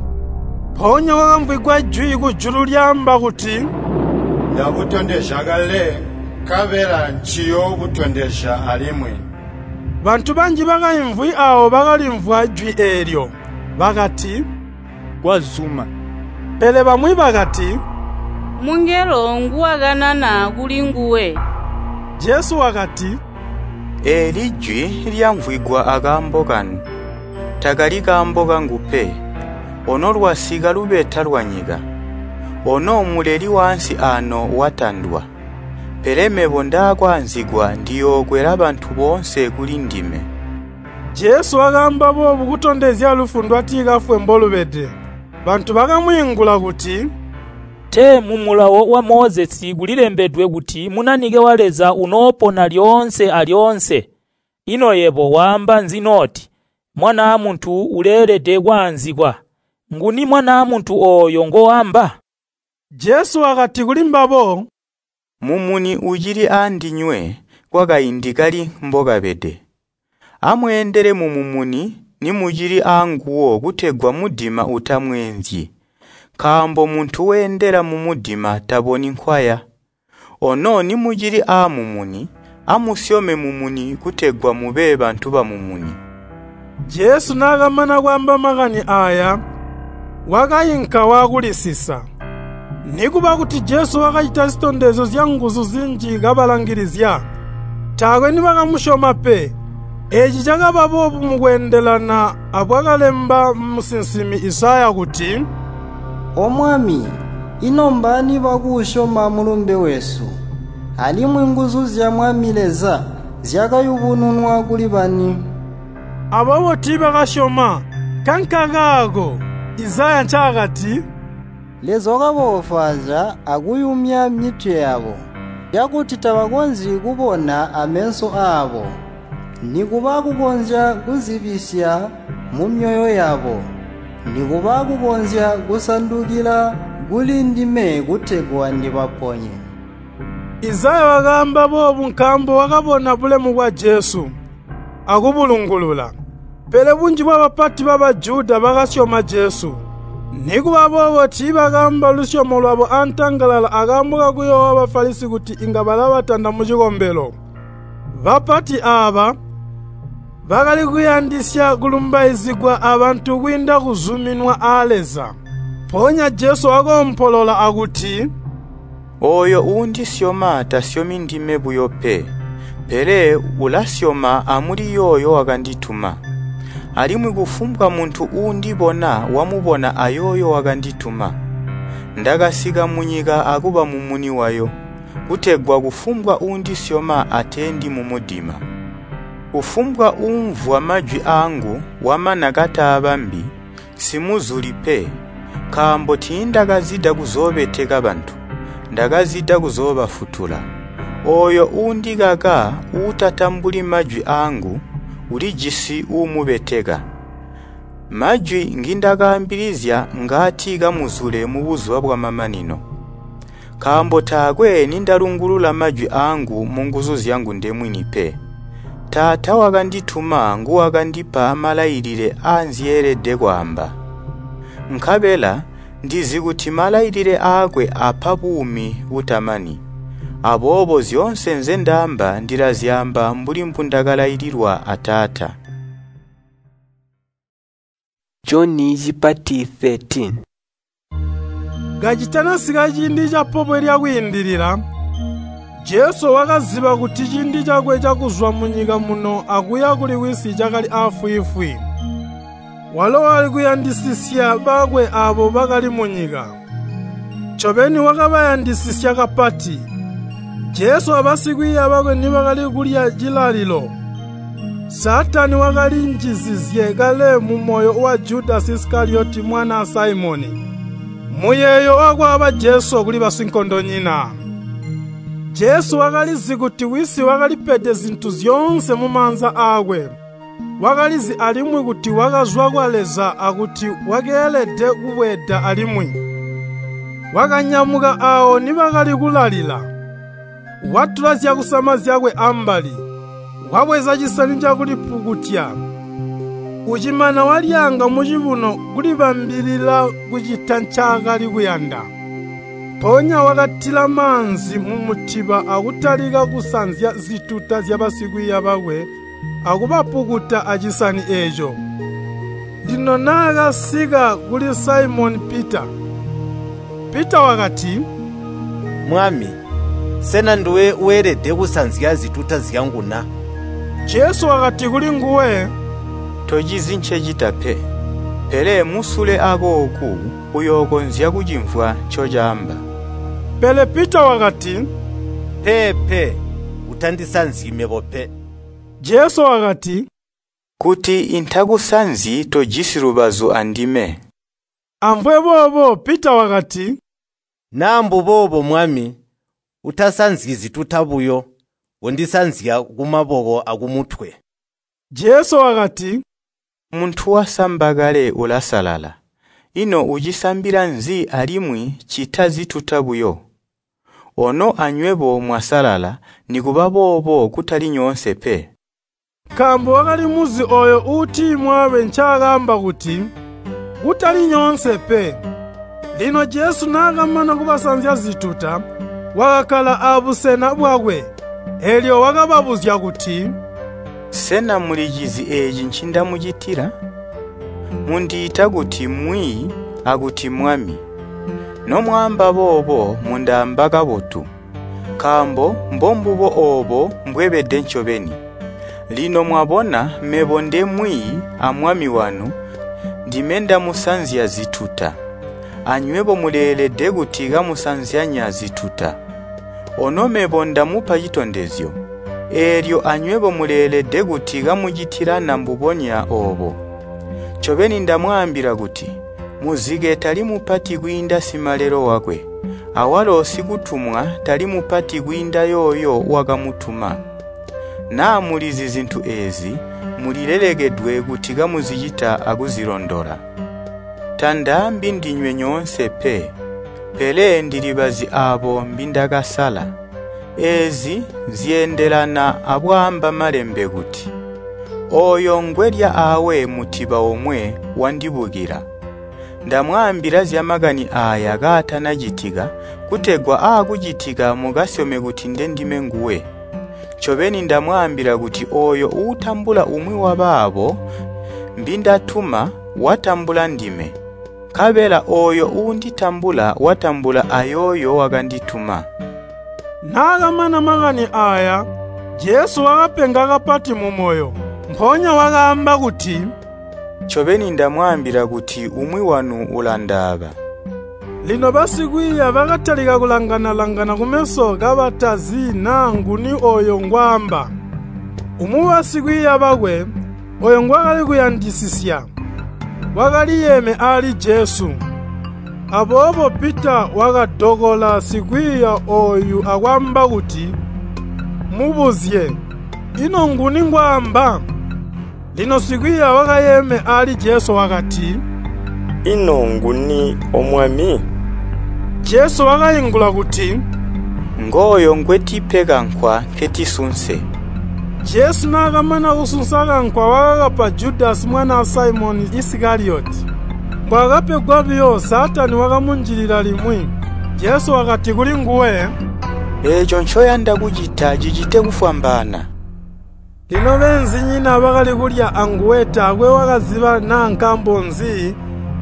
Mpoonya kwakamvwigwa jwi kujulu lyaamba kuti, Ndabutondezya kale, nkabela nciyoobutondezya alimwi. Bantu banji bakaimvwi aawo bakalimvwa jwi eelyo, bakati, “Kwazuma!” Pele bamwi bakati, “Mungelo nguwakanana kulinguwe.” Jesu wakati, “Eeli jwi lyamvwigwa akaambo kanu, takali kaambo kangu pe. Ono lwasika lubeta lwanyika. Ono muleli waansi aano watandwa. Pele mebo ndaakwaanzigwa ndiyookwela bantu boonse kuli ndime.” Jesu wakaamba boobu kutondezya lufu ndwatikafwe mbolubede. Bantu bakamwiingula kuti, “Tee mumulawo wa Mozesi kulilembedwe kuti Munanike wa Leza unoopona lyoonse alyoonse. Ino yebo waamba nzi noti, ‘Mwanaa Muntu uleelede kwaanzikwa?’ Nguni Mwanaa Muntu ooyo ngoamba?” Jesu wakati kulimbabo, “Mumuni ucili aandinywe kwakaindi kali mbokabede. Amweendele mumumuni nimucili aanguwo kutegwa mudima utamweenzyi. Nkaambo muntu weendela mumudima taboni nkwaya. Ono nimucili aamumuni, amusyome mumuni kutegwa mube bantu bamumuni.” Jesu naakamana kwaamba makani aaya, wakainka waakulisisa. Nikuba kuti Jesu wakacita zitondezyo zyanguzu zinji kabalangilizya, taakwe nibakamusyoma pe. Eeci cakaba boobu mukweendelana abwakalemba musinsimi Izaya kuti, “O Mwami, ino mbaani bakuusyoma mulumbe wesu? Alimwi nguzu zya Mwami Leza zyakayubununwa kuli bani?” Aboobo tiibakasyoma. Nkankakaako Izaya ncaakati, “Leza wakaboofwaazya akuyumya mitwe yabo, cakuti tabakonzyi kubona ameso aabo, nikuba kukonzya kuzibisya mumyoyo yabo, nikuba kukonzya kusandukila kuli ndime kutegwa ndibaponye.” Izaya wakaamba boobu nkaambo wakabona bulemu bwa Jesu, akubulungulula. Pele bunji bwabapati ba Bajuda bakasyoma Jesu. Nikuba boobo tiibakaamba lusyomo lwabo antangalala akaambo kakuyoowa Bafalisi kuti inga balabatanda mucikombelo. Bapati aaba bakali kuyandisya kulumbaizigwa abantu kwiinda kuzuminwa aa Leza. Mpoonya Jesu wakoompolola akuti, “Ooyo uundisyoma tasyomi ndime buyo pe, pele ulasyoma amuli yooyo wakandituma. Alimwi kufumbwa muntu uundibona wamubona ayooyo wakandituma. Ndakasika munyika akuba mumuni wayo, kutegwa kufumbwa uundisyoma ateendi mumudima. Kufumbwa uumvwa majwi aangu wamana kataabambi, nsimuzuli pe, nkaambo tiindakazida kuzoobeteka bantu, ndakazida kuzoobafutula. Ooyo uundikaka uutatambuli majwi aangu, ulijisi uumubeteka. Majwi ngindakaambilizya ngaati kamuzule mubuzuba bwamamanino. Nkaambo taakwe nindalungulula majwi aangu munguzu zyangu ndemwini pe. Taata wakandituma nguwakandipa malailile aanzyeelede kwaamba. Nkabela ndizi kuti malailile aakwe apa buumi butamani. Aboobo zyoonse nzendaamba ndilazyaamba mbuli mbundakalaililwa a Taata. Joni cipati 13. Kacitanasika ciindi ca Pobwe lya Kwiindilila, Jesu wakaziba kuti ciindi cakwe cakuzwa munyika muno akuya kuli Wisi cakali aafwiifwi. Walo wakali kuyandisisya bakwe aabo bakali munyika. Ncobeni wakabayandisisya kapati. Jesu abasikwiiya bakwe nibakali kulya cilalilo, Saatani wakalinjizizye kale mumoyo wa Judasi Isikaliyoti mwanaa Saimoni, muyeeyo wakwaaba Jesu kuli basinkondonyina. Jesu wakalizi kuti Wisi wakalipede zintu zyoonse mumaanza aakwe. Wakalizi alimwi kuti wakazwa kwa Leza akuti wakeelede kubweeda alimwi. Wakanyamuka aawo nibakali kulalila, watula zyakusama zyakwe ambali, wabweza cisani cakulipukutya. Ucimana walyaanga mucibuno kulibambilila kucita ncaakali kuyanda. Mpoonya wakatila maanzi mumutiba akutalika kusanzya zituta zyabasikwiiya bakwe akubapukuta acisani eeco. Lino naakasika kuli Saimoni Pita, Pita wakati, “Mwami, sena nduwe weelede kusanzya zituta zyangu na?” Jesu wakati kulinguwe, “Tocizi ncecita pe, pele musule akooku uyookonzya kucimvwa ncocaamba.” Pele Pita wakati, “Peepe, utandisanzyi mebo pe.” Jesu wakati, “Kuti intakusanzyi tojisi lubazu andime.” Amvwe boobo Pita wakati, “Naa mbuboobo Mwami, utasanzyi zituta buyo, kondisanzya kumaboko akumutwe.” Jesu wakati, “Muntu wasamba kale ulasalala. Ino ucisambila nzi alimwi ccita zituta buyo? Ono anywebo mwasalala, nikuba boobo kutali nyoonse pe.” Nkaambo wakalimuzi ooyo uutimwaabe ncaakaamba kuti, “Kutali nyoonse pe.” Lino Jesu naakamana kubasanzya zituta, wakakkala abusena bwakwe. Eelyo wakababuzya kuti, “Sena mulicizi eeci ncindamucitila? Mundiita kuti Mwiiyi akuti Mwami. Nomwaamba boobo mundaamba kabotu, nkaambo mbombubo oobo mbwebede ncobeni. Lino mwabona mebo nde Mwiiyi a Mwami wanu, ndime ndamusanzya zituta. Anywebo muleelede kuti kamusanzyanya zituta. Ono mebo ndamupa citondezyo, eelyo anywebo muleelede kuti kamucitilana mbubonya oobo. Ncobeni ndamwaambila kuti, muzike tali mupati kwiinda simalelo wakwe, awalo sikutumwa tali mupati kwiinda yooyo wakamutuma. Naa mulizi zintu eezi, mulilelekedwe kuti kamuzicita akuzilondola. Tandaambi ndinywe nyoonse pe, pele ndilibazi aabo mbindakasala. Eezi zyeendelana abwaamba Malembe kuti, ‘Ooyo ngwelya aawe mutiba omwe wandibukila.’ Ndamwaambila zyamakani aaya kaatanacitika, kutegwa aakucitika mukasyome kuti ndendime nguwe. Ncobeni ndamwaambila kuti ooyo uutambula umwi wabaabo mbindatuma watambula ndime, nkabela ooyo uunditambula watambula ayooyo wakandituma.” Naakamana makani aaya, Jesu wakapenga kapati mumoyo. Mpoonya wakaamba kuti, “Ncobeni ndamwaambila kuti umwi wanu ulandaaba.” Lino basikwiiya bakatalika kulangana-langana kumeso kabatazi naa nguni ooyo ngwaamba. Umwi wabasikwiiya bakwe, ooyo ngwaakali kuyandisisya, wakaliyeeme aali Jesu. Aboobo Pita wakadokola sikwiiya ooyu akwaamba kuti, “Mubuzye, ino nguni ngwaamba?” Lino sikwiiya wakayeeme aali Jesu wakati, “Ino nguni, O Mwami?” Jesu wakaingula kuti, “Ngooyo ngwetipe kankwa nketisunse.” Jesu naakamana kusunsa kankwa wakakapa Judasi mwanaa Saimoni Isikaliyoti. Mbwaakapegwa buyo Saatani wakamunjilila limwi. Jesu wakati kulinguwe, “Eeco ncoyanda kucita cicite kufwambaana.” Lino beenzinyina bakali kulya anguwe taakwe wakaziba naa nkaambo nzi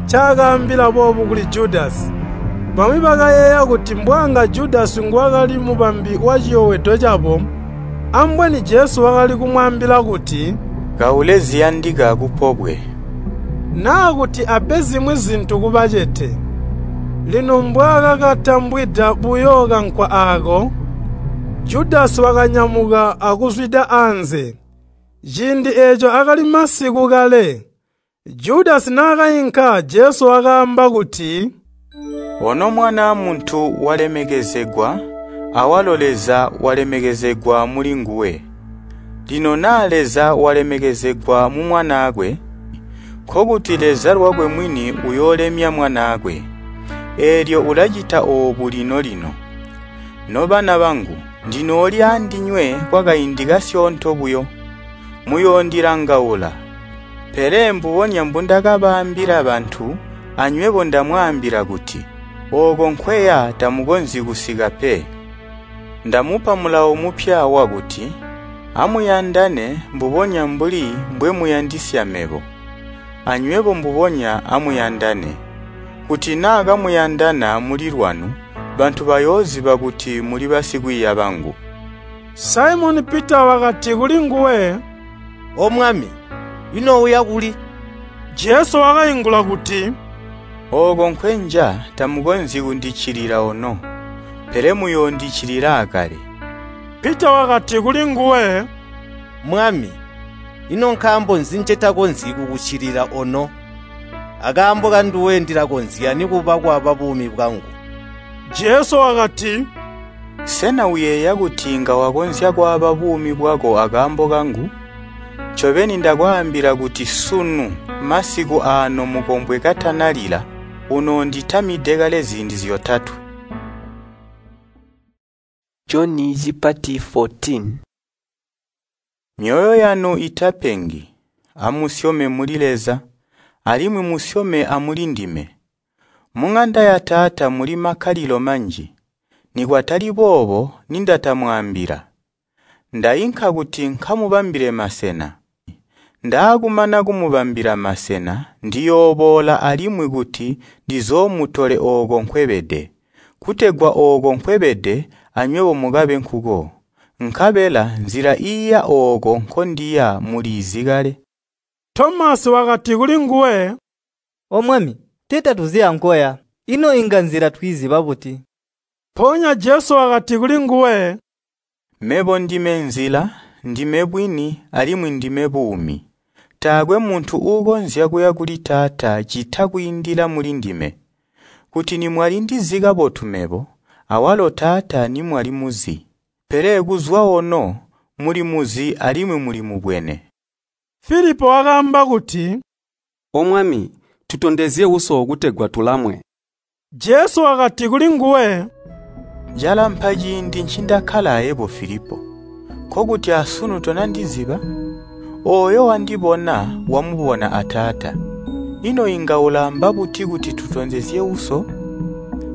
ncaakaambila boobu kuli Judasi. Bamwi bakayeeya kuti mbwaanga Judasi nguwakali mubambi waciyobwedo cabo, ambweni Jesu wakali kumwaambila kuti, “Kaule ziyandika kupobwe,” naa kuti ape zimwi zintu kubacete. Lino mbwaakakatambwida buyo kankwa aako, Judasi wakanyamuka akuzwida anze. Ciindi eeco akali masiku kale. Judasi naakainka, Jesu wakaamba kuti, “Ono Mwanaa Muntu walemekezegwa, awalo Leza walemekezegwa mulinguwe. Lino naa Leza walemekezegwa mu Mwanaakwe, nkokuti Leza lwakwe mwini uyoolemya Mwanaakwe. Eelyo ulacita oobu lino-lino. Nobana bangu, ndinooli aandinywe kwakaindi kasyoonto buyo. Muyoondilangaula, pele mbubonya mbundakabaambila bantu, anywebo ndamwaambila kuti, ooko nkweya tamukonzyi kusika pe. Ndamupa mulawo mupya wakuti, amuyandane mbubonya mbuli mbwemuyandisya mebo. Anywebo mbubonya amuyandane. Kuti naa kamuyandana muli lwanu, bantu bayooziba kuti muli basikwiiya bangu.” Saimoni Pita wakati kulinguwe, “O Mwami, ino uya kuli?” Jesu wakaingula kuti, “Ooko nkwenja tamukonzyi kundiccilila ono, pele muyoondiccilila aakale.” Pita wakati kulinguwe, “Mwami, ino nkaambo nzi ncetakonzyi kukuccilila ono? Akaambo kanduwe ndilakonzya nikuba kwaaba buumi bwangu.” Jesu wakati, “Sena uyeeya kuti inga wakonzya kwaaba buumi bwako akaambo kangu? Ncobeni ndakwaambila kuti sunu masiku aano mukombwe katanalila, unoonditamide kale ziindi zyotatwe.” Joni cipati 14. Myoyo yanu itapengi. Amusyome muli Leza, alimwi musyome amulindime. Muŋanda ya Taata muli makkalilo manji. Nikwatali boobo nindatamwaambila. Ndainka kuti nkamubambile masena. Ndaakumana kumubambila masena, ndiyooboola alimwi kuti ndizoomutole ooko nkwebede, kutegwa ooko nkwebede anywebo mukabe nkuko. Nkabela nzila iiya ooko nkondiya muliizi kale.” Tomasi wakati kulinguwe, “O Mwami, tee tatuzi ankoya, ino inga nzila twiiziba buti?” Mpoonya Jesu wakati kulinguwe, “Mebo ndime nzila, ndime bwini, alimwi ndime buumi. Taakwe muntu uukonzya kuya kuli Taata ccita kwiindila mulindime. Kuti nimwalindizi kabotu mebo, awalo Taata nimwalimuzi. Pele kuzwa ono mulimuzi alimwi mulimubwene.” Filipo wakaamba kuti, “O Mwami, tutondezye Uso kutegwa tulamwe.” Jesu wakati kulinguwe, “Calampa ciindi ncindakkala ayebo Filipo, nkokuti asunu tonandiziba? Ooyo wandibona wamubona a Taata. Ino inga ulaamba buti kuti tutondezye Uso?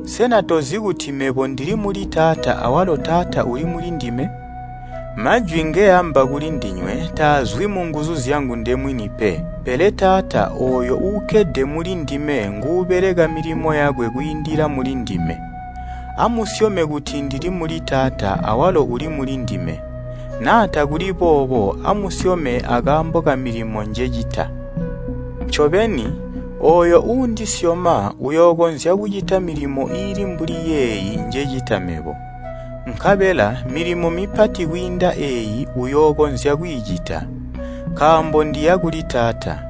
Sena tozi kuti mebo ndili muli Taata awalo Taata uli mulindime? Majwi ngeamba kulindinywe taazwi munguzu zyangu ndemwini pe, pele Taata ooyo uukkede mulindime nguubeleka milimo yakwe kwiindila mulindime. Amusyome kuti ndili muli Taata awalo uli mulindime. Naa takuli boobo amusyome akaambo kamilimo njecita. Ncobeni, ooyo uundisyoma uyookonzya kucita milimo iili mbuli yeeyi njecita mebo. Nkabela milimo mipati kwiinda eeyi uyookonzya kwiicita, nkaambo ndiya kuli Taata.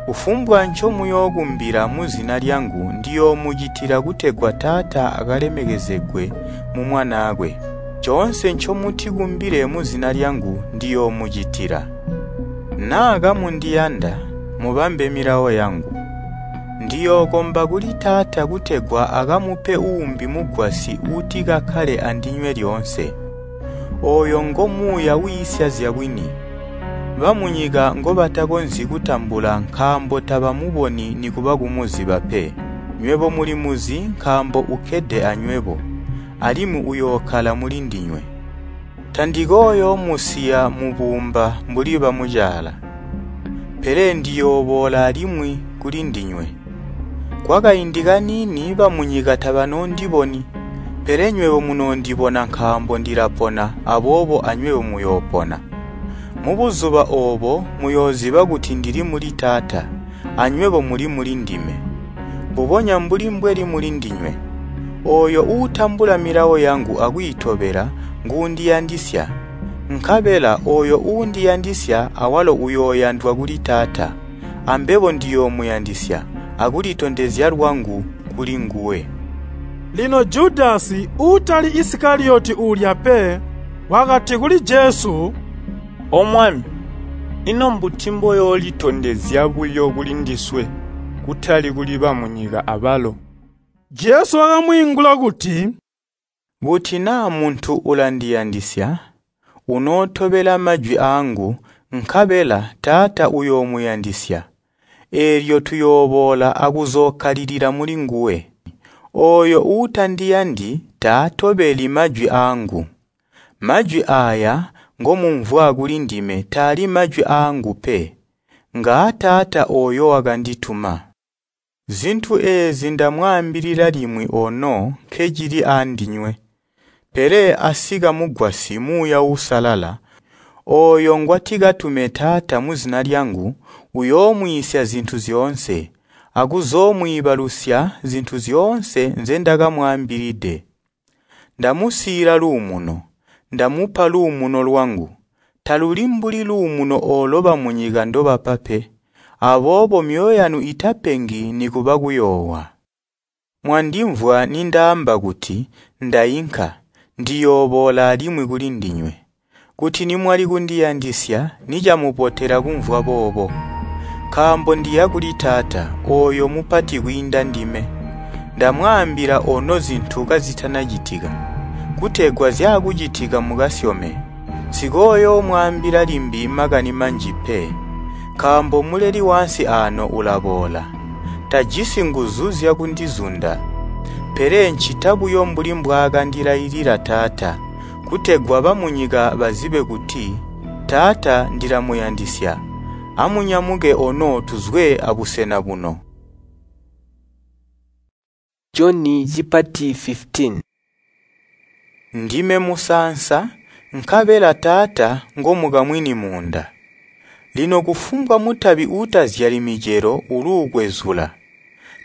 Kufumbwa ncomuyookumbila muzina lyangu ndiyoomucitila kutegwa Taata akalemekezegwe mu Mwanaakwe. Coonse ncomutikumbile muzina lyangu ndiyoomucitila. Naa kamundiyanda, mubambe milawo yangu. Ndiyookomba kuli Taata kutegwa akamupe uumbi mugwasyi uuti kakkale andinywe lyoonse. Ooyo ngo Muuya wiisya zyabwini. Bamunyika ngobatakonzyi kutambula nkaambo tabamuboni nikuba kumuziba pe. Nywebo mulimuzi nkaambo ukkede anywebo, alimwi uyookkala mulindinywe. Tandikooyoomusiya mubuumba mbuli bamucaala, pele ndiyooboola alimwi kulindinywe. Kwakaindi kaniini bamunyika tabanoondiboni, pele nywebo munoondibona nkaambo ndilapona aboobo anywebo muyoopona. Mubuzuba oobo muyooziba kuti ndili muli Taata, anywebo muli mulindime. mbubonya mbuli mbweli mulindinywe. Ooyo uutambula milawo yangu akwiitobela nguundiyandisya. Nkabela ooyo uundiyandisya awalo uyooyandwa kuli Taata, ambebo ndiyoomuyandisya akulitondezya lwangu kulinguwe. Lino Judasi, uutali Isikaliyoti uulya pe, wakati kuli Jesu, “O Mwami, ino mbuti mboyoolitondezya buyo kulindiswe, kutali kuli bamunyika abalo?” Jesu wakamwiingula kuti, “Kuti naa muntu ulandiyandisya, unootobela majwi aangu nkabela Taata uyoomuyandisya, eelyo tuyooboola akuzookkalilila mulinguwe. Ooyo uutandiyandi taatobeli majwi aangu. Majwi aaya ngomumvwa kulindime taali majwi aangu pe, ngaa Taata ooyo wakandituma. Zintu eezi ndamwaambilila limwi ono nkecili aandinywe. Pele asika Mugwasyi Muuya Uusalala, ooyo ngwatikatume Taata muzina lyangu, uyoomwiisya zintu zyoonse, akuzoomwiibalusya zintu zyoonse nzendakamwaambilide. Ndamusiila luumuno, ndamupa luumuno lwangu. Taluli mbuli luumuno oolo bamunyika ndobapa pe. Aboobo myoyo yanu itapengi nikuba kuyoowa. Mwandimvwa nindaamba kuti, ‘Ndainka, ndiyooboola alimwi kulindinywe.’ Kuti nimwali kundiyandisya nicamubotela kumvwa boobo, nkaambo ndiya kuli Taata, ooyo mupati kwiinda ndime. Ndamwaambila ono zintu kazitanacitika, kutegwa zyaakucitika mukasyome. Nsikooyoomwaambila limbi makani manji pe, nkaambo muleli waansi aano ulaboola. Tajisi nguzu zyakundizunda, pele ncita buyo mbuli mbwaakandilailila Taata, kutegwa bamunyika bazibe kuti Taata ndilamuyandisya. Amunyamuke ono tuzwe abusena buno. Joni cipati 15 Ndime musaansa, nkabela Taata ngomukamwini muunda. Lino kufumbwa mutabi uutazyali micelo uluukwezula,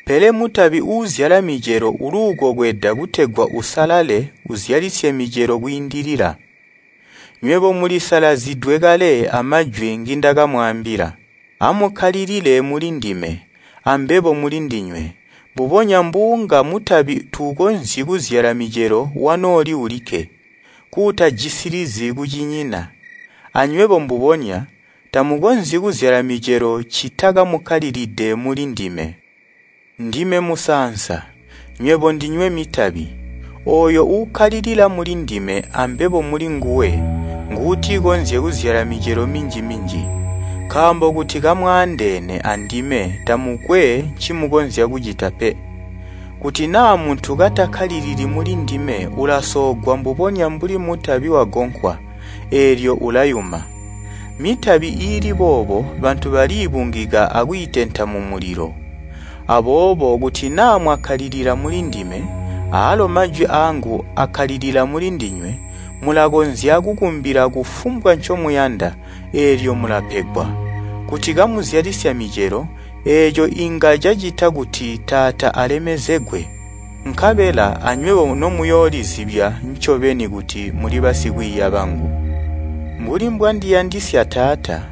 pele mutabi uuzyala micelo uluukokweda kutegwa usalale uzyalisye micelo kwiindilila. Nywebo mulisalazidwe kale amajwi ngindakamwaambila. Amukkalilile mulindime, ambebo mulindinywe. Mbubonya mbuunga mutabi tuukonzyi kuzyala micelo wanooli ulikke, kuutajisilizi kucinyina. Anywebo mbubonya, tamukonzyi kuzyala micelo ccita kamukkalilide mulindime. Ndime musaansa, nywebo ndinywe mitabi. Ooyo uukkalilila mulindime ambebo mulinguwe nguutikonzye kuzyala micelo minji-minji. Nkaambo kuti kamwaandeene andime tamukwe ncimukonzya kucita pe. Kuti naa muntu katakkalilili mulindime ulasoogwa mbubonya mbuli mutabi wagonkwa, eelyo ulayuma. Mitabi iili boobo bantu baliibungika akwiitenta mumulilo. Aboobo kuti naa mwakkalilila mulindime, aalo majwi aangu akkalilila mulindinywe, mulakonzya kukumbila kufumbwa ncomuyanda, eelyo mulapegwa. Kuti kamuzyalisya micelo, eeco inga cacita kuti Taata alemezegwe. Nkabela anywebo nomuyoolizibya ncobeni kuti muli basikwiiya bangu. Mbuli mbwandiyandisya Taata,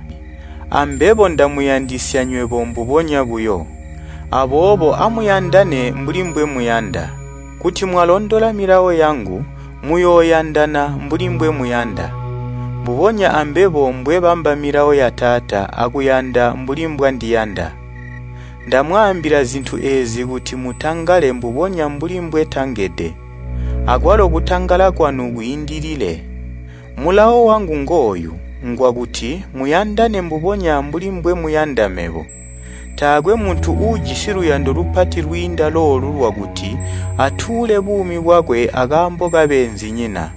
ambebo ndamuyandisya nywebo mbubonya buyo. Aboobo amuyandane mbuli mbwemuyanda. Kuti mwalondola milawo yangu, muyooyandana mbuli mbwemuyanda. Mbubonya ambebo mbwebamba milawo ya Taata akuyanda mbuli mbwandiyanda. Ndamwaambila zintu eezi kuti mutangale mbubonya mbuli mbwetangede, akwalo kutangala kwanu kwiindilile. Mulawo wangu ngooyu, ngwakuti muyandane mbubonya mbuli mbwemuyanda mebo. Taakwe muntu uujisi luyando lupati lwiinda loolu lwakuti atuule buumi bwakwe akaambo kabeenzinyina.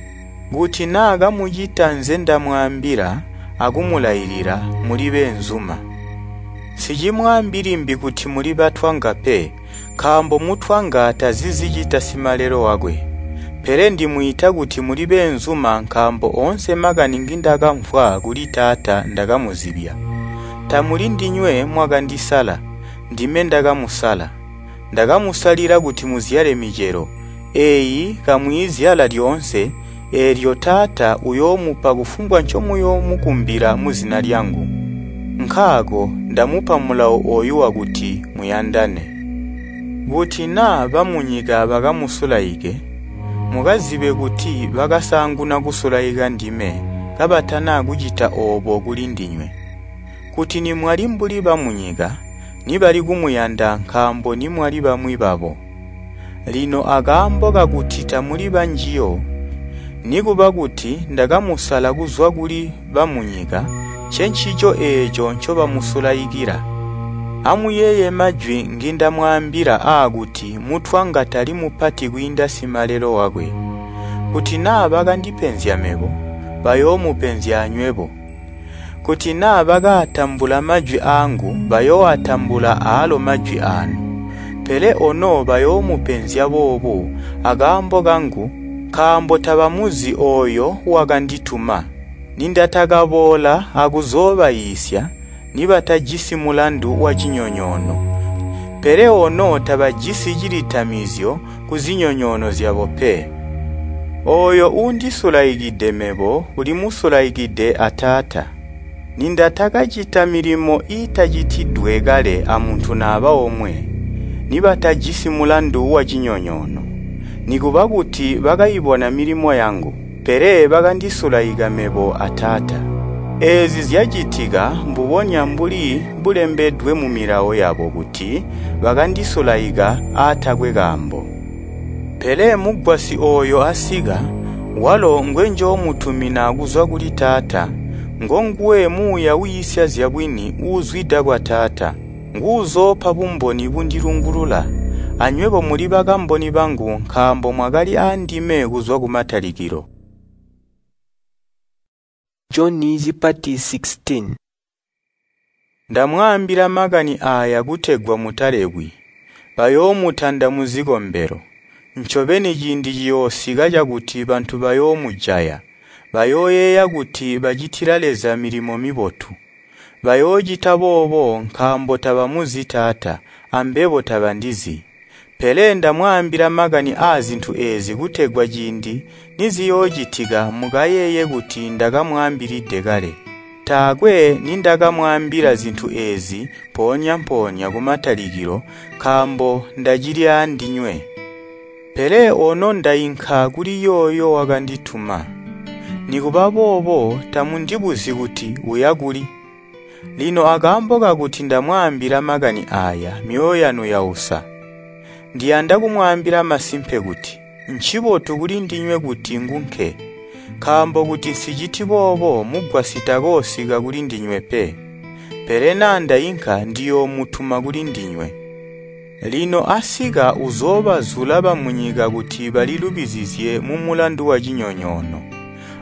Kuti naa kamucita nzendamwaambila akumulailila, muli beenzuma. Nsicimwaambi limbi kuti muli batwanga pe, nkaambo mutwanga tazi zicita simalelo wakwe. Pele ndimwiita kuti muli beenzuma nkaambo oonse makani ngindakamvwa kuli Taata ndakamuzibya. Tamuli ndinywe mwakandisala, ndime ndakamusala. Ndakamusalila kuti muzyale micelo, eeyi kamwiizyala lyoonse, eelyo Taata uyoomupa kufumbwa ncomuyoomukumbila muzina lyangu. Nkaako ndamupa mulawo ooyu wakuti muyandane. Kuti naa bamunyika bakamusulaike, mukazibe kuti bakasaanguna kusulaika ndime kabatana kucita oobo kulindinywe. Kuti nimwali mbuli bamunyika, nibali kumuyanda nkaambo nimwali bamwi babo. Lino akaambo kakuti tamuli banjiyo, nikuba kuti ndakamusala kuzwa kuli bamunyika, ncencico eeco ncobamusulaikila. Amuyeeye majwi ngindamwaambila aakuti mutwanga tali mupati kwiinda simalelo wakwe. Kuti naa bakandipenzya mebo, bayoomupenzya anywebo. Kuti naa bakaatambula majwi aangu, bayooatambula aalo majwi aanu. Pele ono bayoomupenzya boobu akaambo kangu nkaambo tabamuzi ooyo wakandituma. Nindatakaboola akuzoobayiisya, nibatajisi mulandu wacinyonyoono. Pele ono tabajisi cilitamizyo kuzinyonyoono zyabo pe. Ooyo uundisulaikide mebo ulimusulaikide a Taata. Nindatakacita milimo iitacitidwe kale amuntu naba omwe, nibatajisi mulandu wacinyonyoono. Nikuba kuti bakaibona milimo yangu, pele bakandisulaika mebo a Taata. Eezi zyacitika mbubonya mbuli bulembedwe mumilawo yabo kuti bakandisulaika aatakwe kaambo. Pele Mugwasyi ooyo asika, walo ngwenjoomutumina kuzwa kuli Taata, ngonguwe Muuya wiisya zyabwini uuzwida kwa Taata, nguuzoopa bumboni bundilungulula. Anywebo muli bakamboni bangu nkaambo mwakali aandime kuzwa kumatalikilo. Joni cipati 16. Ndamwaambila makani aaya kutegwa mutalebwi. Bayoomutanda muzikombelo. Ncobeni ciindi ciyoosika cakuti bantu bayoomujaya. Bayooyeeya kuti bacitila Leza milimo mibotu. Bayoocita boobo nkaambo tabamuzi Taata, ambebo tabandizi. Pele ndamwaambila makani aazintu eezi kutegwa ciindi niziyoocitika mukayeeye kuti ndakamwaambilide kale. Taakwe nindakamwaambila zintu eezi mpoonya-mpoonya kumatalikilo nkaambo ndacili aandinywe. Pele ono ndainka kuli yooyo wakandituma. Nikuba boobo tamundibuzyi kuti uya kuli. Lino akaambo kakuti ndamwaambila makani aaya, myoyo yanu yausa. Ndiyanda kumwaambila masimpe kuti, ncibotu kulindinywe kuti ngunke, nkaambo kuti nsiciti boobo Mugwasyi takoosika kulindinywe pe. Pele naa ndainka ndiyoomutuma kulindinywe. Lino asika uzoobazula bamunyika kuti balilubizizye mumulandu wacinyonyoono,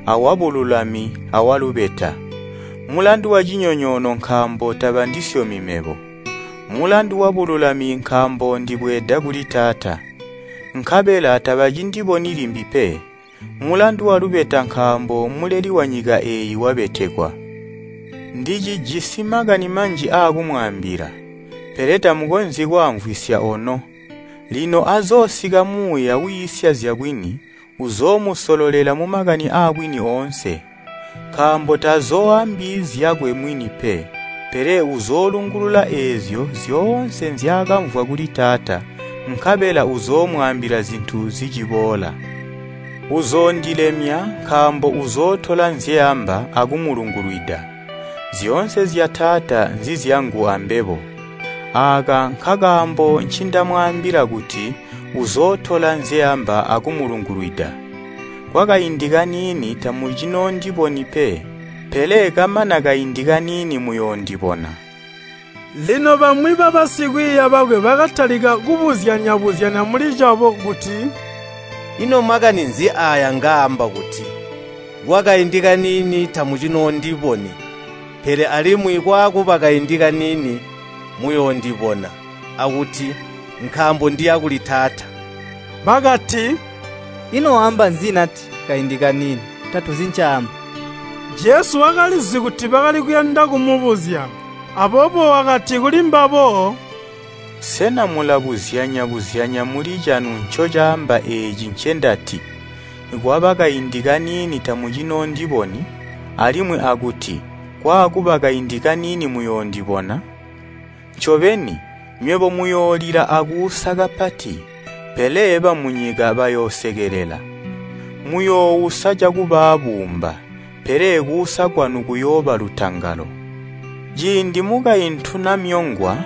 awabululami awalubeta. Mulandu wacinyonyoono nkaambo tabandisyomi mebo. Mulandu wabululami nkaambo ndibweeda kuli Taata, nkabela tabacindiboni limbi pe. Mulandu walubeta nkaambo muleli wanyika eeyi wabetekwa. Ndicijisi makani manji aakumwaambila, pele tamukonzyi kwaamvwisya ono. Lino azoosika Muuya wiisya zyabwini, uzoomusololela mumakani aabwini oonse. Nkaambo tazooambi zyakwe mwini pe, pele uzoolungulula eezyo zyoonse nzyaakamvwa kuli Taata, nkabela uzoomwaambila zintu ziciboola. Uzoondilemya nkaambo uzootola nzyeamba akumulungulwida. Zyoonse zya Taata nzizyangu ambebo. Aaka nkakaambo ncindamwaambila kuti uzootola nzyeamba akumulungulwida. Kwakaindi kaniini tamucinoondiboni pe, pele kamana kaindi kaniini muyoondibona. Lino bamwi babasikwiiya bakwe bakatalika kubuzyanya-buzyanya mulicabo kuti, “Ino makani nzi aaya ngaamba kuti, ‘Kwakaindi kaniini tamucinoondiboni, pele alimwi kwaakuba kaindi kaniini muyoondibona,’ akuti, ‘Nkaambo ndiya kuli Taata?’” Bakati, “Ino waamba nzi nati, ‘Kaindi kaniini?’ Tatuzi ncaamba.” Jesu wakalizi kuti bakali kuyanda kumubuzya, aboobo wakati kulimbabo, Sena mulabuzyanya-buzyanya muli canu ncocaamba eeci ncendati, ‘Kwaba kaindi kaniini tamucinoondiboni,’ alimwi akuti, ‘Kwaakuba kaindi kaniini muyoondibona?’ Ncobeni, nywebo muyoolila akuusa kapati, pele bamunyika bayoosekelela. Muyoousa cakubaabuumba, pele kuusa kwanu kuyooba lutangalo. Ciindi mukaintu namyongwa,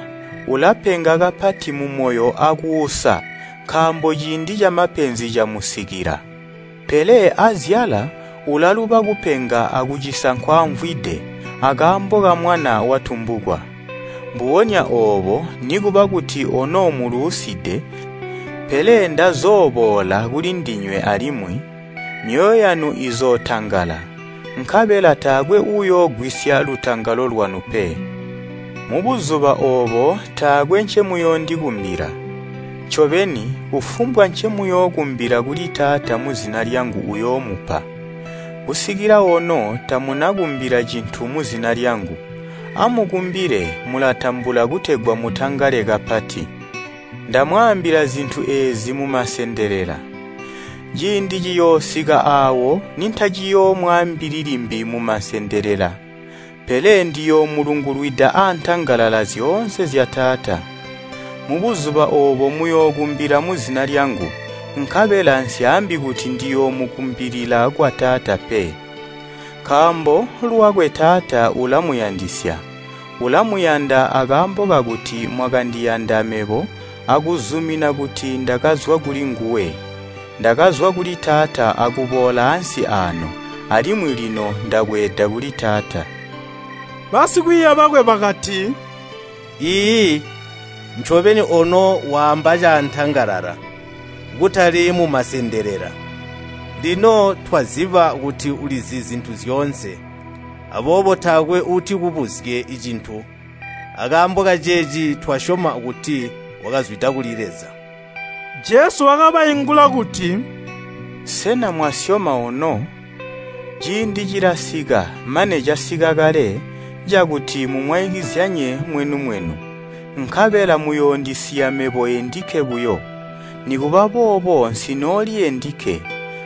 ulapenga kapati mumoyo akuusa nkaambo ciindi camapenzi camusikila. Pele azyala ulaluba kupenga akucisa nkwaamvwide akaambo kamwana watumbukwa. Mbubonya oobo nikuba kuti ono muluuside, pele ndazooboola kulindinywe alimwi, myoyo yanu izootangala, nkabela taakwe uuyoogwisya lutangalo lwanu pe. Mubuzuba oobo taakwe ncemuyoondikumbila. Ncobeni, kufumbwa ncemuyookumbila kuli Taata muzina lyangu uyoomupa. Kusikila ono tamunakumbila cintu muzina lyangu. Amukumbile mulatambula kutegwa mutangale kapati. Ndamwaambila zintu eezi mumasendelela. Ciindi ciyoosika aawo nintaciyoomwaambili limbi mumasendelela, pele ndiyoomulungulwida antangalala zyoonse zya Taata. Mubuzuba oobo muyookumbila muzina lyangu, nkabela nsyaambi kuti ndiyoomukumbilila kwa Taata pe. Nkaambo lwakwe Taata ulamuyandisya. Ulamuyanda akaambo kakuti mwakandiyanda mebo akuzumina kuti ndakazwa kulinguwe. Ndakazwa kuli Taata akuboola ansi aano, alimwi lino ndabweeda kuli Taata. Basikwiiya bakwe bakati, Iiyi, ncobeni ono waamba caantangalala, kutali mumasendelela. Lino twaziba kuti ulizi zintu zyoonse, aboobo taakwe uutikubuzye cintu. Akaambo kaceeci twasyoma kuti wakazwida kuli Leza. Jesu wakabaingula kuti, Sena mwasyoma ono? Ciindi cilasika, mane casika kale, cakuti mumwaikizyanye mwenu-mwenu, nkabela muyoondisiya mebo endikke buyo. Nikuba boobo nsinooli endikke,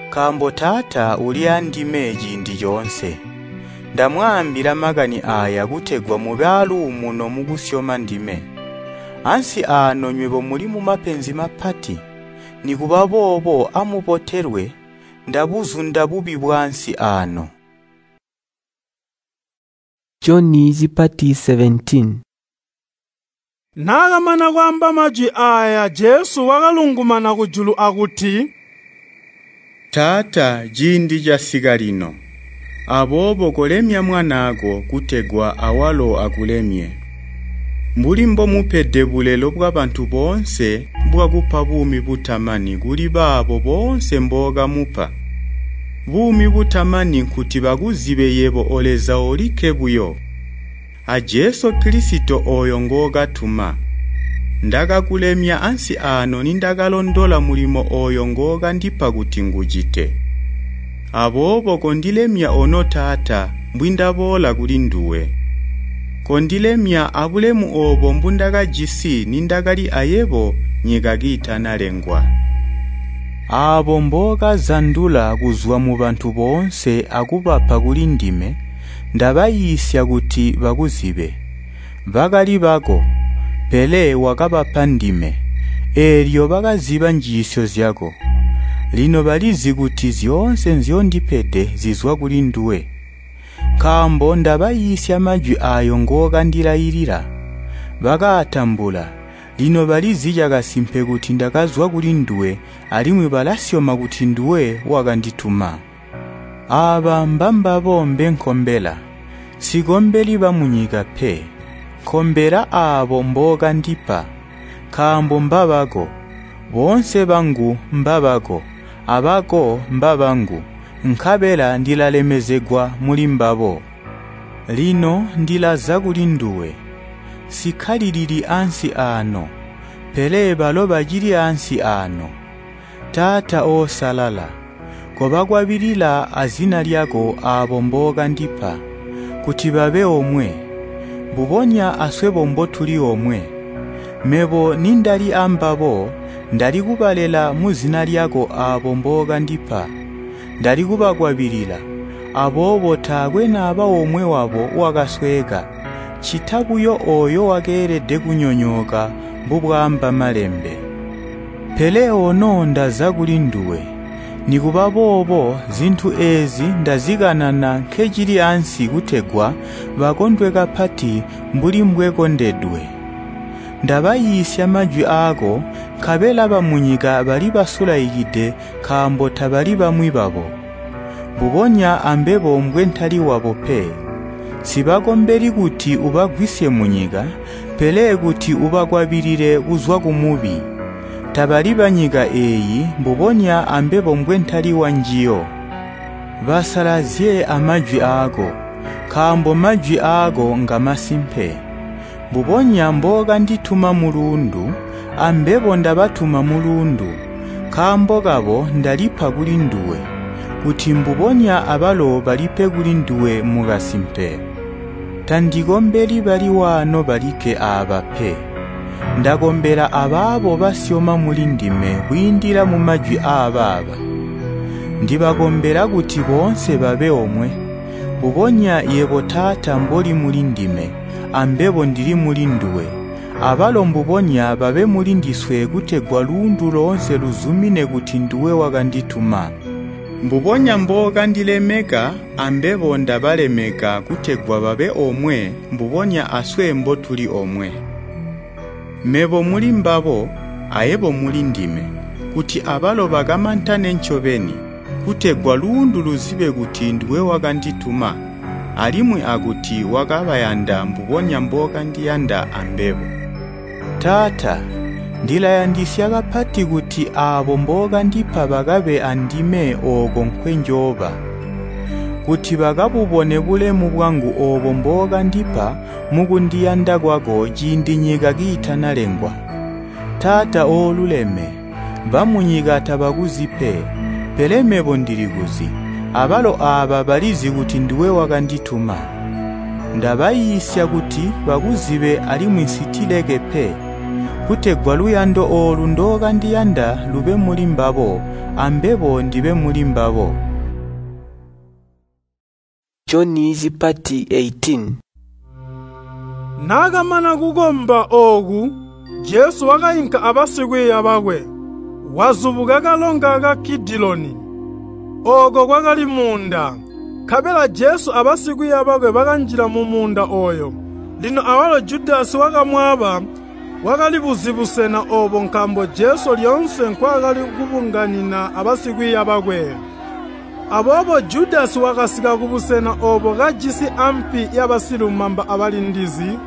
nkaambo Taata uli andime ciindi coonse. Ndamwaambila makani aaya kutegwa mube aaluumuno mukusyoma ndime. Ansi aano nywebo muli mumapenzi mapati. Nikuba boobo amubotelwe, ndabuzunda bubi bwaansi aano. Joni cipati 17. Naakamana kwaamba majwi aaya Jesu wakalungumana kujulu akuti, Taata, ciindi casika lino. Aboobo kolemya mwanaako kutegwa awalo akulemye. Mbuli mbomupede bulelo bwabantu boonse bwakupa buumi butamani kuli baabo boonse mbookamupa. Buumi butamani nkuti bakuzibe yebo o Leza olikke buyo, a Jesu Kilisito ooyo ngookatuma. Ndakakulemya ansi aano nindakalondola mulimo ooyo ngookandipa kuti ngucite. Aboobo kondilemya ono Taata mbwindaboola kulinduwe. Kondilemya abulemu oobo mbundakajisi nindakali ayebo nyika kiitanalengwa. Aabo mbookazandula kuzwa mubantu boonse akubapa kulindime, ndabayiisya kuti bakuzibe. Bakali bako, pele wakabapa ndime, eelyo bakaziba njiisyo zyako. Lino balizi kuti zyoonse nzyondipede zizwa kulinduwe. Nkaambo ndabayiisya majwi aayo ngookandilailila. Bakaatambula, lino balizi cakasimpe kuti ndakazwa kulinduwe alimwi balasyoma kuti nduwe wakandituma. Aaba mbambabo mbenkombela. Nsikombeli bamunyika pe, nkombela aabo mbookandipa, nkaambo mbabako. Boonse bangu mbabako, abako mbabangu, nkabela ndilalemezegwa mulimbabo. Lino ndilaza kulinduwe. Nsikkalilili ansi aano, pele balo bacili ansi aano. Taata oosalala, kobakwabilila azina lyako aabo mbookandipa, kuti babe omwe, mbubonya aswebo mbotuli omwe. Mebo nindali ambabo, ndali kubalela muzina lyako aabo mbookandipa. Ndali kubakwabilila, aboobo taakwe naba omwe wabo wakasweeka, ccita buyo ooyo wakeelede kunyonyooka mbubwaamba Malembe. Pele ono ndaza kulinduwe. Nikuba boobo zintu eezi ndazikanana nkecili ansi kutegwa bakondwe kapati mbuli mbwekondedwe. Ndabayiisya majwi aako, nkabela bamunyika bali basulaikide nkaambo tabali bamwi babo. Mbubonya ambebo mbwentali wabo pe. Nsibakombeli kuti ubagwisye munyika, pele kuti ubakwabilile kuzwa kumubi. Tabali banyika eeyi mbubonya ambebo mbwentali wanjiyo. Basalazye amajwi aako, nkaambo majwi aako ngamasimpe. Mbubonya mbookandituma muluundu, ambebo ndabatuma muluundu. Nkaambo kabo ndalipa kulinduwe, kuti mbubonya abalo balipe kulinduwe mukasimpe. Tandikombeli bali waano balikke aaba pe. Ndakombela abaabo basyoma mulindime kwiindila mumajwi aabaaba. Ndibakombela kuti boonse babe omwe, mbubonya yebo Taata mboli mulindime, ambebo ndili mulinduwe. Abalo mbubonya babe mulindiswe kutegwa luundu loonse luzumine kuti nduwe wakandituma. Mbubonya mbookandilemeka, ambebo ndabalemeka kutegwa babe omwe mbubonya aswe mbotuli omwe. Mebo muli mbabo, ayebo mulindime, kuti abalo bakamantane ncobeni, kutegwa luundu luzibe kuti nduwe wakandituma, alimwi akuti wakabayanda mbubonya mbookandiyanda ambebo. Taata, ndilayandisya kapati kuti aabo mbookandipa bakabe andime ooko nkwenjooba, kuti bakabubone bulemu bwangu oobo mbookandipa mukundiyanda kwako ciindi nyika kiitanalengwa. Taata ooluleme, bamunyika tabakuzi pe, pele mebo ndilikuzi, abalo aaba balizi kuti nduwe wakandituma. Ndabayiisya kuti bakuzibe alimwi nsitileke pe, kutegwa luyando oolu ndookandiyanda lube muli mbabo, ambebo ndibe muli mbabo. Joni cipati 18. Naakamana kukomba ooku, Jesu wakainka abasikwiiya bakwe, wazubuka kalonga ka Kidiloni. Ooko kwakali muunda, nkabela Jesu abasikwiiya bakwe bakanjila mumuunda ooyo. Lino awalo Judasi wakamwaaba wakalibuzi busena oobo nkaambo Jesu lyoonse nkwaakali kubunganina abasikwiiya bakwe. Aboobo Judasi wakasika kubusena oobo kajisi ampi yabasilumamba abalindizi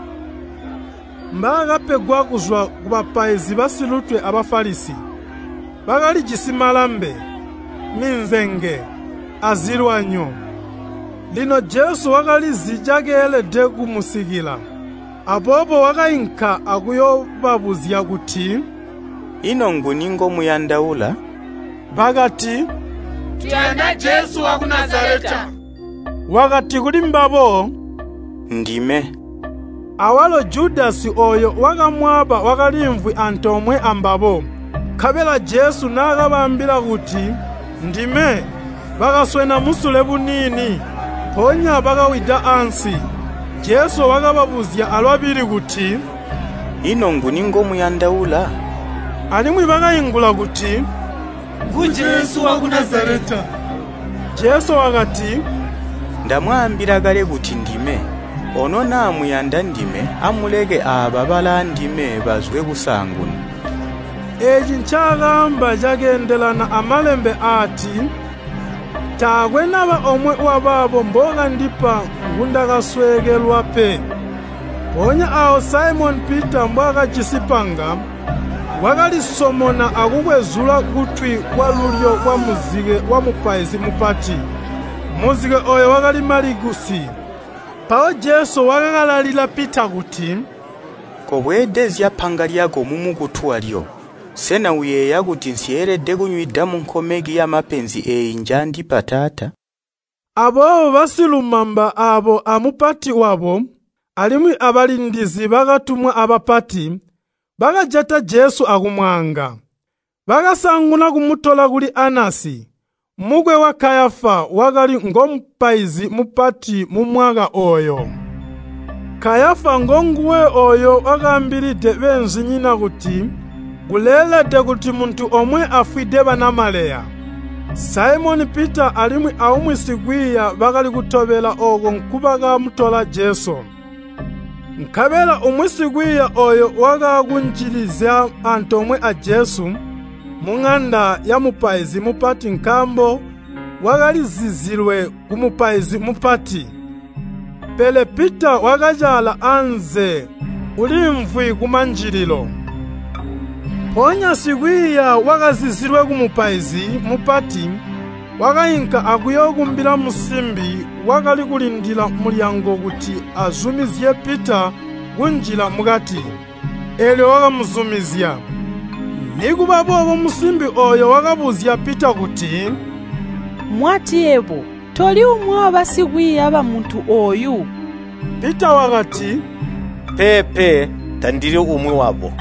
mbaakapegwa kuzwa kubapaizi basilutwe a Bafalisi. Bakalijisi malambe, minzenge, azilwanyo. Lino Jesu wakalizi cakeelede kumusikila. Aboobo wakainka akuyoobabuzya kuti, “Ino nguni ngomuyandaula?” Bakati, “Tuyanda Jesu waku Nazaleta.” Wakati kulimbabo, “Ndime.” Awalo Judasi ooyo wakamwaaba wakaliimvwi antoomwe ambabo. Nkabela Jesu naakabaambila kuti, “Ndime,” bakaswena musule buniini, mpoonya bakawida ansi. Jesu wakababuzya alwabili kuti, “Ino nguni ngomuyandaula?” Alimwi bakaingula kuti, “Ngu Jesu waku Nazaleta.” Jesu wakati, “Ndamwaambila kale kuti ndime. Ono naa muyanda ndime, amuleke aaba balaandime bazwe kusaanguna.” Eeci ncaakaamba cakeendelana amalembe aati, “Taakwe naba omwe wabaabo mbookandipa ngundakasweekelwa pe.” Mpoonya aawo Saimoni Pita mbwaakajisi panga, wakalisomona akukwezula kutwi kwalulyo kwamuzike wamupaizi mupati. Muzike ooyo wakali Malikusi. Mpawo Jesu wakakalalila Pita kuti, “Kobweedezya panga lyako mumukutu walyo. Sena uyeeya kuti nsyeelede kunywida munkomeki yamapenzi eeyi njaandipa Taata?” Aboobo basilumamba aabo amupati wabo, alimwi abalindizi bakatumwa abapati, Bakajata Jesu akumwaanga. Bakasaanguna kumutola kuli Anasi, mukwe wa Kayafa wakali ngomupaizi mupati mumwaka ooyo. Kayafa ngonguwe ooyo wakaambilide beenzinyina kuti kuleelede kuti muntu omwe afwide banamaleya. Saimoni Pita alimwi aumwi sikwiiya bakali kutobela ooko nkubakamutola Jesu. Nkabela umwi sikwiiya ooyo wakaakunjilizya antoomwe a Jesu muŋanda yamupaizi mupati nkaambo wakalizizilwe kumupaizi mupati. Pele Pita wakacaala anze uliimvwi kumanjililo. Mpoonya sikwiiya wakazizilwe kumupaizi mupati wakainka akuyookumbila musimbi wakali kulindila mulyango kuti azumizye Pita kunjila mukati. Eelyo wakamuzumizya. Nikuba boobo musimbi ooyo wakabuzya Pita kuti, “Mwati yebo toli umwi wabasikwiiya bamuntu ooyu?” Pita wakati, “Peepe, tandili umwi wabo.”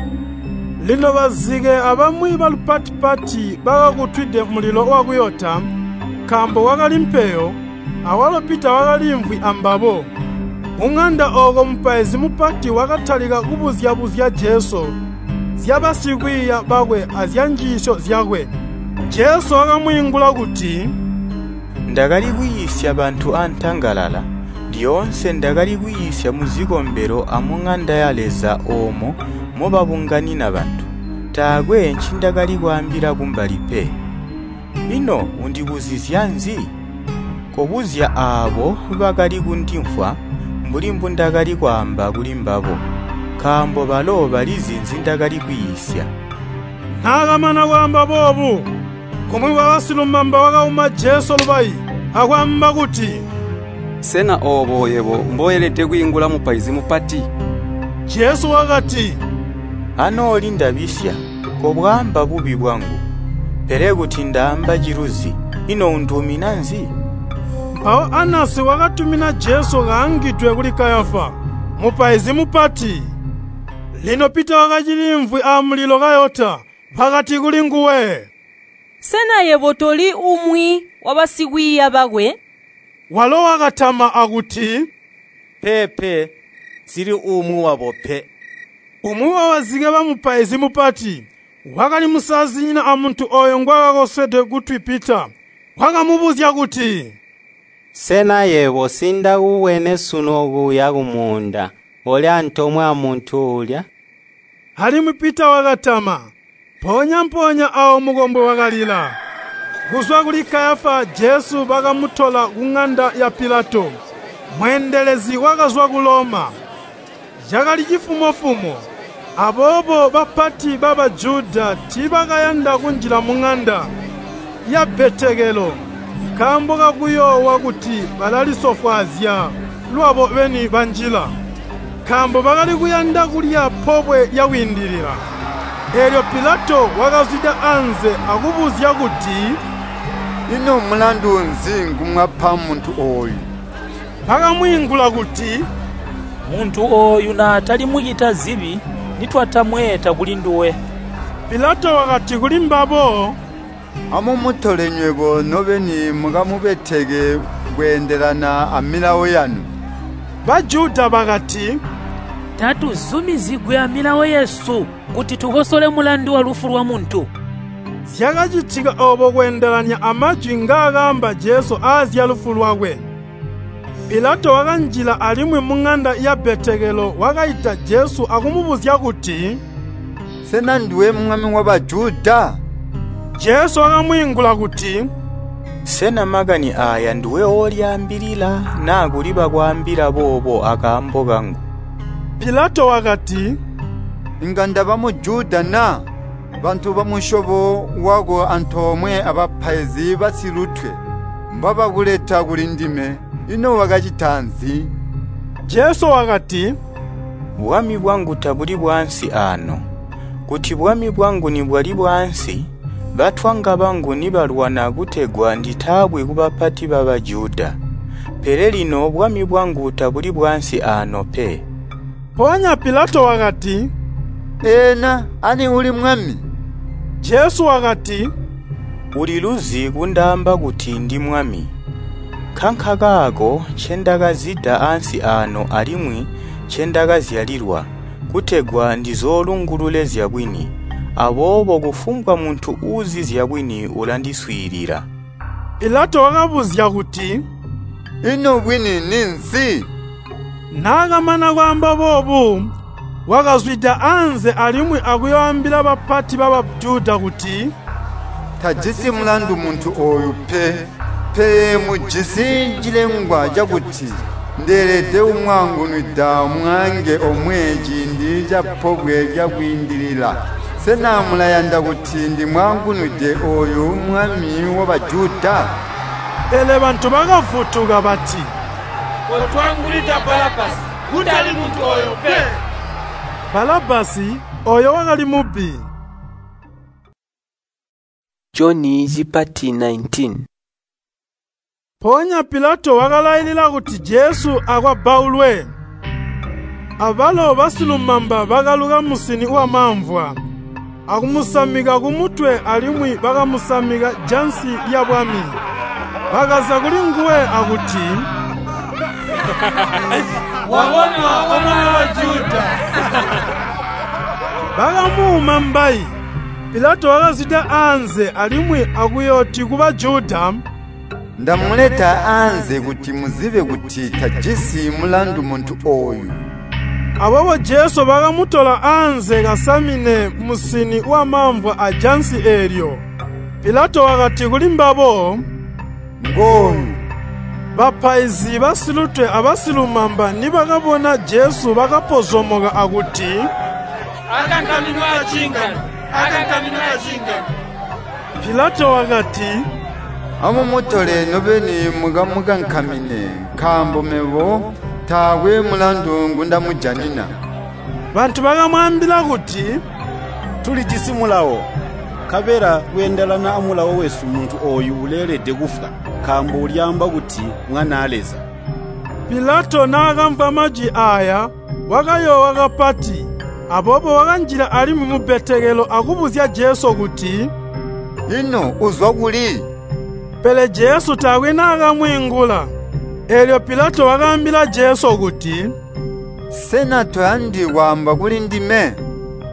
Lino bazike abamwi balupati-pati bakakutwide mulilo wakuyota, nkaambo kwakali mpeyo, awalo Pita wakaliimvwi ambabo. Kuŋanda ooko mupaizi mupati wakatalika kubuzya-buzya Jesu zyabasikwiiya bakwe azyanjiisyo zyakwe. Jesu wakamwiingula kuti, Ndakali kwiisya bantu antangalala, lyoonse ndakali kwiisya muzikombelo amuŋanda ya Leza oomo mobabunganina bantu. Taakwe ncindakali kwaambila kumbali pe. Ino undibuzizya nzi? Kobuzya aabo bakali kundimvwa mbuli mbundakali kwaamba kulimbabo, nkaambo balo balizi nzindakali kwiisya.” Naakamana kwaamba boobu, umwi wabasilumamba wakauma Jesu lubayi akwaamba kuti, “Sena oobo yebo mboelede kwiingula mupaizi mupati?” Jesu wakati, “Anooli ndabisya, kobwaamba bubi bwangu. Pele kuti ndaamba ciluzi, ino unduumina nzi?” Mpawo Anasi wakatumina Jesu kaangidwe kuli Kayafa, mupaizi mupati. Lino Pita wakaciliimvwi amulilo kayota. Bakati kulinguwe, “Sena yebo toli umwi wabasikwiiya bakwe?” Walo wakatama akuti, “Peepe, nsili umwi wabo pe.” Umwi wabazike bamupaizi mupati, wakali musazinyina amuntu ooyo ngwaakakoswede kutwi Pita, wakamubuzya kuti, “Sena yebo nsindakubwene sunu okuya kumuunda koli antoomwe amuntu uulya?” Alimwi Pita wakatama. Mpoonya-mpoonya aawo mukombwe wakalila. Kuzwa kuli Kayafa Jesu bakamutola kuŋanda ya Pilato, mweendelezi wakazwa ku Loma. Cakali cifumo-fumo, aboobo bapati ba Bajuda tiibakayanda kunjila muŋanda yabbetekelo nkaambo kakuyoowa kuti balalisofwaazya lwabo beni banjila, nkaambo bakali kuyanda kulya Pobwe lya Kwiindilila. Eelyo Pilato wakazwida anze akubuzya kuti, “Ino mulandu nzi ngumwapa muntu ooyu?” Bakamwiingula kuti, “Muntu ooyu naatali mucita zibi nitwatamweeta kulinduwe.” Pilato wakati kulimbabo, “Amumutole nywebo nobeni mukamubeteke kweendelana amilawo yanu.” Bajuda bakati, “Tatuzumizigwi amilawo yesu kuti tukosole mulandu walufu lwamuntu.” Zyakacitika oobo kweendelanya amajwi ngaakaamba Jesu aazyalufu lwakwe. Pilato wakanjila alimwi muŋanda yabbetekelo wakaita Jesu akumubuzya kuti, “Sena nduwe mwami wa Bajuda?” Jesu wakamwiingula kuti, “Sena makani aaya nduwe oolyaambilila naa kuli bakwaambila boobo akaambo kangu?” Pilato wakati, “Inga ndaba Mujuda na? Bantu bamusyobo wako antoomwe abapaizi basilutwe mbabakuleta kulindime. Ino wakacita nzi?” Jesu wakati, “Bwami bwangu tabuli bwaansi aano. Kuti bwami bwangu nibwali bwaansi, batwanga bangu nibalwana kutegwa nditaabwi kubapati ba Bajuda. Pele lino bwami bwangu tabuli bwaansi aano pe.” Mpoonya Pilato wakati, Ena ani uli mwami?” Jesu wakati, “Uliluzi kundaamba kuti ndimwami. Nkankakaako ncendakazida ansi aano alimwi ncendakazyalilwa, kutegwa ndizoolungulule zyabwini. Aboobo kufumbwa muntu uuzi zyabwini ulandiswiilila.” Pilato wakabuzya kuti, “Ino bwini ninzi?” Naakamana kwaamba boobu, wakazwida anze alimwi akuyooambila bapati ba Bajuda kuti, “Tajisi mulandu muntu ooyu pe. Pele mujisi cilengwa cakuti ndeelede kumwaangunwida mwaange omwe ciindi ca Pobwe lya Kwiindilila. Sena mulayanda kuti ndimwaangunwide ooyu mwami wa Bajuda?” Pele bantu bakavutuka bati, “Kotwaangunwida Balabbasi, kutali muntu ooyo pe!” Balabbasi ooyo wakali mubbi. Joni cipati 19. Mpoonya Pilato wakalailila kuti Jesu akwabbaulwe. Abalo basilumamba bakaluka musini wamamvwa, akumusamika kumutwe alimwi bakamusamika jansi lyabwami. Bakaza kulinguwe akuti, “Wabonwa O Mwami wa Bajuda!” Bakamuuma mbayi. Pilato wakazwida anze alimwi akuyooti ku Bajuda, “Ndamuleta anze kuti muzibe kuti tajisi mulandu muntu ooyu.” Aboobo Jesu bakamutola anze kasamine musini wamamvwa ajansi eelyo. Pilato wakati kulimbabo, “Ngooyu.” Bapaizi basilutwe abasilumamba nibakabona Jesu bakapozomoka akuti, “Akankaminwe aciingano! Akankaminwe aciingano!” Pilato wakati, “Amumutole nobeni mukamukankamine, nkaambo mebo taakwe mulandu ngundamujanina.” Bantu bakamwaambila kuti, “Tulijisi mulawo, nkabela kweendelana amulawo wesu muntu ooyu uleelede kufwa, nkaambo ulyaamba kuti Mwanaa Leza.” Pilato naakamvwa majwi aaya wakayoowa kapati. Aboobo wakanjila alimwi mubbetekelo akubuzya Jesu kuti, “Ino uzwa kuli?” Pele Jesu taakwe naakamwiingula. Eelyo Pilato wakaambila Jesu kuti, “Sena toyandi kwaamba kulindime?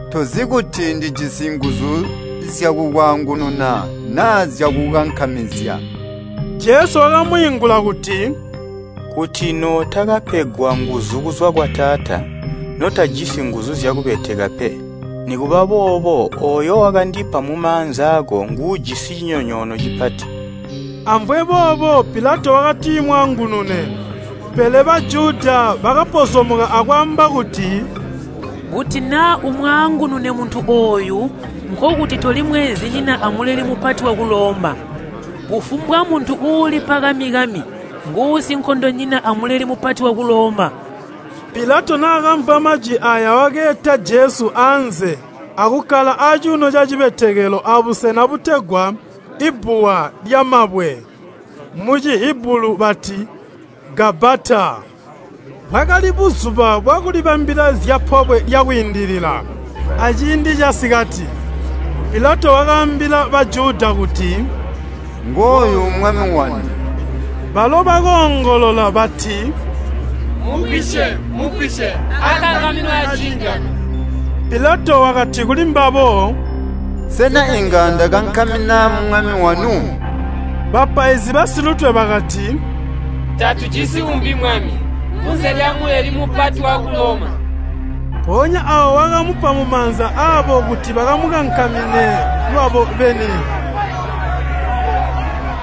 Tozi kuti ndijisi nguzu zyakukwaangununa naa zyakukankamizya?” Jesu wakamwiingula kuti, “Kuti nootakapegwa nguzu kuzwa kwa Taata, notajisi nguzu zyakubeteka pe. Nikuba boobo ooyo wakandipa mumaanza aako nguujisi cinyonyoono cipati.” Amvwe boobo Pilato wakatimwaangunune. Pele Bajuda bakapozomoka akwaamba kuti, “Kuti naa umwaangunune muntu ooyu nkokuti toli mweenzinyina a Muleli Mupati waku Loma. Kufumbwa muntu uulipa kami-kami nguusinkondonyina a Muleli Mupati waku Loma.” Pilato naakamvwa majwi aaya wakeeta Jesu anze akukkala acuuno cacibetekelo abusena butegwa Ibbuwa lyamabwe, mu Cihibulu bati Gabbata. Bwakali buzuba bwakulibambila zya Pobwe lya Kwiindilila, aciindi casikati. Pilato wakaambila Bajuda kuti, “Ngooyu mwami wanu.” Balo bakoongolola bati, “Mugwisye, mugwisye, akankaminwe aciingano!” Pilato wakati kulimbabo, “Sena inga ndakankamina mwami wanu?” Bapaizi basilutwe bakati, “Tatujisi umbi mwami, kunze lya Muleli Mupati waku Loma.” Mpoonya aawo wakamupa mumaanza aabo kuti bakamukankamine lwabo beni.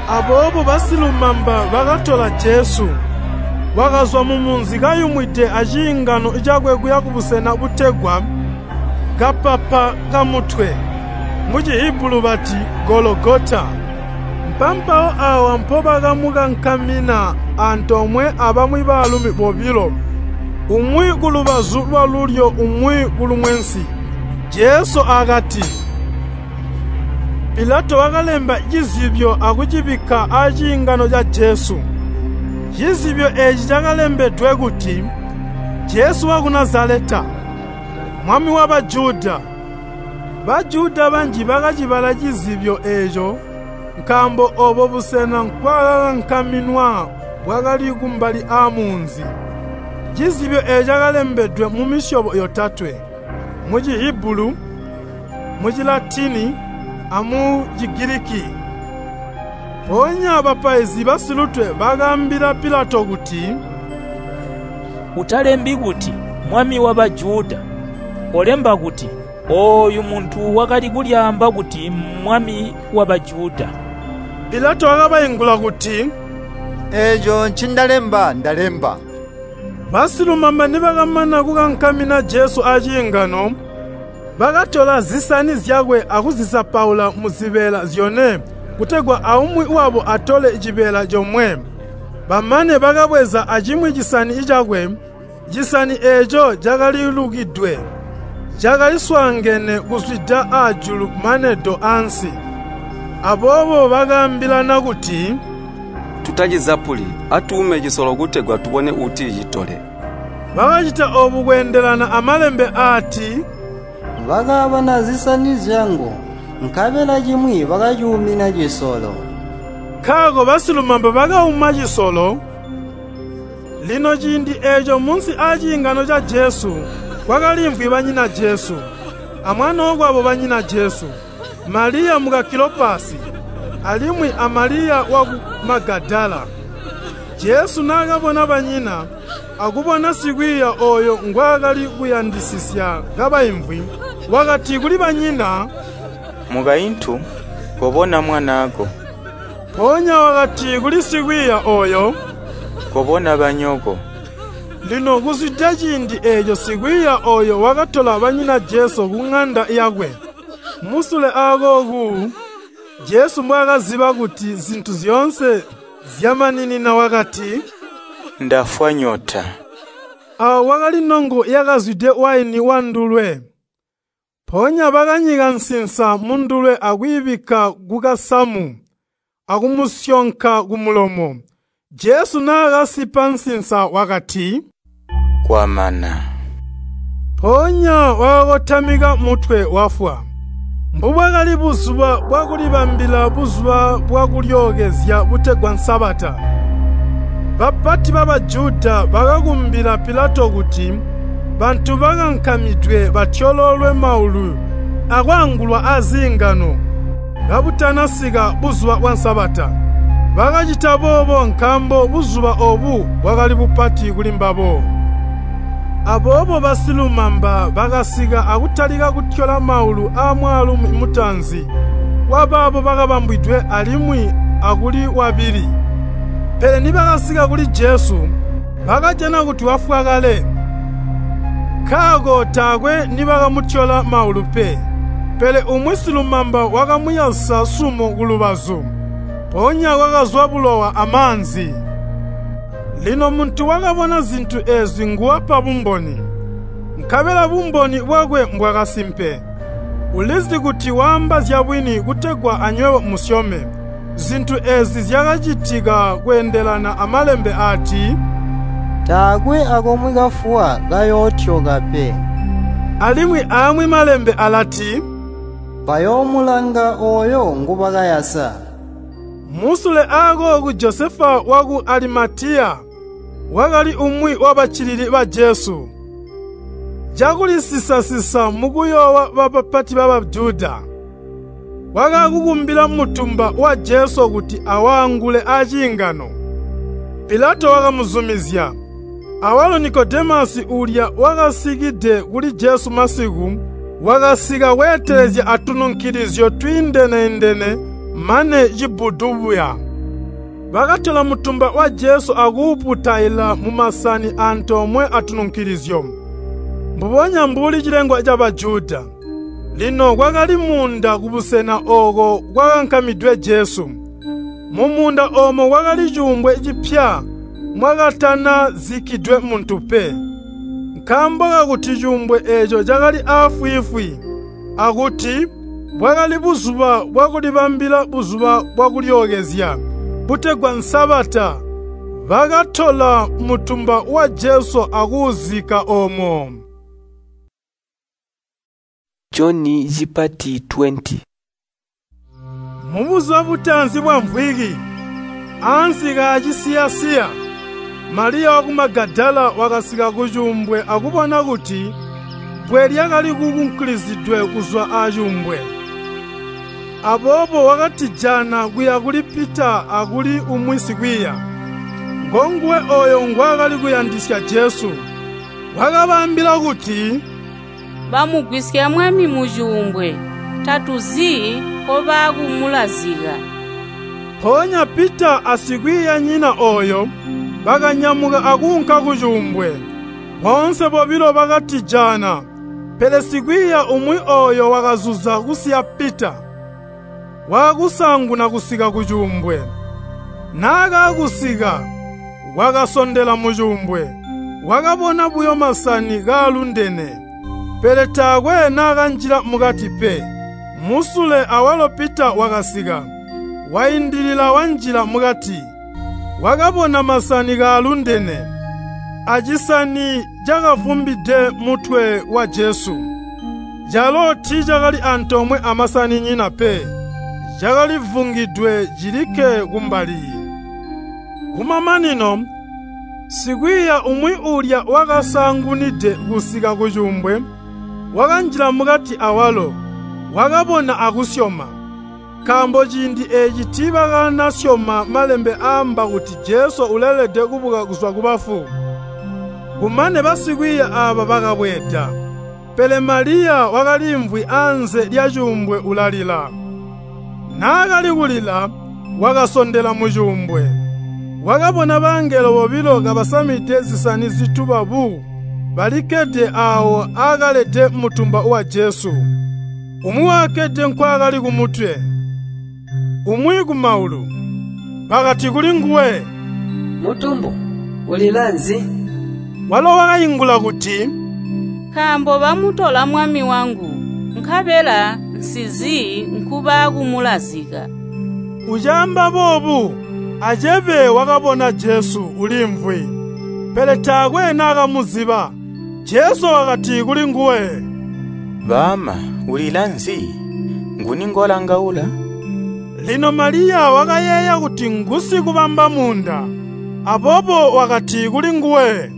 Aboobo basilumamba bakatola Jesu. Wakazwa mumunzi kayumwide aciingano cakwe kuya kubusena butegwa Kapapa Kamutwe, mu Cihibulu bati Gologota. Mpampawo aawa mpobakamukankamina antoomwe abamwi baalumi bobilo, umwi kulubazu lwalulyo umwi kulumwensi. Jesu akati. Pilato wakalemba cizibyo akucibikka aciingano ca Jesu. Cizibyo eeci cakalembedwe kuti, Jesu waku Nazaleta, “Mwami wa Bajuda.” Bajuda banji bakacibala cizibyo eeco, nkaambo oobo busena nkwaakakankaminwa bwakali kumbali aamunzi. Cizibyo eeco cakalembedwe mumisyobo yotatwe: mu Cihibulu, mu Cilatini amu Cigiliki. Mpoonya bapaizi basilutwe bakaambila Pilato kuti, “Utalembi kuti, ‘Mwami wa Bajuda,’ kolemba kuti, ‘Ooyu muntu wakali kulyaamba kuti Mmwami wa Bajuda.’” Pilato wakabaingula kuti, “Eeco ncindalemba, ndalemba.” Basilumamba nibakamana kukankamina Jesu aciingano, bakatola zisani zyakwe akuzizapaula muzibeela zyone kutegwa aumwi wabo atole cibeela comwe. Bamane bakabweza acimwi cisani cakwe. Cisani eeco cakalilukidwe, cakaliswaangene kuzwida aajulu mane do ansi. Aboobo bakaambilana kuti, “Tutacizapuli, atuume cisolo kutegwa tubone uuticitole.” Bakacita oobu kweendelana amalembe aati, “Bakaabana zisani zyangu, nkabela cimwi bakacuumina cisolo.” Nkaako basilumamba bakauma cisolo. Lino ciindi eeco munsi aaciingano ca Jesu kwakaliimvwi banyina Jesu, amwanookwabo banyina Jesu, Maliya muka Kilopasi, alimwi a Maliya waku Magadala. Jesu naakabona banyina, akubona sikwiiya ooyo ngwaakali kuyandisisya kabaimvwi, wakati kuli banyina, “Mukaintu, kobona mwanaako.” Mpoonya wakati kuli sikwiiya ooyo, “Kobona banyoko.” Lino kuzwida ciindi eeco sikwiiya ooyo wakatola banyina Jesu kuŋanda yakwe. Musule aakooku, Jesu mbwaakaziba kuti zintu zyoonse zyamaninina wakati, “Ndafwa nyota.” Aawo kwakali nongo yakazwide waini wandulwe. Mpoonya bakanyika nsinsa mundulwe akwiibikka kukasamu akumusyonka kumulomo. Jesu naakasipa nsinsa wakati, “Kwamana.” Mpoonya wakakotamika mutwe wafwa. Mbubwakali buzuba bwakulibambila buzuba bwa kulyookezya butegwa Sabata. Bapati ba Bajuda bakakumbila Pilato kuti bantu bakankamidwe batyololwe maulu akwaangulwa aziingano kabutanasika buzuba bwa Sabata. Bakacita boobo nkaambo buzuba oobu bwakali bupati kulimbabo. Aboobo basilumamba bakasika akutalika kutyola maulu aamwaalumi mutaanzi wabaabo bakabambwidwe alimwi akuli wabili. Pele nibakasika kuli Jesu, bakajana kuti wafwa kale. Nkaako taakwe nibakamutyola maulu pe. Pele umwi silumamba wakamuyasa sumo kulubazu, mpoonya kwakazwa bulowa amaanzi. Lino muntu wakabona zintu eezi nguwapa bumboni, nkabela bumboni bwakwe mbwakasimpe. Ulizi kuti waamba zyabwini kutegwa anywebo musyome. Zintu eezi zyakacitika kweendelana amalembe aati, “Taakwe akomwe kafuwa kayootyoka pe.” Alimwi aamwi malembe alati, “Bayoomulanga ooyo ngubakayasa.” Musule aakooku Josefa waku Alimatiya wakali umwi wabaccilili ba Jesu. Cakulisisa-sisa mukuyoowa bapati ba Bajuda, wakakukumbila mutumba wa Jesu kuti awaangule aciingano. Pilato wakamuzumizya. Awalo Nikodemasi uulya wakasikide kuli Jesu masiku, wakasika kweetelezya atununkilizyo twiindene-indene mane cibbudu buya. Bakatola mutumba wa Jesu akuuputaila mumasani antoomwe atununkilizyo, mbubonya mbuli cilengwa ca Bajuda. Lino kwakali muunda kubusena ooko kwakankamidwe Jesu. Mumuunda oomo kwakali cuumbwe cipya mwakatanazikkidwe muntu pe. Nkaambo kakuti cuumbwe eeco cakali aafwiifwi, akuti bwakali buzuba bwakulibambila buzuba bwakulyookezya, butegwa Sabata, bakatola mutumba wa Jesu akuuzikka oomo. Joni cipati 20. Mubuzuba butaanzi bwamvwiki, ansi kaacisiya-siya, Maliya waku Magadala wakasika kucuumbwe akubona kuti bbwe lyakali kukunkulizidwe kuzwa acuumbwe. Aboobo wakatijana kuya kuli Pita akuli umwi sikwiiya, ngonguwe ooyo ngwaakali kuyandisya Jesu. Wakabaambila kuti, Bamugwisya Mwami mucuumbwe, tatuzi nkobaakumulazika. Mpoonya Pita asikwiiyanyina ooyo bakanyamuka akuunka kucuumbwe. Boonse bobilo bakatijana, pele sikwiiya umwi ooyo wakazuza kusiya Pita, waakusaanguna kusika kucuumbwe. Naakaakusika, wakasondela mucuumbwe, wakabona buyo masani kaalundene, pele taakwe naakanjila mukati pe. Musule awalo Pita wakasika, waindilila wanjila mukati, wakabona masani kaalundene, acisani cakavumbide mutwe wa Jesu. Calo tiicakali antoomwe amasaninyina pe, cakalivungidwe cilikke kumbali. Kumamanino, sikwiiya umwi uulya wakasaangunide kusika kucuumbwe, wakanjila mukati awalo, wakabona akusyoma. Nkaambo ciindi eeci tiibakanasyoma malembe aamba kuti Jesu uleelede kubuka kuzwa kubafu. Kumane basikwiiya aaba bakabweeda, pele Maliya wakaliimvwi anze lyacuumbwe ulalila. Naakali kulila, wakasondela mucuumbwe. Wakabona bangelo bobilo kabasamide zisani zituba bu, balikkede aawo aakalede mutumba wa Jesu. Umwi wakakkede nkwaakali kumutwe, umwi kumaulu. Bakati kulinguwe, “Mutumbu, ulila nzi?” Walo wakaingula kuti, Nkaambo bamutola Mwami wangu, nkabela nsizi nkubaakumulazika. Ucaamba boobu, acebe wakabona Jesu uliimvwi, pele taakwe naakamuziba. Jesu wakati kulinguwe, “Baama, ulila nzi? Nguni ngolangaula?” Lino Maliya wakayeeya kuti ngusikubamba muunda, aboobo wakati kulinguwe,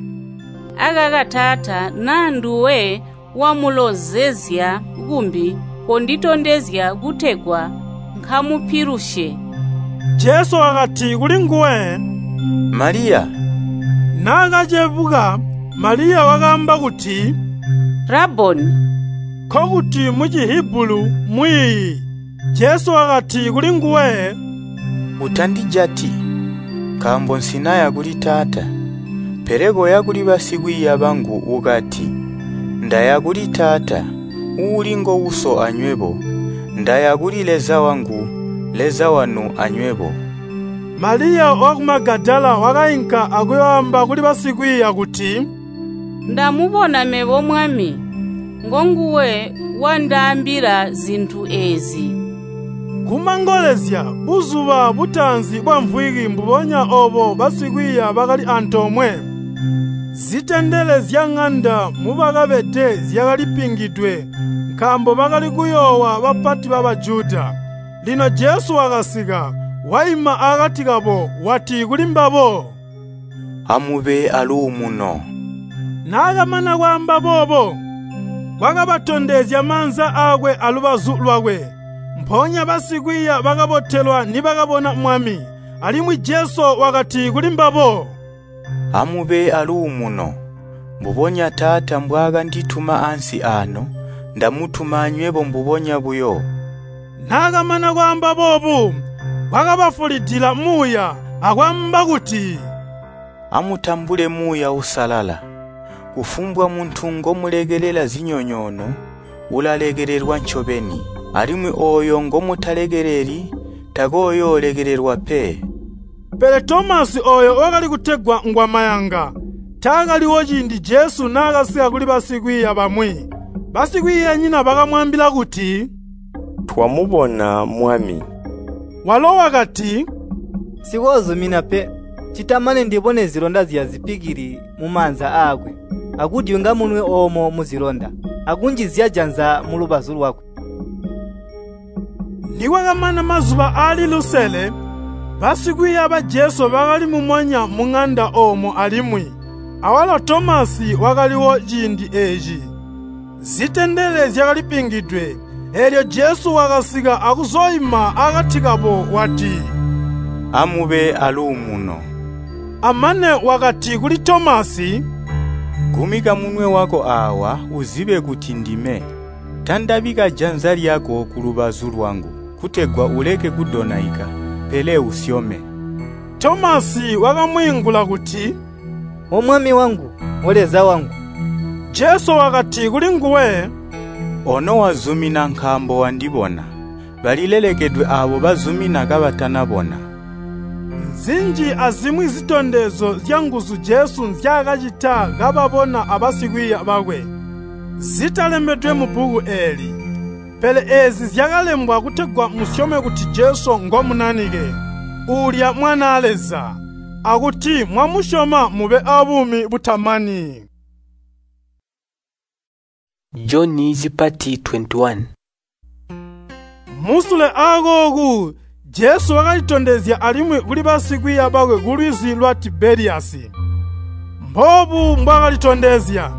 Akaka taata, naa nduwe wamulozezya kumbi, konditondezya kutegwa nkamupilusye. Jesu wakati kulinguwe, “Maliya!” Naakacebuka, Maliya wakaamba kuti, “Raboni!” Nkokuti mu Cihibulu mwiiyi. Jesu wakati kulinguwe, “Utandijati, nkaambo nsinaya kuli Taata. Pele koya kuli basikwiiya bangu ukati, ‘Ndaya kuli Taata, uuli ngo Uso anywebo. Ndaya kuli Leza wangu, Leza wanu anywebo.’” Maliya waku Magadala wakainka akuyooamba kuli basikwiiya kuti, Ndamubona mebo Mwami, ngonguwe wandaambila zintu eezi. Kumangolezya buzuba butaanzi bwamvwiki mbubonya oobo basikwiiya bakali antoomwe. Zitendele zyaŋanda mubakabede zyakalipingidwe nkaambo bakali kuyoowa bapati ba Bajuda. Lino Jesu wakasika, waima akati kabo wati kulimbabo, “Amube aluumuno.” Naakamana kwaamba boobo, wakabatondezya maanza aakwe alubazu lwakwe. Mpoonya basikwiiya bakabotelwa nibakabona Mwami. Alimwi Jesu wakati kulimbabo, “Amube aluumuno. Mbubonya Taata mbwaakandituma ansi aano, ndamutuma anywebo mbubonya buyo.” Naakamana kwaamba boobu, wakabafulidila Muuya akwaamba kuti, “Amutambule Muuya Uusalala. Kufumbwa muntu ngomulekelela zinyonyoono, ulalekelelwa ncobeni, alimwi ooyo ngomutalekeleli takooyoolekelelwa pe.” Pele Tomasi ooyo wakali kutegwa ngwamayanga, taakaliwo ciindi Jesu naakasika kuli basikwiiya bamwi. Basikwiiyanyina bakamwaambila kuti, “Twamubona Mwami.” Walo wakati, “Nsikoozumina pe, ccita mane ndibone zilonda zyazipikili mumaanza aakwe, akudyunga munwe oomo muzilonda.” akunjizya janza mulubazu lwakwe. Nikwakamana mazuba aali lusele, basikwiiya ba Jesu bakali mumonya muŋanda oomo alimwi, awalo Tomasi wakaliwo ciindi eeci. Zitendele zyakalipingidwe, eelyo Jesu wakasika akuzooima akati kabo wati, “Amube aluumuno.” Amane wakati kuli Tomasi, “Gumika munwe wako aawa uzibe kuti ndime. Tandabika janza lyako kulubazu lwangu, kutegwa uleke kudonaika, pele usyome.” Tomasi wakamwiingula kuti, “O Mwami wangu, O Leza wangu!” Jesu wakati kulinguwe, “Ono wazumina nkaambo wandibona. Balilelekedwe aabo bazumina kabatanabona.” Nzinji azimwi zitondezyo zyanguzu Jesu nzyaakacita kababona abasikwiiya bakwe, zitalembedwe mubbuku eeli. Pele eezi zyakalembwa kutegwa musyome kuti Jesu ngo Munanike, uulya Mwanaa Leza, akuti mwamusyoma mube abuumi butamani. Joni cipati 21. Musule aakooku Jesu wakalitondezya alimwi kuli basikwiiya bakwe kulwizi lwa Tibeliyasi. Mboobu mbwaakalitondezya: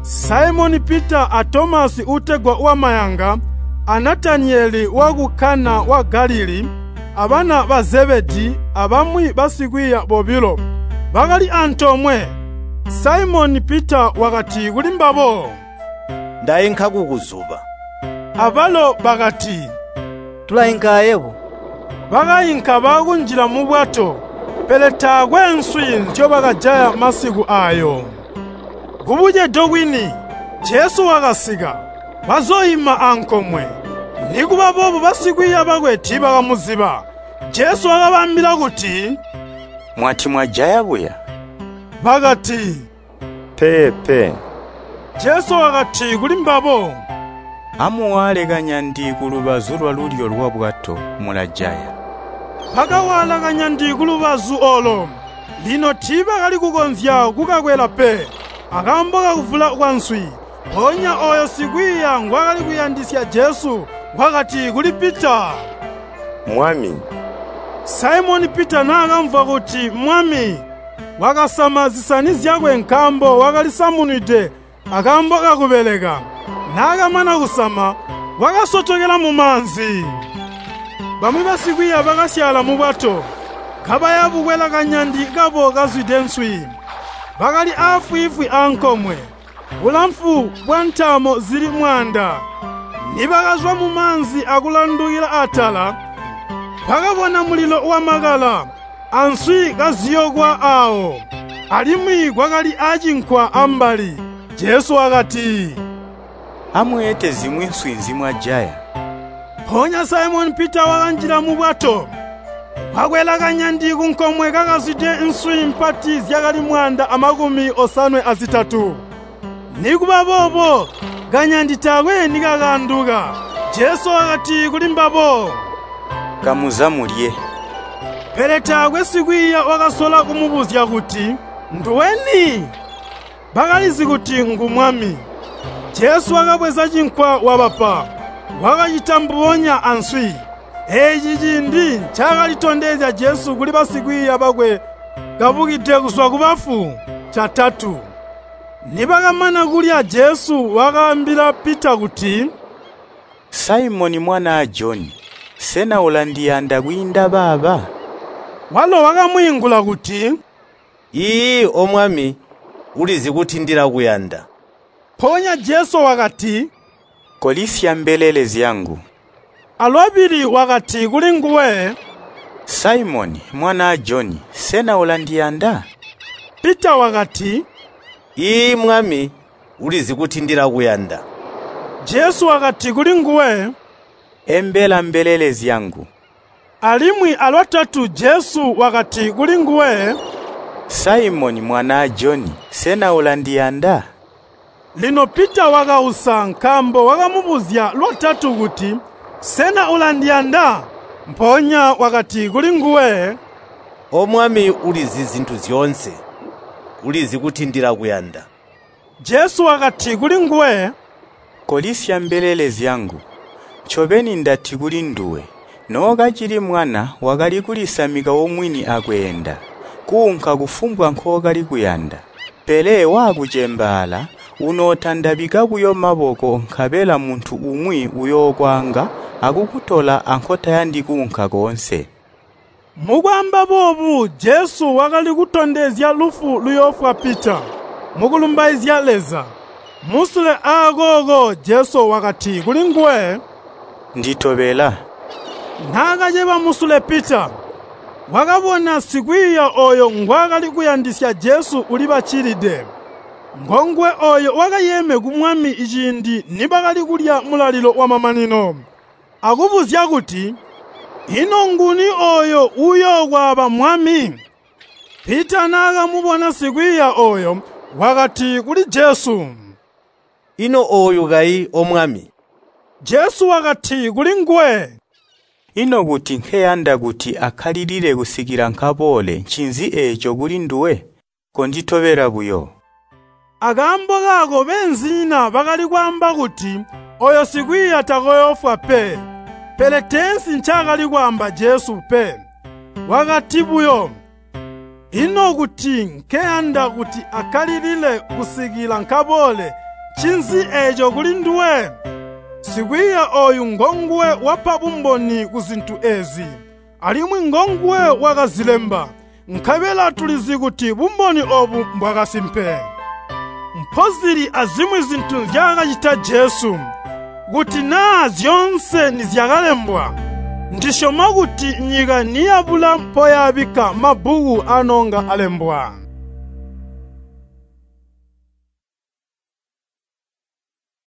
Saimoni Pita a Tomasi uutegwa wamayanga, a Nataniyeli waku Kana wa Galilii, abana ba Zebedii abamwi basikwiiya bobilo bakali antoomwe. Saimoni Pita wakati kulimbabo, “Ndainka kukuzuba.” Abalo bakati, “Tulainka ayebo.” Bakainka baakunjila mubwato, pele taakwe nswi nzyobakajaya masiku aayo. Kubucedo kwini, Jesu wakasika, wazooima ankomwe. Nikuba boobo basikwiiya bakwe tiibakamuziba. Jesu wakabaambila kuti, “Mwati mwajaya buya?” Bakati, “Peepe.” Jesu wakati kulimbabo, “Amuwaale kanyandi kulubazu lwalulyo lwabwato, mulajaya.” Bakawaala kanyandi kulubazu oolo. Lino tiibakali kukonzya kukakwela pe, akaambo kakuvula kwanswi. Mpoonya ooyo sikwiiya ngwaakali kuyandisya Jesu wakati kuli Pita, “Mwami.” Saimoni Pita naakamvwa kuti Mwami, wakasama zisani zyakwe nkaambo wakalisamunwide akaambo kakubeleka. Naakamana kusama, wakasotokela mumaanzi. Bamwi basikwiiya bakasyaala mubwato, kabaya bukwela kanyandi kabo kazwide nswi. Bakali aafwiifwi ankomwe, bulamfu bwantaamo zili 100. Nibakazwa mumaanzi akulandukila atala, bakabona mulilo wamakala, answi kaziyokwa aawo. Alimwi kwakali acinkwa ambali. Jesu wakati, “Amweete zimwi nswi nzimwajaya.” Mpoonya Saimoni Pita wakanjila mubwato, wakwela kanyandi kunkomwe kakazwide nswi mpati zyakali 153. Nikuba boobo kanyandi taakwe nikakaanduka. Jesu wakati kulimbabo, “Kamuza mulye.” Pele taakwe sikwiiya wakasola kumubuzya kuti, “Nduweni?” Bakalizi kuti ngu Mwami. Jesu wakabweza cinkwa wabapa, wakacita mbubonya answi. Eeci ciindi ncaakalitondezya Jesu kuli basikwiiya bakwe kabukide kuzwa kubafu catatu. Nibakamana kulya Jesu wakaambila Pita kuti, “Saimoni mwanaa Joni, sena ulandiyanda kwiinda baaba?” Walo wakamwiingula kuti, “Iiyi, O Mwami, ulizi kuti ndilakuyanda.” Mpoonya Jesu wakati, “Kolisya mbelele zyangu.” Alwabili wakati kulinguwe, “Saimoni, mwanaa Joni, sena ulandiyanda?” Pita wakati, “Iiyi, Mwami, ulizi kuti ndilakuyanda.” Jesu wakati kulinguwe, “Embela mbelele zyangu.” Alimwi alwatatu Jesu wakati kulinguwe, “Saimoni mwanaa Joni, sena ulandiyanda?” Lino Pita wakausa nkaambo wakamubuzya lwatatu kuti, “Sena ulandiyanda?” Mpoonya wakati kulinguwe, “O Mwami, ulizi zintu zyoonse, ulizi kuti ndilakuyanda.” Jesu wakati kulinguwe, Kolisya mbelele zyangu. Ncobeni ndati kulinduwe, nookacili mwana wakali kulisamika omwini akweenda, kuunka kufumbwa nkookali kuyanda. Pele waakucembaala, unootandabika buyo maboko nkabela muntu umwi uyookwaanga akukutola ankotayandi kuunka koonse.” Mukwaamba boobu Jesu wakali kutondezya lufu luyoofwa Pita, mukulumbaizya Leza. Musule aakooko Jesu wakati kulinguwe, “Nditobela.” Naakaceba musule Pita, wakabona sikwiiya ooyo ngwaakali kuyandisya Jesu ulibaccilide. Ngonguwe ooyo wakayeeme ku Mwami ciindi nibakali kulya mulalilo wamamanino, akubuzya kuti, “Ino nguni ooyo uuyookwaaba Mwami?” Pita naakamubona sikwiiya ooyo, wakati kuli Jesu, “Ino ooyu kayi, O Mwami?” Jesu wakati kulinguwe, “Ino kuti nkeyanda kuti akkalilile kusikila nkaboole ncinzi eeco kulinduwe? Konditobela buyo.” Akaambo kaako beenzinyina bakali kwaamba kuti ooyo sikwiiya takoyoofwa pe. Pele teensi ncaakali kwaamba Jesu pe. Wakati buyo, “Ino kuti nkeyanda kuti akkalilile kusikila nkaboole, ncinzi eeco kulinduwe?” Sikwiiya ooyu ngonguwe wapa bumboni kuzintu eezi, alimwi ngonguwe wakazilemba, nkabela tulizi kuti bumboni oobu mbwakasimpe. Mpozili azimwi zintu nzyaakacita Jesu. Kuti naa zyoonse nizyakalembwa, ndisyoma kuti nyika niyabula mpoyaabikka mabbuku aanonga alembwa.